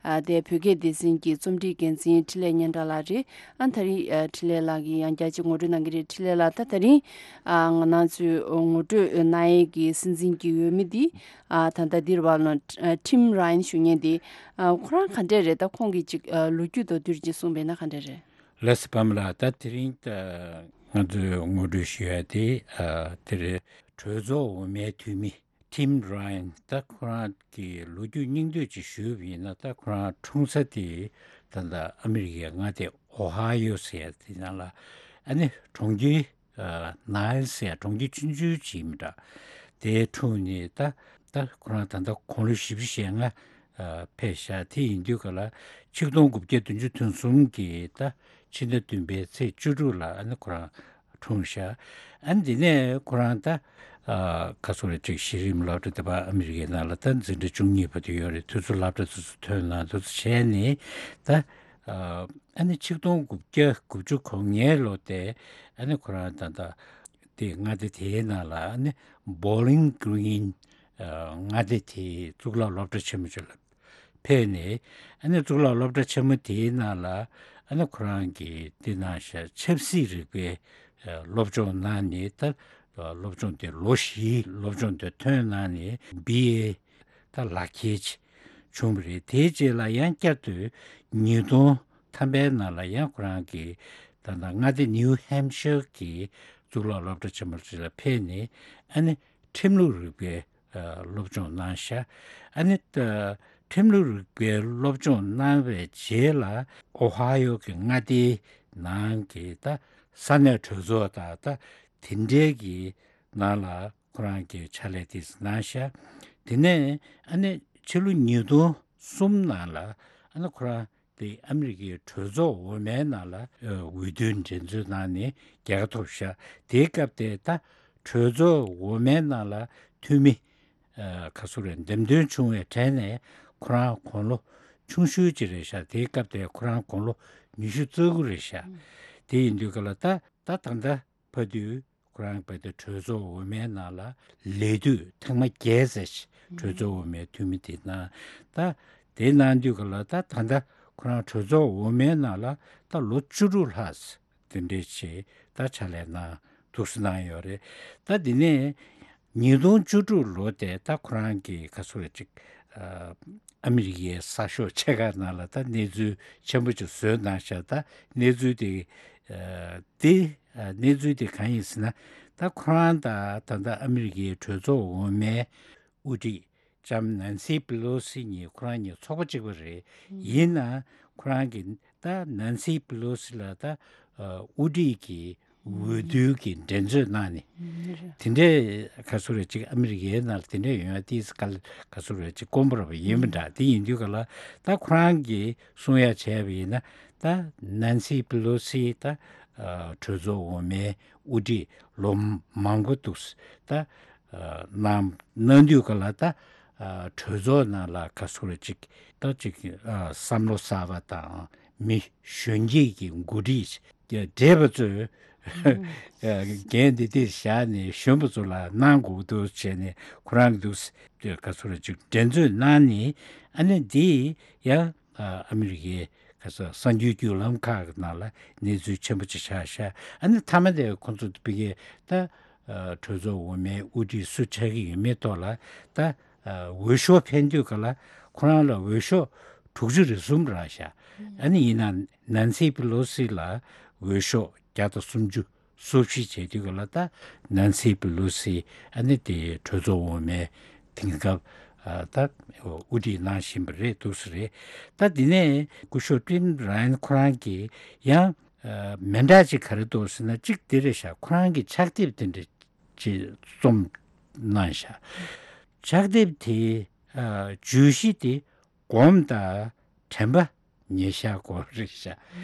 ཨ་དེ་བོད་སྐད་སྡེ་ཚན་གྱི་རྩོམ་སྒྲིག་འགན་འཛིན་འཕྲིན་ལས་སྙན་གྲགས་ལགས་རེད། ཨ་ད་རིང་ཨ་འཕྲིན་ལས་ལགས་ཀྱིས་ཡང་བསྐྱར་ཅིག་ངོ་སྤྲོད་གནང་གི་རེད། འཕྲིན་ལས་ལགས། ད་དེ་རིང་ཨ་ང་རང་ཚོའི་ངོ་སྤྲོད་གནང་ཡས་ཀྱི་སྲིད་འཛིན་གྱི་འོས་མི་འདི་ཨ་ད་ལྟ་འདིར་བ་ལོན་ཨ་ཊིམ་ར་ཡན་ཞུ་མཁན་འདི་ཨ་ཁོ་རང་ག་འདྲས་རེད། ད་ཁོང་གི་ཅིག་ཨ་ལོ་རྒྱུས་མདོར་བསྡུས་ཅིག་གསུངས་པས་ན་ག་འདྲས་རེད། ལགས་སོ། པདྨ་ལགས། ད་དེ་རིང་ད་ང་ཚོས་ངོ་སྤྲོད་ཞུ་ཡ་དེ་ཨ་དེ་རེད། གྲོས་ཚོགས་འོག་མའི་འཐུས་མི་ཊིམ་ར་ཡན། ད་ཁོ་རང་གི་ལོ་རྒྱུས་སྙིང་བསྡུས་ཅིག་ཞུས་པ་ཡིན་ན། ད་ཁོ་རང་འཁྲུངས་ས་དེ་ད་ལྟ་ཨ་མི་རི་ཀའི་མངའ་སྡེ་ཨོ་ཧ་ཡོ་ཟེར་ཡ་དེ་ནང་ལ་ཨ་ནི་གྲོང་ཁྱེར་ཨ་ནའིལ་ཟེར་ཡ་གྲོང་ཁྱེར་ཆུང་ཆུང་ཅིག་ཡིན་པ་འདྲ། དེ་འཁྲུངས་ནས་ད་ད་ཁོ་རང་ད་ལྟ་དགུང་ལོ་བཞི་བཅུ་ཞེ་ལྔ་ཨ་ཕེབས་ཤག་དེ་ཡིན་དུས་ག་ལ་ཆིག་སྟོང་དགུ་བརྒྱ་བདུན་ཅུ་དོན་གསུམ་གྱི་ད་ཕྱི་ཟླ་བདུན་པའི་ཚེས་བཅུ་དྲུག་ལ་ཨ་ནི་ཁོ་རང་འཁྲུངས་ཤག་ཨ་ནི་དེ་ནས་ཁོ་རང་ད་ཨ་ག་ཚོད་རེད་ཅིག་གཞི་རིམ་སློབ་གྲྭ་དེ་བ་ཨ་མི་རི་ཀའི་ནང་ལ་ད་འཛིན་གྲྭ་བཅུ་གཉིས་བར་དུ་ཡོད་རེད། དུས་ཚོད་སློབ་གྲྭ་དེ་ཚོ་ཐོན་ན་དེ་ཚོ་བྱས་ནས་ད་ཨ་ནི་ཆིག་སྟོང་དགུ་བརྒྱ་དགུ་བཅུ་གོ་ལྔའི་ལོ་དེ་ཨ་ནི་ཁོ་རང་ད་ད་དེ་མངའ་སྡེ་དེའི་ནང་ལ་ཨ་ནི་བོ་ལིང་གི་རིན་མངའ་སྡེ་དེའི་གཙུག་ལག་སློབ་གྲྭ་ཆེན་མོ་ཅིག་ལ་ཕེབས་ནས། ཨ་ནི་གཙུག་ལག་སློབ་གྲྭ་ཆེན་མོ་དེའི་ནང་ལ་ཨ་ནི་ཁོ་རང་གིས་འདི་གནང་ཤག་ཆབ་སྲིད་རིག་པའི་སློབ་སྦྱོང་གནང་ནས། ད་སློབ་སྦྱོང་དེ་ལོ་བཞིའི་སློབ་སྦྱོང་དེ་ཐོན་གནང་ནས་བི་ཨེ་ད་ལག་ཁྱེར་ཅིག་བྱུང་བ་རེད། དེའི་རྗེས་ལ་ཡང་བསྐྱར་དུ་ཉིས་སྟོང་ཐམ་པའི་ནང་ལ་ཡང་ཁོ་རང་གིས་ད་ལྟ་མངའ་སྡེ་ནིའུ་ཧེམ་ཤར་གྱི་གཙུག་ལག་སློབ་གྲྭ་ཆེན་མོ་ཅིག་ལ་ཕེབས་ནས། ཨ་ནི་ཁྲིམས་ལུགས་རིག་པའི་སློབ་སྦྱོང་གནང་ཤག་ཨ་ནི་ད་ཁྲིམས་ལུགས་རིག་པའི་སློབ་སྦྱོང་གནང་བའི་རྗེས་ལ་ཨོ་ཧ་ཡོ་གི་མངའ་སྡེའི་ནང་གི་ད་ས་གནས་གྲོས་ཚོགས་དང་ད་དེ་འདྲའི་གི་ནང་ལ་ཁོ་རང་གི་ཕྱག་ལས་དེ་གནང་ཤག་དེ་ནས་ཨ་ནི་ཕྱི་ལོ་ཉིས་སྟོང་གསུམ་ནང་ལ་ཨ་ནི་ཁོ་རང་དེ་ཨ་མི་རི་ཀའི་གྲོས་ཚོགས་འོག་མའི་ནང་ལ་ཨ་འོས་བསྡུའི་འགྲན་རྩོད་གནང་ནས་རྒྱལ་ཁ་ཐོབ་ཤག་དེའི་སྐབས་དེ་ད་གྲོས་ཚོགས་འོག་མའི་ནང་ལ་འཐུས་མི་ཨ་ག་ཚོད་རེད། འདེམས་ཐོན་བྱུང་བའི་གྲས་ནས་ཁོ་རང་དགུང་ལོ་ཆུང་ཤོས་ཅིག་རེད་ཤག་དེའི་སྐབས་དེ་ཁོ་རང་དགུང་ལོ་ཉི་ཤུ་རྩ་དགུ་རེད་ཤག་དེ་ཡིན་དུས་ག་ལ་ད་ད་ད་ལྟ་བར་དུ་ཁོ་རང་བར་དུ་གྲོས་ཚོགས་འོག་མའི་ནང་ལ་ལས་དུས་ཐེངས་མ་བརྒྱད་ཙམ་ཞིག་གྲོས་ཚོགས་འོག་མའི་འཐུས་མི་དེ་གནང་། ད་དེ་གནང་དུས་ག་ལ་ད་ད་ལྟ་ཁོ་རང་གྲོས་ཚོགས་འོག་མའི་ནང་ལ་ད་ལོ་བཅུ་དྲུག་ལྷག་དེ་འདྲས་བྱས་ད་ཕྱག་ལས་གནང་འདུག་སེ་གནང་ཡོད་རེད། ད་དེ་ནས་ཉིས་སྟོང་བཅུ་དྲུག་ལོ་དེ་ད་ཁོ་རང་གི་ག་ཚོད་རེད་ཅིག་ཨ་ཨ་མི་རི་ཀའི་གསར་ཤོག་ཆེ་ཁག་ནང་ལ་ད་གནས་ཚུལ་ཆེན་པོ་ཅིག་བཟོས་གནང་ཤག་ད་གནས་ཚུལ་དེ་ཨ་དེ་ཨ་གནས་ཚུལ་དེ་གང་ཡིན་ཟེར་ན། ད་ཁོ་རང་དང་ད་ལྟ་ཨ་མི་རི་ཀའི་གྲོས་ཚོགས་འོག་མའི་དབུ་ཁྲིད་ལྕམ་ནན་སི་པི་ལོ་སི་གཉིས་ཁོ་རང་གཉིས་ཚོགས་པ་གཅིག་པ་རེད། ཡིན་ནའང་ཁོ་རང་གིས་ད་ནན་སི་པི་ལོ་སི་ལ་ད་ཨ་དབུ་ཁྲིད་ཀྱི་འོས་བསྡུ་གི་འགྲན་རྩོད་གནང་ནས་དེ་འདྲའི་ག་ཚོད་རེད་ཅིག་ཨ་མི་རི་ཀའི་ནང་ལ་དེ་འདྲ་ཡོང་ཡ་ཏིས་ག་ག་ཚོད་རེད་ཅིག་དཀོན་པོ་ར་བ་ཡིན་པ་འདྲ། དེ་ཡིན་དུས་ག་ལ་ད་ཁོ་རང་གིས་གསུང་ཡ་བྱས་པ་ཡིན་ན། ད་ནན་སི་པི་ལོ་སི་ད་ཨ་གྲོས་ཚོགས་འོག་མའི་དབུ་ཁྲིད་ལོ་མང་པོ་འདུག་ད་ཨ་གནང་གནང་དུས་ག་ལ་ད་ཨ་གྲོས་ཚོགས་ནང་ལ་ག་ཚོད་རེད་ཅིག་ད་ཅིག་ཨ་བསམ་བློ་གསར་པ་དང་མི་གཞོན་སྐྱེས་ཀྱི་འགོ་ཁྲིད་བགྲེས་པ་ཚོས་འགན་འདི་འདིར་བཞག་ནས་གཞོན་པ་ཚོ་ལ་གནང་དགོས་འདུག་བྱས་ནས་ཁོ་རང་འདུག་ག་ཚོད་རེད་ཅིག་འགྲན་རྩོད་གནང་ནས། ཨ་ནི་འདི་ཡང་ཨ་མི་རི་ཀའི་ག་ཚོད་གསར་འགྱུར་བརྒྱུད་ལམ་ཁག་གི་ནང་ལ་གནས་ཚུལ་ཆེན་པོ་ཅིག་ཆགས་ཤག་ཨ་ནི་མཐའ་མ་དེ་ཁོང་ཚོ་ཕ་གིའི་ད་གྲོས་ཚོགས་འོག་མའི་དབུ་ཁྲིད་སུ་ཆགས་ཀྱི་ཡོད་མེད་ཐོག་ལ་ད་འོས་ཤོག་འཕེན་དུས་ག་ལ་ཁོ་རང་ལ་འོས་ཤོག་དྲུག་ཅུ་རེ་གསུམ་རག་ཤག་ཨ་ནི་ཡིན་ན་ནན་སི་པི་ལོ་སི་ལ་འོས་ཤོག་བརྒྱ་དང་སུམ་ཅུ། སུ་བཞི་བྱས་དུས་ག་ལ་ད་ནན་སི་པི་ལོ་སི་ཨ་ནི་དེ་གྲོས་ཚོགས་འོག་མའི་དེང་སྐབས་ཨ་ད་དབུ་ཁྲིད་གནང་བཞིན་པ་རེད་འདུག་སེ་རེད། ད་དེ་ནས་སྐུ་ཞབས་ཊིམ་ར་ཡན་ཁོ་རང་གིས་ཡང་ཨ་མི་འདྲ་ཅིག་ག་རེ་འདུག་ཟེར་ན། གཅིག་དེ་རེད་ཤག་ཁོ་རང་གིས་ཕྱག་དེབ་དེ་འདྲ་ཅིག་རྩོམ་གནང་ཤག་ཕྱག་དེབ་དེ་ཨ་བརྗོད་གཞི་དེ་སྒོམ་དང་དྲན་པ་ཉེར་བཞག་སྐོར་རེད་ཤག་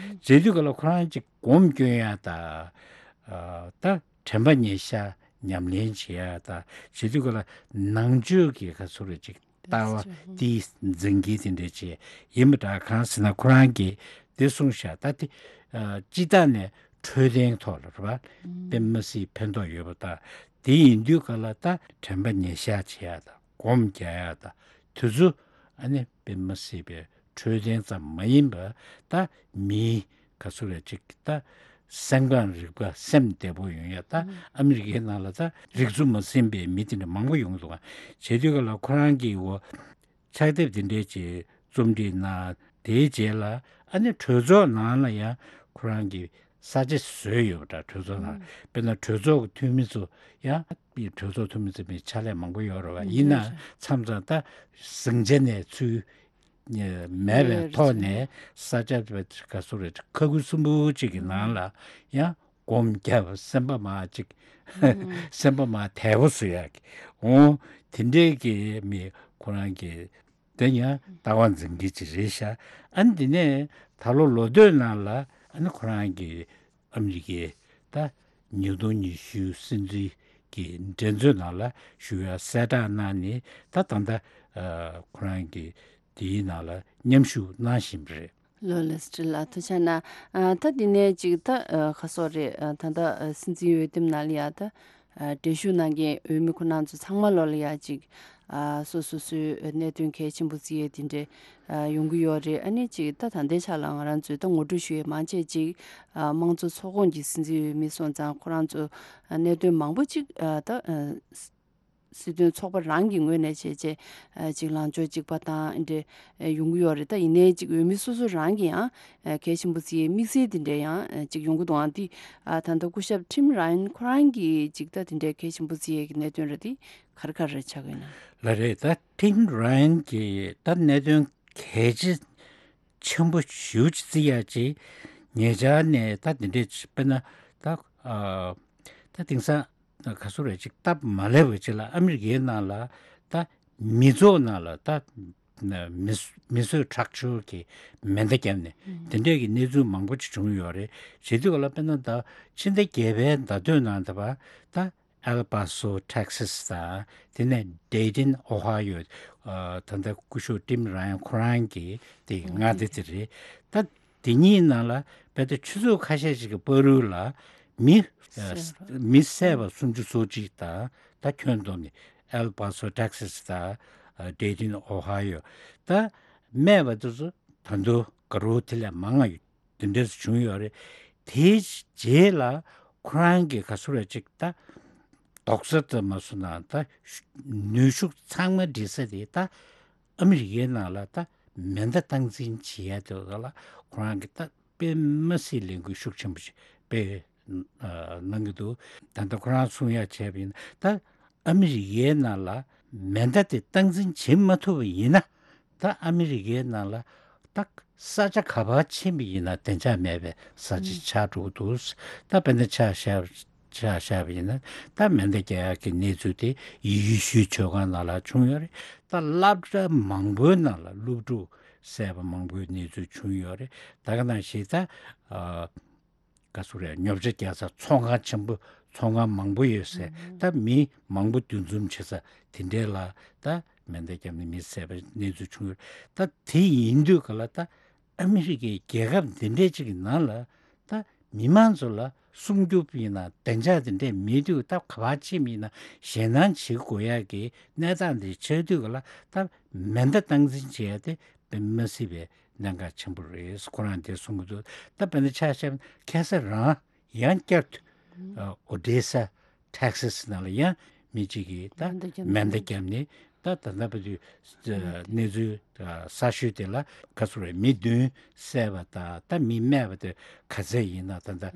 བྱེད་དུས་ག་ལ་ཁོ་རང་ཅིག་སྒོམ་སྐྱོན་ཡ་དང་ཨ་ད་དྲན་པ་ཉེར་བཞག་ ཉམས་ལེན་བྱེད་ཡ་དང་བྱེད་དུས་ག་ལ་ནང་ཆོས་ཀྱི་ག་ཚོད་རེ་ཅིག་ལྟ་བ་དེའི་འཛིན་གྱི་དེ་འདྲ་བྱེད་ཡིན་པ་འདྲ། གང་ཟེར་ན་ཁོ་རང་གིས་དེ་གསུངས་ཤག་ད་དེ་སྤྱི་བཏང་ནས་འཕྲོད་བསྟེན་ཐོག་ལ་རེད་པ། དཔེ་མི་སྲིད་ཕན་ཐོགས་ཡོད་པ་དང་དེ་ཡིན་དུས་ག་ལ་ད་དྲན་པ་ཉེར་བཞག་བྱེད་ཡ་དང་སྒོམ་རྒྱག་ཡ་དང་དེ་ཚོ་ཨ་ནི་དཔེ་མི་སྲིད་པའི་འཕྲོད་བསྟེན་ཙམ་མ་ཡིན་པར་ད་མིའི་ག་ཚོད་རེ་ཅིག་ད་སེམས་ཁམས་རིག་པ་སེམས་བདེ་པོ་ཡོང་ཡ་ད་ཨ་མི་རི་ཀའི་ནང་ལ་ད་རིག་འཛུགས་མ་ཟིན་པའི་མི་དེ་འདྲ་མང་པོ་ཡོང་གི་འདུག་ག་བྱེད་དུས་ག་ལ་ཁོ་རང་གིས་འོ་ཕྱག་དེབ་དེ་འདྲའི་ཅིག་རྩོམ་སྒྲིག་གནང་། དེའི་རྗེས་ལ་ཨ་ནི་གྲོས་ཚོགས་ནང་ལ་ཡང་ཁོ་རང་གིས་ས་ཆ་བཟོས་ཡོད་པ་འདྲ། གྲོས་ཚོགས་ནང་དཔེར་ན་གྲོས་ཚོགས་ཀྱི་འཐུས་མི་ཚོ་ཡང་གྲོས་ཚོགས་འཐུས་མི་ཚོ་མི་ཕྱག་ལས་མང་པོ་ཡོད་རེད་བ། ཡིན་ན་མཚམས་མཚམས་ད་ཟིང་ཆ་ནས་ཚུར་མེད་པའི་ཐོག་ནས་ས་ཆ་ག་ཚོད་རེད་ཁ་ཁུ་སུམ་པོ་གཅིག་གི་ནང་ལ་ཡང་སྒོམ་རྒྱབ་སེམས་པ་མ་གཅིག་སེམས་པ་མ་དལ་པོ་བཟོ་ཡག་གི་འོང་། དེ་འདྲའི་གི་མི་ཁོ་རང་གི་དེ་ཡང་ལྟ་བ་འཛིན་གྱི་ཅིག་རེད་ཤག་ཨ་ནི་དེ་ནས་ད་ལོ་ལོ་སྟོད་ནང་ལ་ཨ་ནི་ཁོ་རང་གི་ཨ་མི་རི་ཀའི་ད་ཉིས་སྟོང་ཉི་ཤུ་སྲིད་འཛིན་གྱི་འགྲན་རྩོད་ནང་ལ་ཞུགས་ཡ་གསལ་བསྒྲགས་གནང་ནས་ད་ད་ལྟ་ཁོ་རང་གི་དེའི་ནང་ལ་མཉམ་ཞུགས་གནང་བཞིན་པ་རེད། ལོ་ལེ་སི་ཏྲི་ལ་ཐུགས་རྗེ་གནང་། ཨ་ད་འདི་ནས་ཅིག་ད་ཨ་ཁ་སོག་རེད། ཨ་ད་ད་ཨ་སྲིད་འཛིན་འོས་འདེམས་ནང་ལ་ཡ་ད་ཨ་གྲལ་བཞུགས་གནང་མཁན་འོས་མི་ཁོ་རང་ཚོ་ཚང་མ་ལོ་ལ་ཡ་ཅིག་ཨ་སོ་སོ་སོའི་གནད་དོན་གལ་ཆེན་པོ་བརྩི་ཡས་དེ་འདྲས་ཨ་ཡོང་གི་ཡོད་རེད། ཨ་ནི་ཅིག་ད་ད་ལྟའི་ཆ་ལ་ང་རང་ཚོས་ད་ངོ་སྤྲོད་ཞུ་ཡས་མང་ཆེ་ཅིག་ཨ་དམངས་གཙོ་ཚོགས་ཁོངས་ཀྱི་སྲིད་འཛིན་འོས་མི་སོང་ཙང་ཁོ་རང་ཚོ་ཨ་གནད་དོན་མང་པོ་ཅིག་ཨ་ད་ཨ་སྲིད་དོན་ཚོགས་པ་རང་གི་ངོས་ནས་བྱས་རྗེས་ཅིག་ལངས་ཕྱོགས་གཅིག་པ་དང་འདྲ་ཡོང་གི་ཡོད་རེད། ད་ཡིན་ནའི་ཅིག་འོས་མི་སོ་སོ་རང་གི་ཡང་གལ་ཆེན་པོ་བརྩིས་དམིགས་བསལ་དེ་འདྲ་ཡང་ཅིག་ཡོང་གི་འདུག་ཨང་འདི་ད་ལྟ་སྐུ་ཞབས་ཊིམ་ར་ཡན་ཁོ་རང་གིས་ཅིག་ད་དེ་འདྲའི་གལ་ཆེན་པོ་བརྩི་ཡས་ཀྱི་གནད་དོན་རེད། འདི་ག་རེ་ག་རེ་ཆགས་ཀྱི་ཡོད་ན། ལགས་རེད། ད་ཊིམ་ར་ཡན་གྱིས་ད་གནད་དོན་གལ་ཆེ་ཆེན་པོ་ཞེ་པོ་ཅིག་བརྩི་ཡག་ཅིག་ཉེ་ཆར་ནས་ད་དེ་འདྲས་དཔེར་ན་ད་ཨ་ད་དེང་སང་ག་ཚོད་རེད་ཅིག་སྟབས་མ་ལེགས་པ་ཅིག་ལ་ཨ་མི་རི་ཀའི་ནང་ལ་ད་མི་ཚོགས་ནང་ལ་ད་མི་མི་གསོད་ཁྲག་སྦྱོར་གྱི་མེ་མདའ་བརྒྱབ་ནས་དེ་འདྲས་ཀྱི་གནས་ཚུལ་མང་པོ་ཅིག་བྱུང་ཡོད་རེད། བྱེད་དུས་ག་ལ་དཔེར་ན་ད་ཕྱི་ཟླ་བརྒྱད་པའི་ཟླ་སྟོད་ནང་ད་བར་ད་ཨེལ་པ་སོ་ཊེག་སི་དང་དེ་ནས་ཌེ་ཏིན་ཨོ་ཧ་ཡོ། ཨ་ད་ལྟ་སྐུ་ཞབས་ཊིམ་ར་ཡན་ཁོ་རང་གི་དེ་མངའ་སྡེ་དེ་རེད། ད་དེ་གཉིས་ནང་ལ་དཔེ་ད་ཆུ་ཚོད་ཁ་ཤས་ཤིག་གི་བར་དུ་ལ་མི་ཨ་བསད་པ། མི་བསད་པ་སུམ་ཅུ་སོ་གཅིག་དང་ད་ཁྱོན་བསྡོམས་ནས་ཨེལ་པ་སོ་ཊེག་སི་དང་ཌེ་ཏིན་ཨོ་ཧ་ཡོ། ད་རྨས་པ་དེ་ཚོ་ད་དུང་དགའ་རབ་དེ་ལས་མང་ང་ཡོད། དེ་འདྲས་བྱུང་ཡོད་རེད། དེའི་རྗེས་ལ་ཁོ་རང་གི་ག་ཚོད་རེ་ཅིག་ད་རྡོག་རྩ་ཙམ་མ་བཟོ་ན་ད་ནུས་ཤུགས་ཚང་མ་སྒྲིལ་ས་དེ་ད་ཨ་མི་རི་ཀའི་ནང་ལ་ད་མེ་མདའ་སྟངས་འཛིན་བྱེད་ཡ་དེ་ལ་ཁོ་རང་གི་ད་དཔེ་མ་སྲིད་ལས་འགུལ་ཤུགས་ཆེན་པོ་ཞིག་སྤེལ་གནང་གི་འདུག་ད་ལྟ་ཁོ་རང་གསུང་ཡ་བྱས་པ་ཡིན་ན་ད་ཨ་མི་རི་ཀའི་ནང་ལ་མེ་མདའ་དེ་སྟངས་འཛིན་བྱེད་མ་ཐུབ་པ་ཡིན་ན་ད་ཨ་མི་རི་ཀའི་ནང་ལ་ད་ས་ཆ་ག་པར་ཕྱིན་པ་ཡིན་ན་བདེ་འཇགས་མེད་པའི་ས་ཆ་ཆགས་འགྲོ་གི་འདུག་ད་དཔེར་ན་ཆ་བཞག་ཆ་བཞག་པ་ཡིན་ན་ད་མེ་མདའ་རྒྱག་ཡག་གི་གནས་ཚུལ་དེ་ཡེ་ཤུའི་ཆོས་ཁང་ནང་ལ་བྱུང་ཡོད་རེད། ད་སློབ་གྲྭ་མང་པོའི་ནང་ལ་སློབ་ཕྲུག་བསད་པ་མང་པོའི་གནས་ཚུལ་བྱུང་ཡོད་རེད། ད་ག་ནང་བཞིན་ད་ཨ། ག་ཚོད་རེད། ཉོ་ཆ་རྒྱག་ས་ཚོང་ཁང་ཆེན་པོ་ཚོང་ཁང་མང་པོ་ཡོད་ས་ད་མི་མང་པོ་འདུ་འཛོམས་བྱེད་ས་དེ་འདྲས་ལ་ད་མེ་མདའ་བརྒྱབ་ནས་མི་བསད་པའི་གནས་ཚུལ་བྱུང་ཡོད། ད་དེ་ཡིན་དུས་ག་ལ་ད་ཨ་མི་རི་ཀའི་རྒྱལ་ཁབ་འདི་འདྲས་ཅིག་གི་ནང་ལ་ད་མི་མང་ཚོ་ལ་སྲུང་སྐྱོབ་ཡིན་ན་བདེ་འཇགས་དེ་འདྲས་མེད་དུས་ད་ག་པར་ཕྱིན་ཡིན་ན་ཞེད་སྣང་བྱེད་དགོས་ཡག་གི་གནས་སྟངས་འདི་ཆགས་དུས་ག་ལ་ད་མེ་མདའ་སྟངས་འཛིན་བྱེད་ཡ་དེ་དཔེ་མ་སྲིད་པའི་གནད་འགག་ཆེན་པོ་རེད། ཁོ་རང་དེ་གསུང་གི་འདུག་ད་དཔེར་ན་ཆ་བཞག་ན་ཁ་སང་རང་ཡང་བསྐྱར་དུ་ཨོ་ཌེ་ས་ཊེག་སི་ནང་ལ་ཡང་མི་གཅིག་གིས་ད་མེ་མདའ་བརྒྱབ་ནས་ད་ད་ལྟ་བར་དུ་གནས་ཚུལ་གསར་ཤོས་དེ་ལ་ག་ཚོད་རེད། མི་བདུན་བསད་པ་དང་ད་མི་རྨས་པ་དེ་ག་ཚད་ཡིན་ན་ད་ལྟ་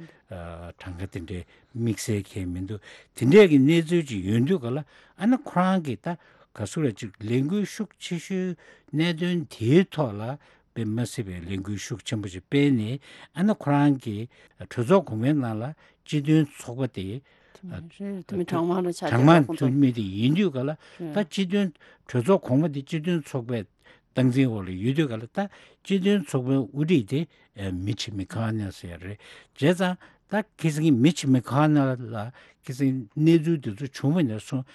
གྲངས་ཀ་དེ་འདྲའི་དམིགས་བསལ་གང་ཡང་མི་འདུག་དེ་འདྲའི་གི་གནས་ཚུལ་ཅིག་ཡོང་དུས་ག་ལ་ཨ་ན་ཁོ་རང་གིས་ད་ག་ཚོད་རེད་ཅིག་ལས་འགུལ་ཤུགས་ཆེ་ཤོས་གནད་དོན་དེའི་ཐོག་ལ་དཔེ་མ་སྲིད་པའི་ལས་འགུལ་ཤུགས་ཆེན་པོ་ཞིག་སྤེལ་ནས་ཨ་ན་ཁོ་རང་གི་གྲོས་ཚོགས་གོང་མའི་ནང་ལ་སྤྱི་མཐུན་ཚོགས་པ་དེ་དེ་མིན་གྲངས་མང་རུ་ཆགས་གྲངས་མང་ཐུབ་མི་དེ་ཡིན་དུས་ག་ལ་ད་སྤྱི་མཐུན་གྲོས་ཚོགས་གོང་མ་དེ་སྤྱི་མཐུན་ཚོགས་པའི་ སྟངས་འཛིན་འོག་ལ་ཡོད་དུས་ག་ལ་ད་སྤྱི་མཐུན་ཚོགས་པའི་དབུ་ཁྲིད་དེ་ཨ་མི་ཆི་མི་ཁ་ནེལ་ཟེར་ཡ་རེད། བྱས་ཙང་ད་ཁ་སང་མི་ཆི་མི་ཁ་ནེལ་ལ་ཁ་སང་གནས་ཚུལ་དེ་ཚོ་བྱུང་བ་ནས་བཟུང་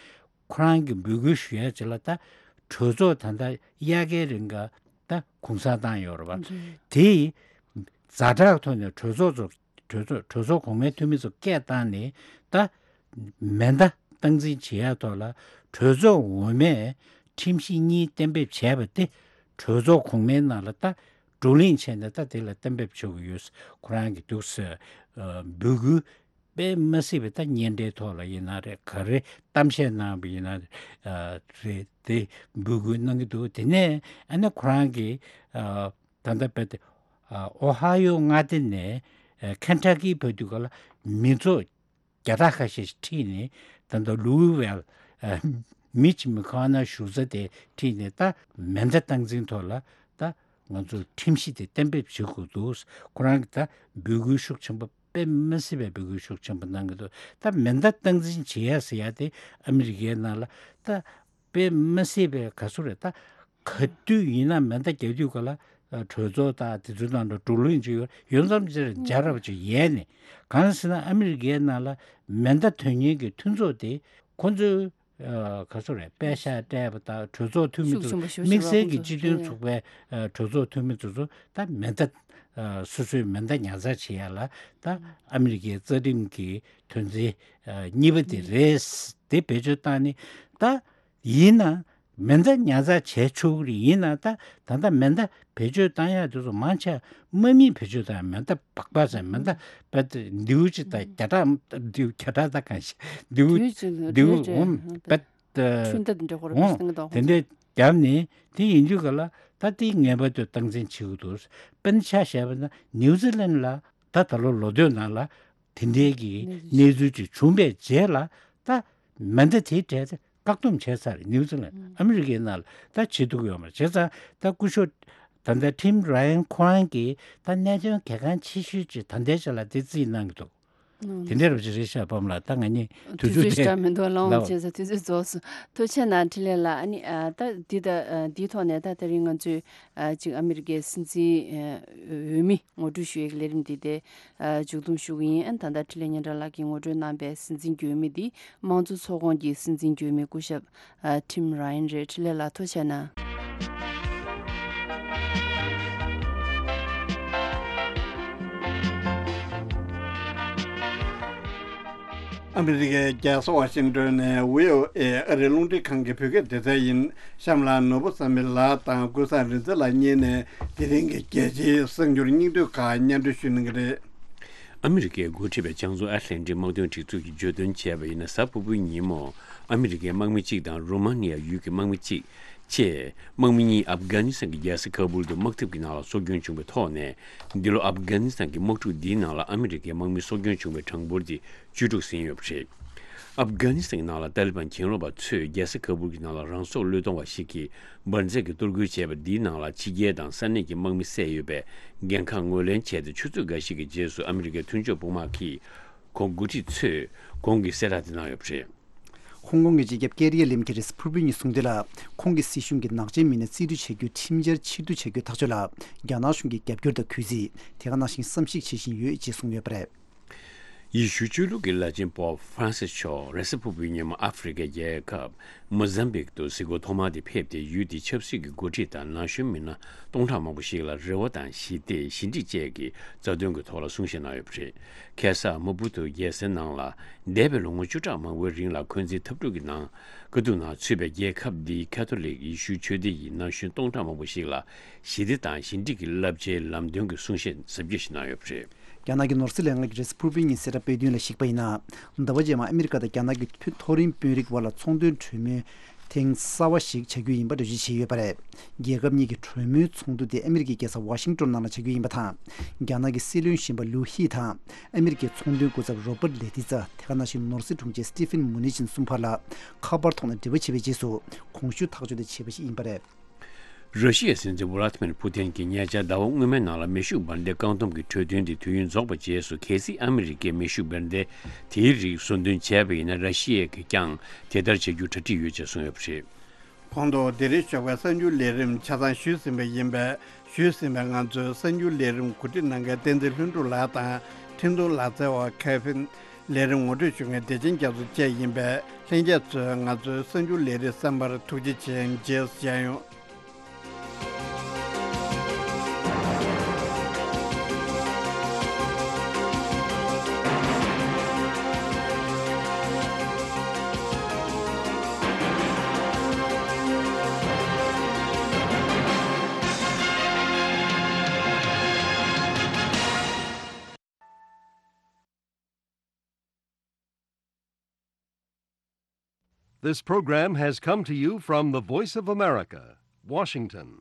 ཁོ་རང་གི་འབོད་སྐུལ་ཞུ་ཡ་ཅིག་ལ་ད་གྲོས་ཚོགས་ད་ལྟ་དབྱར་ཁའི་རིང་ག་ད་གུང་སེང་བཏང་ཡོད་རེད་པ། རེད། དེ་ཛ་དྲག་ཐོག་ནས་གྲོས་ཚོགས་ཚོ་གྲོས་ཚོགས་གྲོས་ཚོགས་གོང་མའི་འཐུས་མི་ཚོ་སྐད་བཏང་ནས་ད་མེ་མདའ་སྟངས་འཛིན་བྱེད་ཡ་ཐོག་ལ་གྲོས་ཚོགས་འོག་མས་ཁྲིམས་གཞི་གཉིས་གཏན་འབེབས་བྱས་པ་དེ་གྲོས་ཚོགས་གོང་མའི་ནང་ལ་ད་བགྲོ་གླེང་བྱས་ནས་ད་དེ་ལ་གཏན་འབེབས་བྱེད་དགོས་ཡོད། ཁོ་རང་གི་འདུག་ཟེར་འབོད་སྐུལ་དཔེ་མ་སྲིད་པའི་ད་སྙན་སྒྲའི་ཐོག་ལ་ཡིན་ན་རེད། ག་རེ་གཏམ་བཤད་གནང་བ་ཡིན་ན་རེད། དེ་འབོད་སྐུལ་གནང་གི་འདུག་དེ་ནས་ཨ་ནི་ཁོ་རང་གི་ད་ལྟ་བེད་ཨོ་ཧ་ཡོ་མངའ་སྡེ་ནས་ཁེན་ཊ་ཀི་བར་དུ་ག་ལ་མི་ཚོགས་བརྒྱ་ཕྲག་ཁ་ཤས་ཤིག་ཁྲིད་ནས་ད་ལྟ་ལུའུ་ཝེལ་མི་ཆི་མི་ཁ་ནེལ་བཞུགས་ས་དེ་ཁྲིད་ནས་ད་མེ་མདའ་སྟངས་འཛིན་ཐོག་ལ་ད་ང་ཚོ་ཁྲིམས་གཞི་དེ་གཏན་འབེབས་བྱེད་དགོས་འདུག་ཁོ་རང་གིས་ད་འབོད་སྐུལ་ཤུགས་ཆེན་པོ་དཔེ་མ་སྲིད་པའི་འབོད་སྐུལ་ཤུགས་ཆེན་པོ་གནང་གི་འདུག་ད་མེ་མདའ་སྟངས་འཛིན་བྱེད་ཡ་ཟེར་ཡ་དེ་ཨ་མི་རི་ཀའི་ནང་ལ་ད་དཔེ་མ་སྲིད་པའི་ག་ཚོད་རེད། ད་ག་དུས་ཡིན་ན་མེ་མདའ་རྒྱག་དུས་ག་ལ་གྲོས་ཚོགས་དང་དེ་ཚོའི་ནང་དུ་བགྲོ་གླེང་བྱེད་ཡོད་ཡོད་མཚམས་ཅིག་རྒྱལ་རབས་ཅིག་ཡལ་ནས། གང་ཟེར་ན་ཨ་མི་རི་ཀའི་ནང་ལ་མེ་མདའ་ཐོན་མཁན་གྱི་མཐུན་ཚོགས་དེ་ཁོ་ཚོའི་ག་ཚོད་རེད། པད་ཤག་སྤྲད་པ་དང་གྲོས་ཚོགས་འཐུས་མི་ཚོ་ཤུགས་ཆེན་པོ་ཞེ་པོ་དམིགས་བསལ་གྱི་སྤྱི་མཐུན་ཚོགས་པའི་གྲོས་ཚོགས་འཐུས་མི་ཚོ་ཚོ་ད་མེ་མདའ་སོ་སོའི་མེ་མདའ་ཉར་ཚགས་བྱེད་ཡ་ལ་ད་ཨ་མི་རི་ཀའི་རྩ་ཁྲིམས་ཀྱི་དོན་ཚན་གཉིས་པ་དེ་རེད། དེ་བེད་སྤྱོད་བཏང་ནས་ད་ཡིན་ན་མེ་མདའ་ཉར་ཚགས་བྱས་ཆོག་གི་རེད། ཡིན་ན་ད་ད་ལྟ་མེ་མདའ་བེད་སྤྱོད་བཏང་ཡ་དེ་ཚོ་མང་ཆེ་དམག་མིས་བེད་སྤྱོད་བཏང་ཡ། མེ་མདའ་སྦག་སྦག་ཟེར་མེ་མདའ་བེད་མདེའུ་གཅིག་དང་བརྒྱ་ཕྲག་མདེའུ་བརྒྱ་ཕྲག་ད་གང་ཞིག་མདེའུ་མདེའུ་འོང་བེད་འཕྲུལ་མདའ་དེ་འདྲ་ཁོ་རང་ཨོ་སྟེང་གི་དོག་དེ་འདྲས་བརྒྱབ་ནས་དེ་ཡིན་དུས་ག་ལ་ད་དེ་ངེས་པར་དུ་སྟངས་འཛིན་བྱེད་དགོས་འདུག་དཔེར་ན་ཆ་བཞག་པ་ན་ནིའུ་ཛི་ལན་ལ་ད་ད་ལོ་ལོ་སྟོད་ནང་ལ་དེ་འདྲའི་གི་གནས་ཚུལ་ཅིག་བྱུང་བའི་རྗེས་ལ་ད་མེ་མདའ་དེའི་གྲས་དེ་བཀག་སྡོམ་བྱས་ཚར། ནིའུ་ཛི་ལན་ཨ་མི་རི་ཀའི་ནང་ལ་ད་བྱེད་ཐུབ་ཀྱི་ཡོད་མ་རེད། བྱས་ཙང་ད་སྐུ་ཞབས་ད་ལྟ་ཊིམ་ར་ཡན་ཁོ་རང་གིས་ད་གནད་དོན་གལ་འགངས་ཆེ་ཤོས་ཅིག་ད་ལྟའི་ཆ་ལ་དེ་རྩིས་གནང་གི་འདུག་དེ་འདྲ་རབ་ཅིག་རེད་ཤག་པམ་ལགས། ད་ང་གཉིས་དུས་དུས་ཚོད་ཚོད་ཞེ་དྲག་མི་འདུག་ལགས་འོང་ལགས། བྱས་ཙང་དུས་ཚོད་རྫོགས་སོང་། ཐུགས་རྗེ་གནང་འཕྲིན་ལས་ལགས། ཨ་ནི་ཨ་ད་འདི་ད་ཨ་འདིའི་ཐོག་ནས་ད་དེ་རིང་ང་ཚོས་ཨ་ཅིག་ཨ་མི་རི་ཀའི་སྲིད་འཛིན་ཨ་འོས་མི་ངོ་སྤྲོད་ཞུ་ཡས་ཀྱི་ལས་རིམ་འདི་དེ་ཨ་མཇུག་བསྡོམས་ཞུ་གི་ཡིན། ཨ་ནི་ད་ལྟ་འཕྲིན་ལས་སྙན་གྲགས་ལགས་ཀྱིས་ངོ་སྤྲོད་གནང་པའི་སྲིད་འཛིན་འོས་མི་འདི་དམངས་གཙོ་ཚོགས་ཁོངས་ཀྱི་སྲིད་འཛིན་འོས་མི་སྐུ་ཞབས་ཨ་ཊིམ་ར་ཡན་རེད། འཕྲིན་ལས་ལགས་ཐུགས་རྗེ་གནང་། ཨ་མི་རི་ཀའི་རྒྱལ་ས་ཝ་ཤིང་ཏོན་ནས་བྷི་ཨོ་ཨེ་ཨ་རིའི་རླུང་འཕྲིན་ཁང་གི་བོད་སྐད་སྡེ་ཚན་ཡིན། གཤམ་ལ་ནོར་བུ་བསམ་འཕེལ་ལགས་དང་ཀུན་བཟང་རིག་འཛིན་ལགས་གཉིས་ནས་དེ་རིང་གི་རྒྱལ་སྤྱིའི་གསར་འགྱུར་སྙིང་བསྡུས་ཁག་སྙན་སྒྲོན་ཞུ་གནང་གི་རེད། ཨ་མི་རི་ཀས་འགོ་ཁྲིད་པའི་བྱང་མཚོ་ཨེཊ་ལན་ཊིག་དམག་དོན་སྒྲིག་འཛུགས་ཀྱིས་བརྗོད་དོན་བྱས་པ་ཡིན་ན། གཟའ་ཕུར་བུའི་ཉིན་མོ་ཨ་མི་རི་ཀའི་དམག་མི་གཅིག་དང་རོ་མ་ནི་ཡ་ཡུལ་གྱི་དམག་མི་གཅིག་བཅས་དམག་མི་གཉིས་ཨབ་གྷ་ནི་སི་ཐན་གྱི་རྒྱལ་ས་ཁ་བུལ་དུ་དམག་འཐབ་ཀྱི་ནང་ལ་སྲོག་སྐྱོན་བྱུང་བའི་ཐོག་ནས། འདི་ལོ་ཨབ་གྷ་ནི་སི་ཐན་གྱི་དམག་འཁྲུག་འདིའི་ནང་ལ་ཨ་མི་རི་ཀའི་དམག་མི་སྲོག་སྐྱོན་བྱུང་བའི་གྲངས་འབོར་དེ་བཅུ་དྲུག་ཟིན་ཡོད་པ་རེད། ཨབ་གྷ་ནི་སི་ཐན་གྱི་ནང་ལ་ཏཱ་ལི་བན་གྱེན་ལོག་པ་ཚོས་རྒྱལ་ས་ཁ་བུལ་གྱི་ནང་ལ་རང་སྲོག་བློས་གཏོང་བ་ཞིག་གིས་འབར་རྫས་ཀྱིས་གཏོར་རྒོལ་བྱས་པ་འདིའི་ནང་ལ་ཕྱི་རྒྱལ་དང་ས་གནས་ཀྱི་དམག་མི་བསད་ཡོད་པའི་འགན་ཁག་ངོས་ལེན་བྱས་ཏེ། ཆུ་ཚོད་འགའ་ཞིག་གི་རྗེས་སུ་ཨ་མི་རི་ཀའི་མཐུན་ཕྱོགས་དཔུང་དམག་གིས་ཁོང་འགོ་ཁྲིད་ཚོས་གོང་གི་གསལ་བསྒྲགས་དེ་གནང་ཡོད་པ་རེད། ཧོང་ཀོང་གི་སྤྱི་ཁྱབ་ཀེ་རི་ཡ་ལིམ་གྱིས་རེས་ཕུར་བུའི་ཉིན་གསུངས་དོན་ལ། ཁོང་གི་སྲིད་གཞུང་གིས་ནག་ཅན་མི་སྣ་རྩིས་སྤྲོད་བྱ་རྒྱུའི་ཁྲིམས་འཆར་ཕྱིར་བསྡུ་བྱ་རྒྱུའི་ཐག་གཅོད་ལ་རྒྱ་ནག་གཞུང་གིས་རྒྱབ་སྐྱོར་དང་གུས་བརྩི། དེ་ག་ནང་བཞིན་བསམ་གཞིག་བྱེད་བཞིན་ཡོད་ཅེས་གསུངས་ཡོད་པ་རེད། ཡེ་ཤུ་ཆོས་ལུགས་ཀྱི་བླ་ཆེན་པོབ་ཧྥ་རན་སིས་མཆོག་རེས་གཟའ་ཕུར་བུའི་ཉིན་མོ་ཨ་ཧྥེ་རི་ཁའི་རྒྱལ་ཁབ་མོ་ཟམ་བིག་ཏུ་གཟིགས་སྐོར་ཐོག་མ་དེ་ཕེབས་ཏེ། ཡུལ་དེའི་ཆབ་སྲིད་ཀྱི་འགོ་ཁྲིད་དང་ན་གཞོན་མི་སྣ་སྟོང་ཕྲག་མང་པོ་ཞིག་ལ་རེ་བ་དང་ཞི་བདེ། ཞི་འགྲིག་བཅས་ཀྱི་རྩ་དོན་གྱི་ཐོག་ལ་གསུང་བཤད་གནང་ཡོད་པ་རེད། ཁ་སང་མ་པུ་ཏུ་རྒྱལ་སའི་ནང་ལ་འདས་པའི་ལོ་ངོ་བཅུ་ཕྲག་མང་པོའི་རིང་ལ་འཁོན་འཛིན་འཐབ་འཁྲུག་གི་ནང་དཀའ་སྡུག་ནང་ཚུད་པའི་རྒྱལ་ཁབ་འདིའི་ཁ་ཐོ་ལིག་ཡེ་ཤུའི་ཆོས་སྡེ་ཡི་ན་གཞོན་སྟོང་ཕྲག་མང་པོ་ཞིག་ལ་ཞི་བདེ་དང་ཞི་འགྲིག་གི་བསླབ་བྱའི་ལམ་སྟོན་གྱི་གསུང་བཤད་གཟབ་རྒྱས་ཤིག་གནང་ཡོད་པ་རེད། རྒྱ་ནག་གི་ནོར་སྲིད་ལས་ཁང་གིས་རེས་གཟའ་ཕུར་བུའི་ཉིན་གསལ་བསྒྲགས་སྤེལ་དོན་ལ་གཞིགས་པ་ཡིན་ན། ཟླ་བ་རྗེས་མར་ཨ་མི་རི་ཀ་དང་རྒྱ་ནག་གི་མཐོ་རིམ་དཔོན་རིགས་དབར་ལ་ཚོང་དོན་གྲོས་མོལ་ཐེངས་གསར་བ་ཞིག་བྱ་རྒྱུ་ཡིན་པ་འགྲེལ་བརྗོད་བྱས་ཡོད་པ་རེད། རྒྱལ་ཁབ་གཉིས་ཀྱི་གྲོས་མོལ་ཚོགས་འདུ་དེ་ཨ་མི་རི་ཀའི་རྒྱལ་ས་ཝ་ཤིང་ཏོན་ནང་ལ་བྱ་རྒྱུ་ཡིན་པ་དང་། རྒྱ་ནག་གི་སྲིད་བློན་གཞོན་པ་ལུའུ་ཧི་དང་ཨ་མི་རི་ཀའི་ཚོང་དོན་སྐུ་ཚབ་རོ་པར་ལེ་ཏི་ཙ། དེ་ག་ནང་བཞིན་ནོར་སྲིད་དྲུང་ཆེ་སི་ཏི་ཕིན་མུ་ནི་ཅིན་གསུམ་བར་ལ་ཁ་པར་ཐོག་ནས་འབྲེལ་བ་བྱས་པའི་རྗེས་སུ་གོང་ཞུས་ཐག་གཅོད་དེ་བྱས་པ་ཞིག་ཡིན་པ་རེད། ར་ཤི་ཡའི་སྲིད་འཛིན་ཝ་ལ་ཏི་མིར་ཕུ་ཏིན་གྱིས་ཉེ་ཆར་ཟླ་བ་སྔོན་མའི་ནང་ལ་མེ་ཤུགས་འབར་མདེལ་བཀག་སྡོམ་གྱི་གྲོས་མཐུན་དེ་དུས་ཡུན་རྫོགས་པའི་རྗེས་སུ། གལ་སྲིད་ཨ་མི་རི་ཀས་མེ་ཤུགས་འབར་མདེལ་དེའི་རིགས་ཟུར་འདོན་བྱས་པ་ཡིན་ན། ར་ཤི་ཡས་ཀྱིས་ཀྱང་དེ་ལྟར་བྱ་རྒྱུར་གྲ་སྒྲིག་ཡོད་ཅེས་གསུངས་ཡོད་པ་རེད། གོང་དུ་འདི་རིང་ཞོགས་པའི་གསར་འགྱུར་ལས་རིམ་ཆ་ཚང་ཞུས་ཟིན་པ་ཡིན་པས། ཞུས་ཟིན་པའི་ང་ཚོའི་གསར་འགྱུར་ལས་རིམ་གོ་སྒྲིག་གནང་མཁན་བསྟན་འཛིན་ལྷུན་གྲུབ་ལགས་དང་། འཕྲིན་གཏོང་ལག་རྩལ་བ་ཁེ་ཕིན། ལས་རིམ་ངོ་སྤྲོད་ཞུ་མཁན་བདེ་ཆེན་རྒྱ་མཚོ་བཅས་ཡིན་པས། ལྷན་རྒྱས་ཚོས་ང་ཚོའི་གསར་འགྱུར་ལས་རིམ་གསན་པར་ཐུགས་རྗེ་ཆེ། མཇལ་ཡོང་། This program has come to you from the Voice of America, Washington.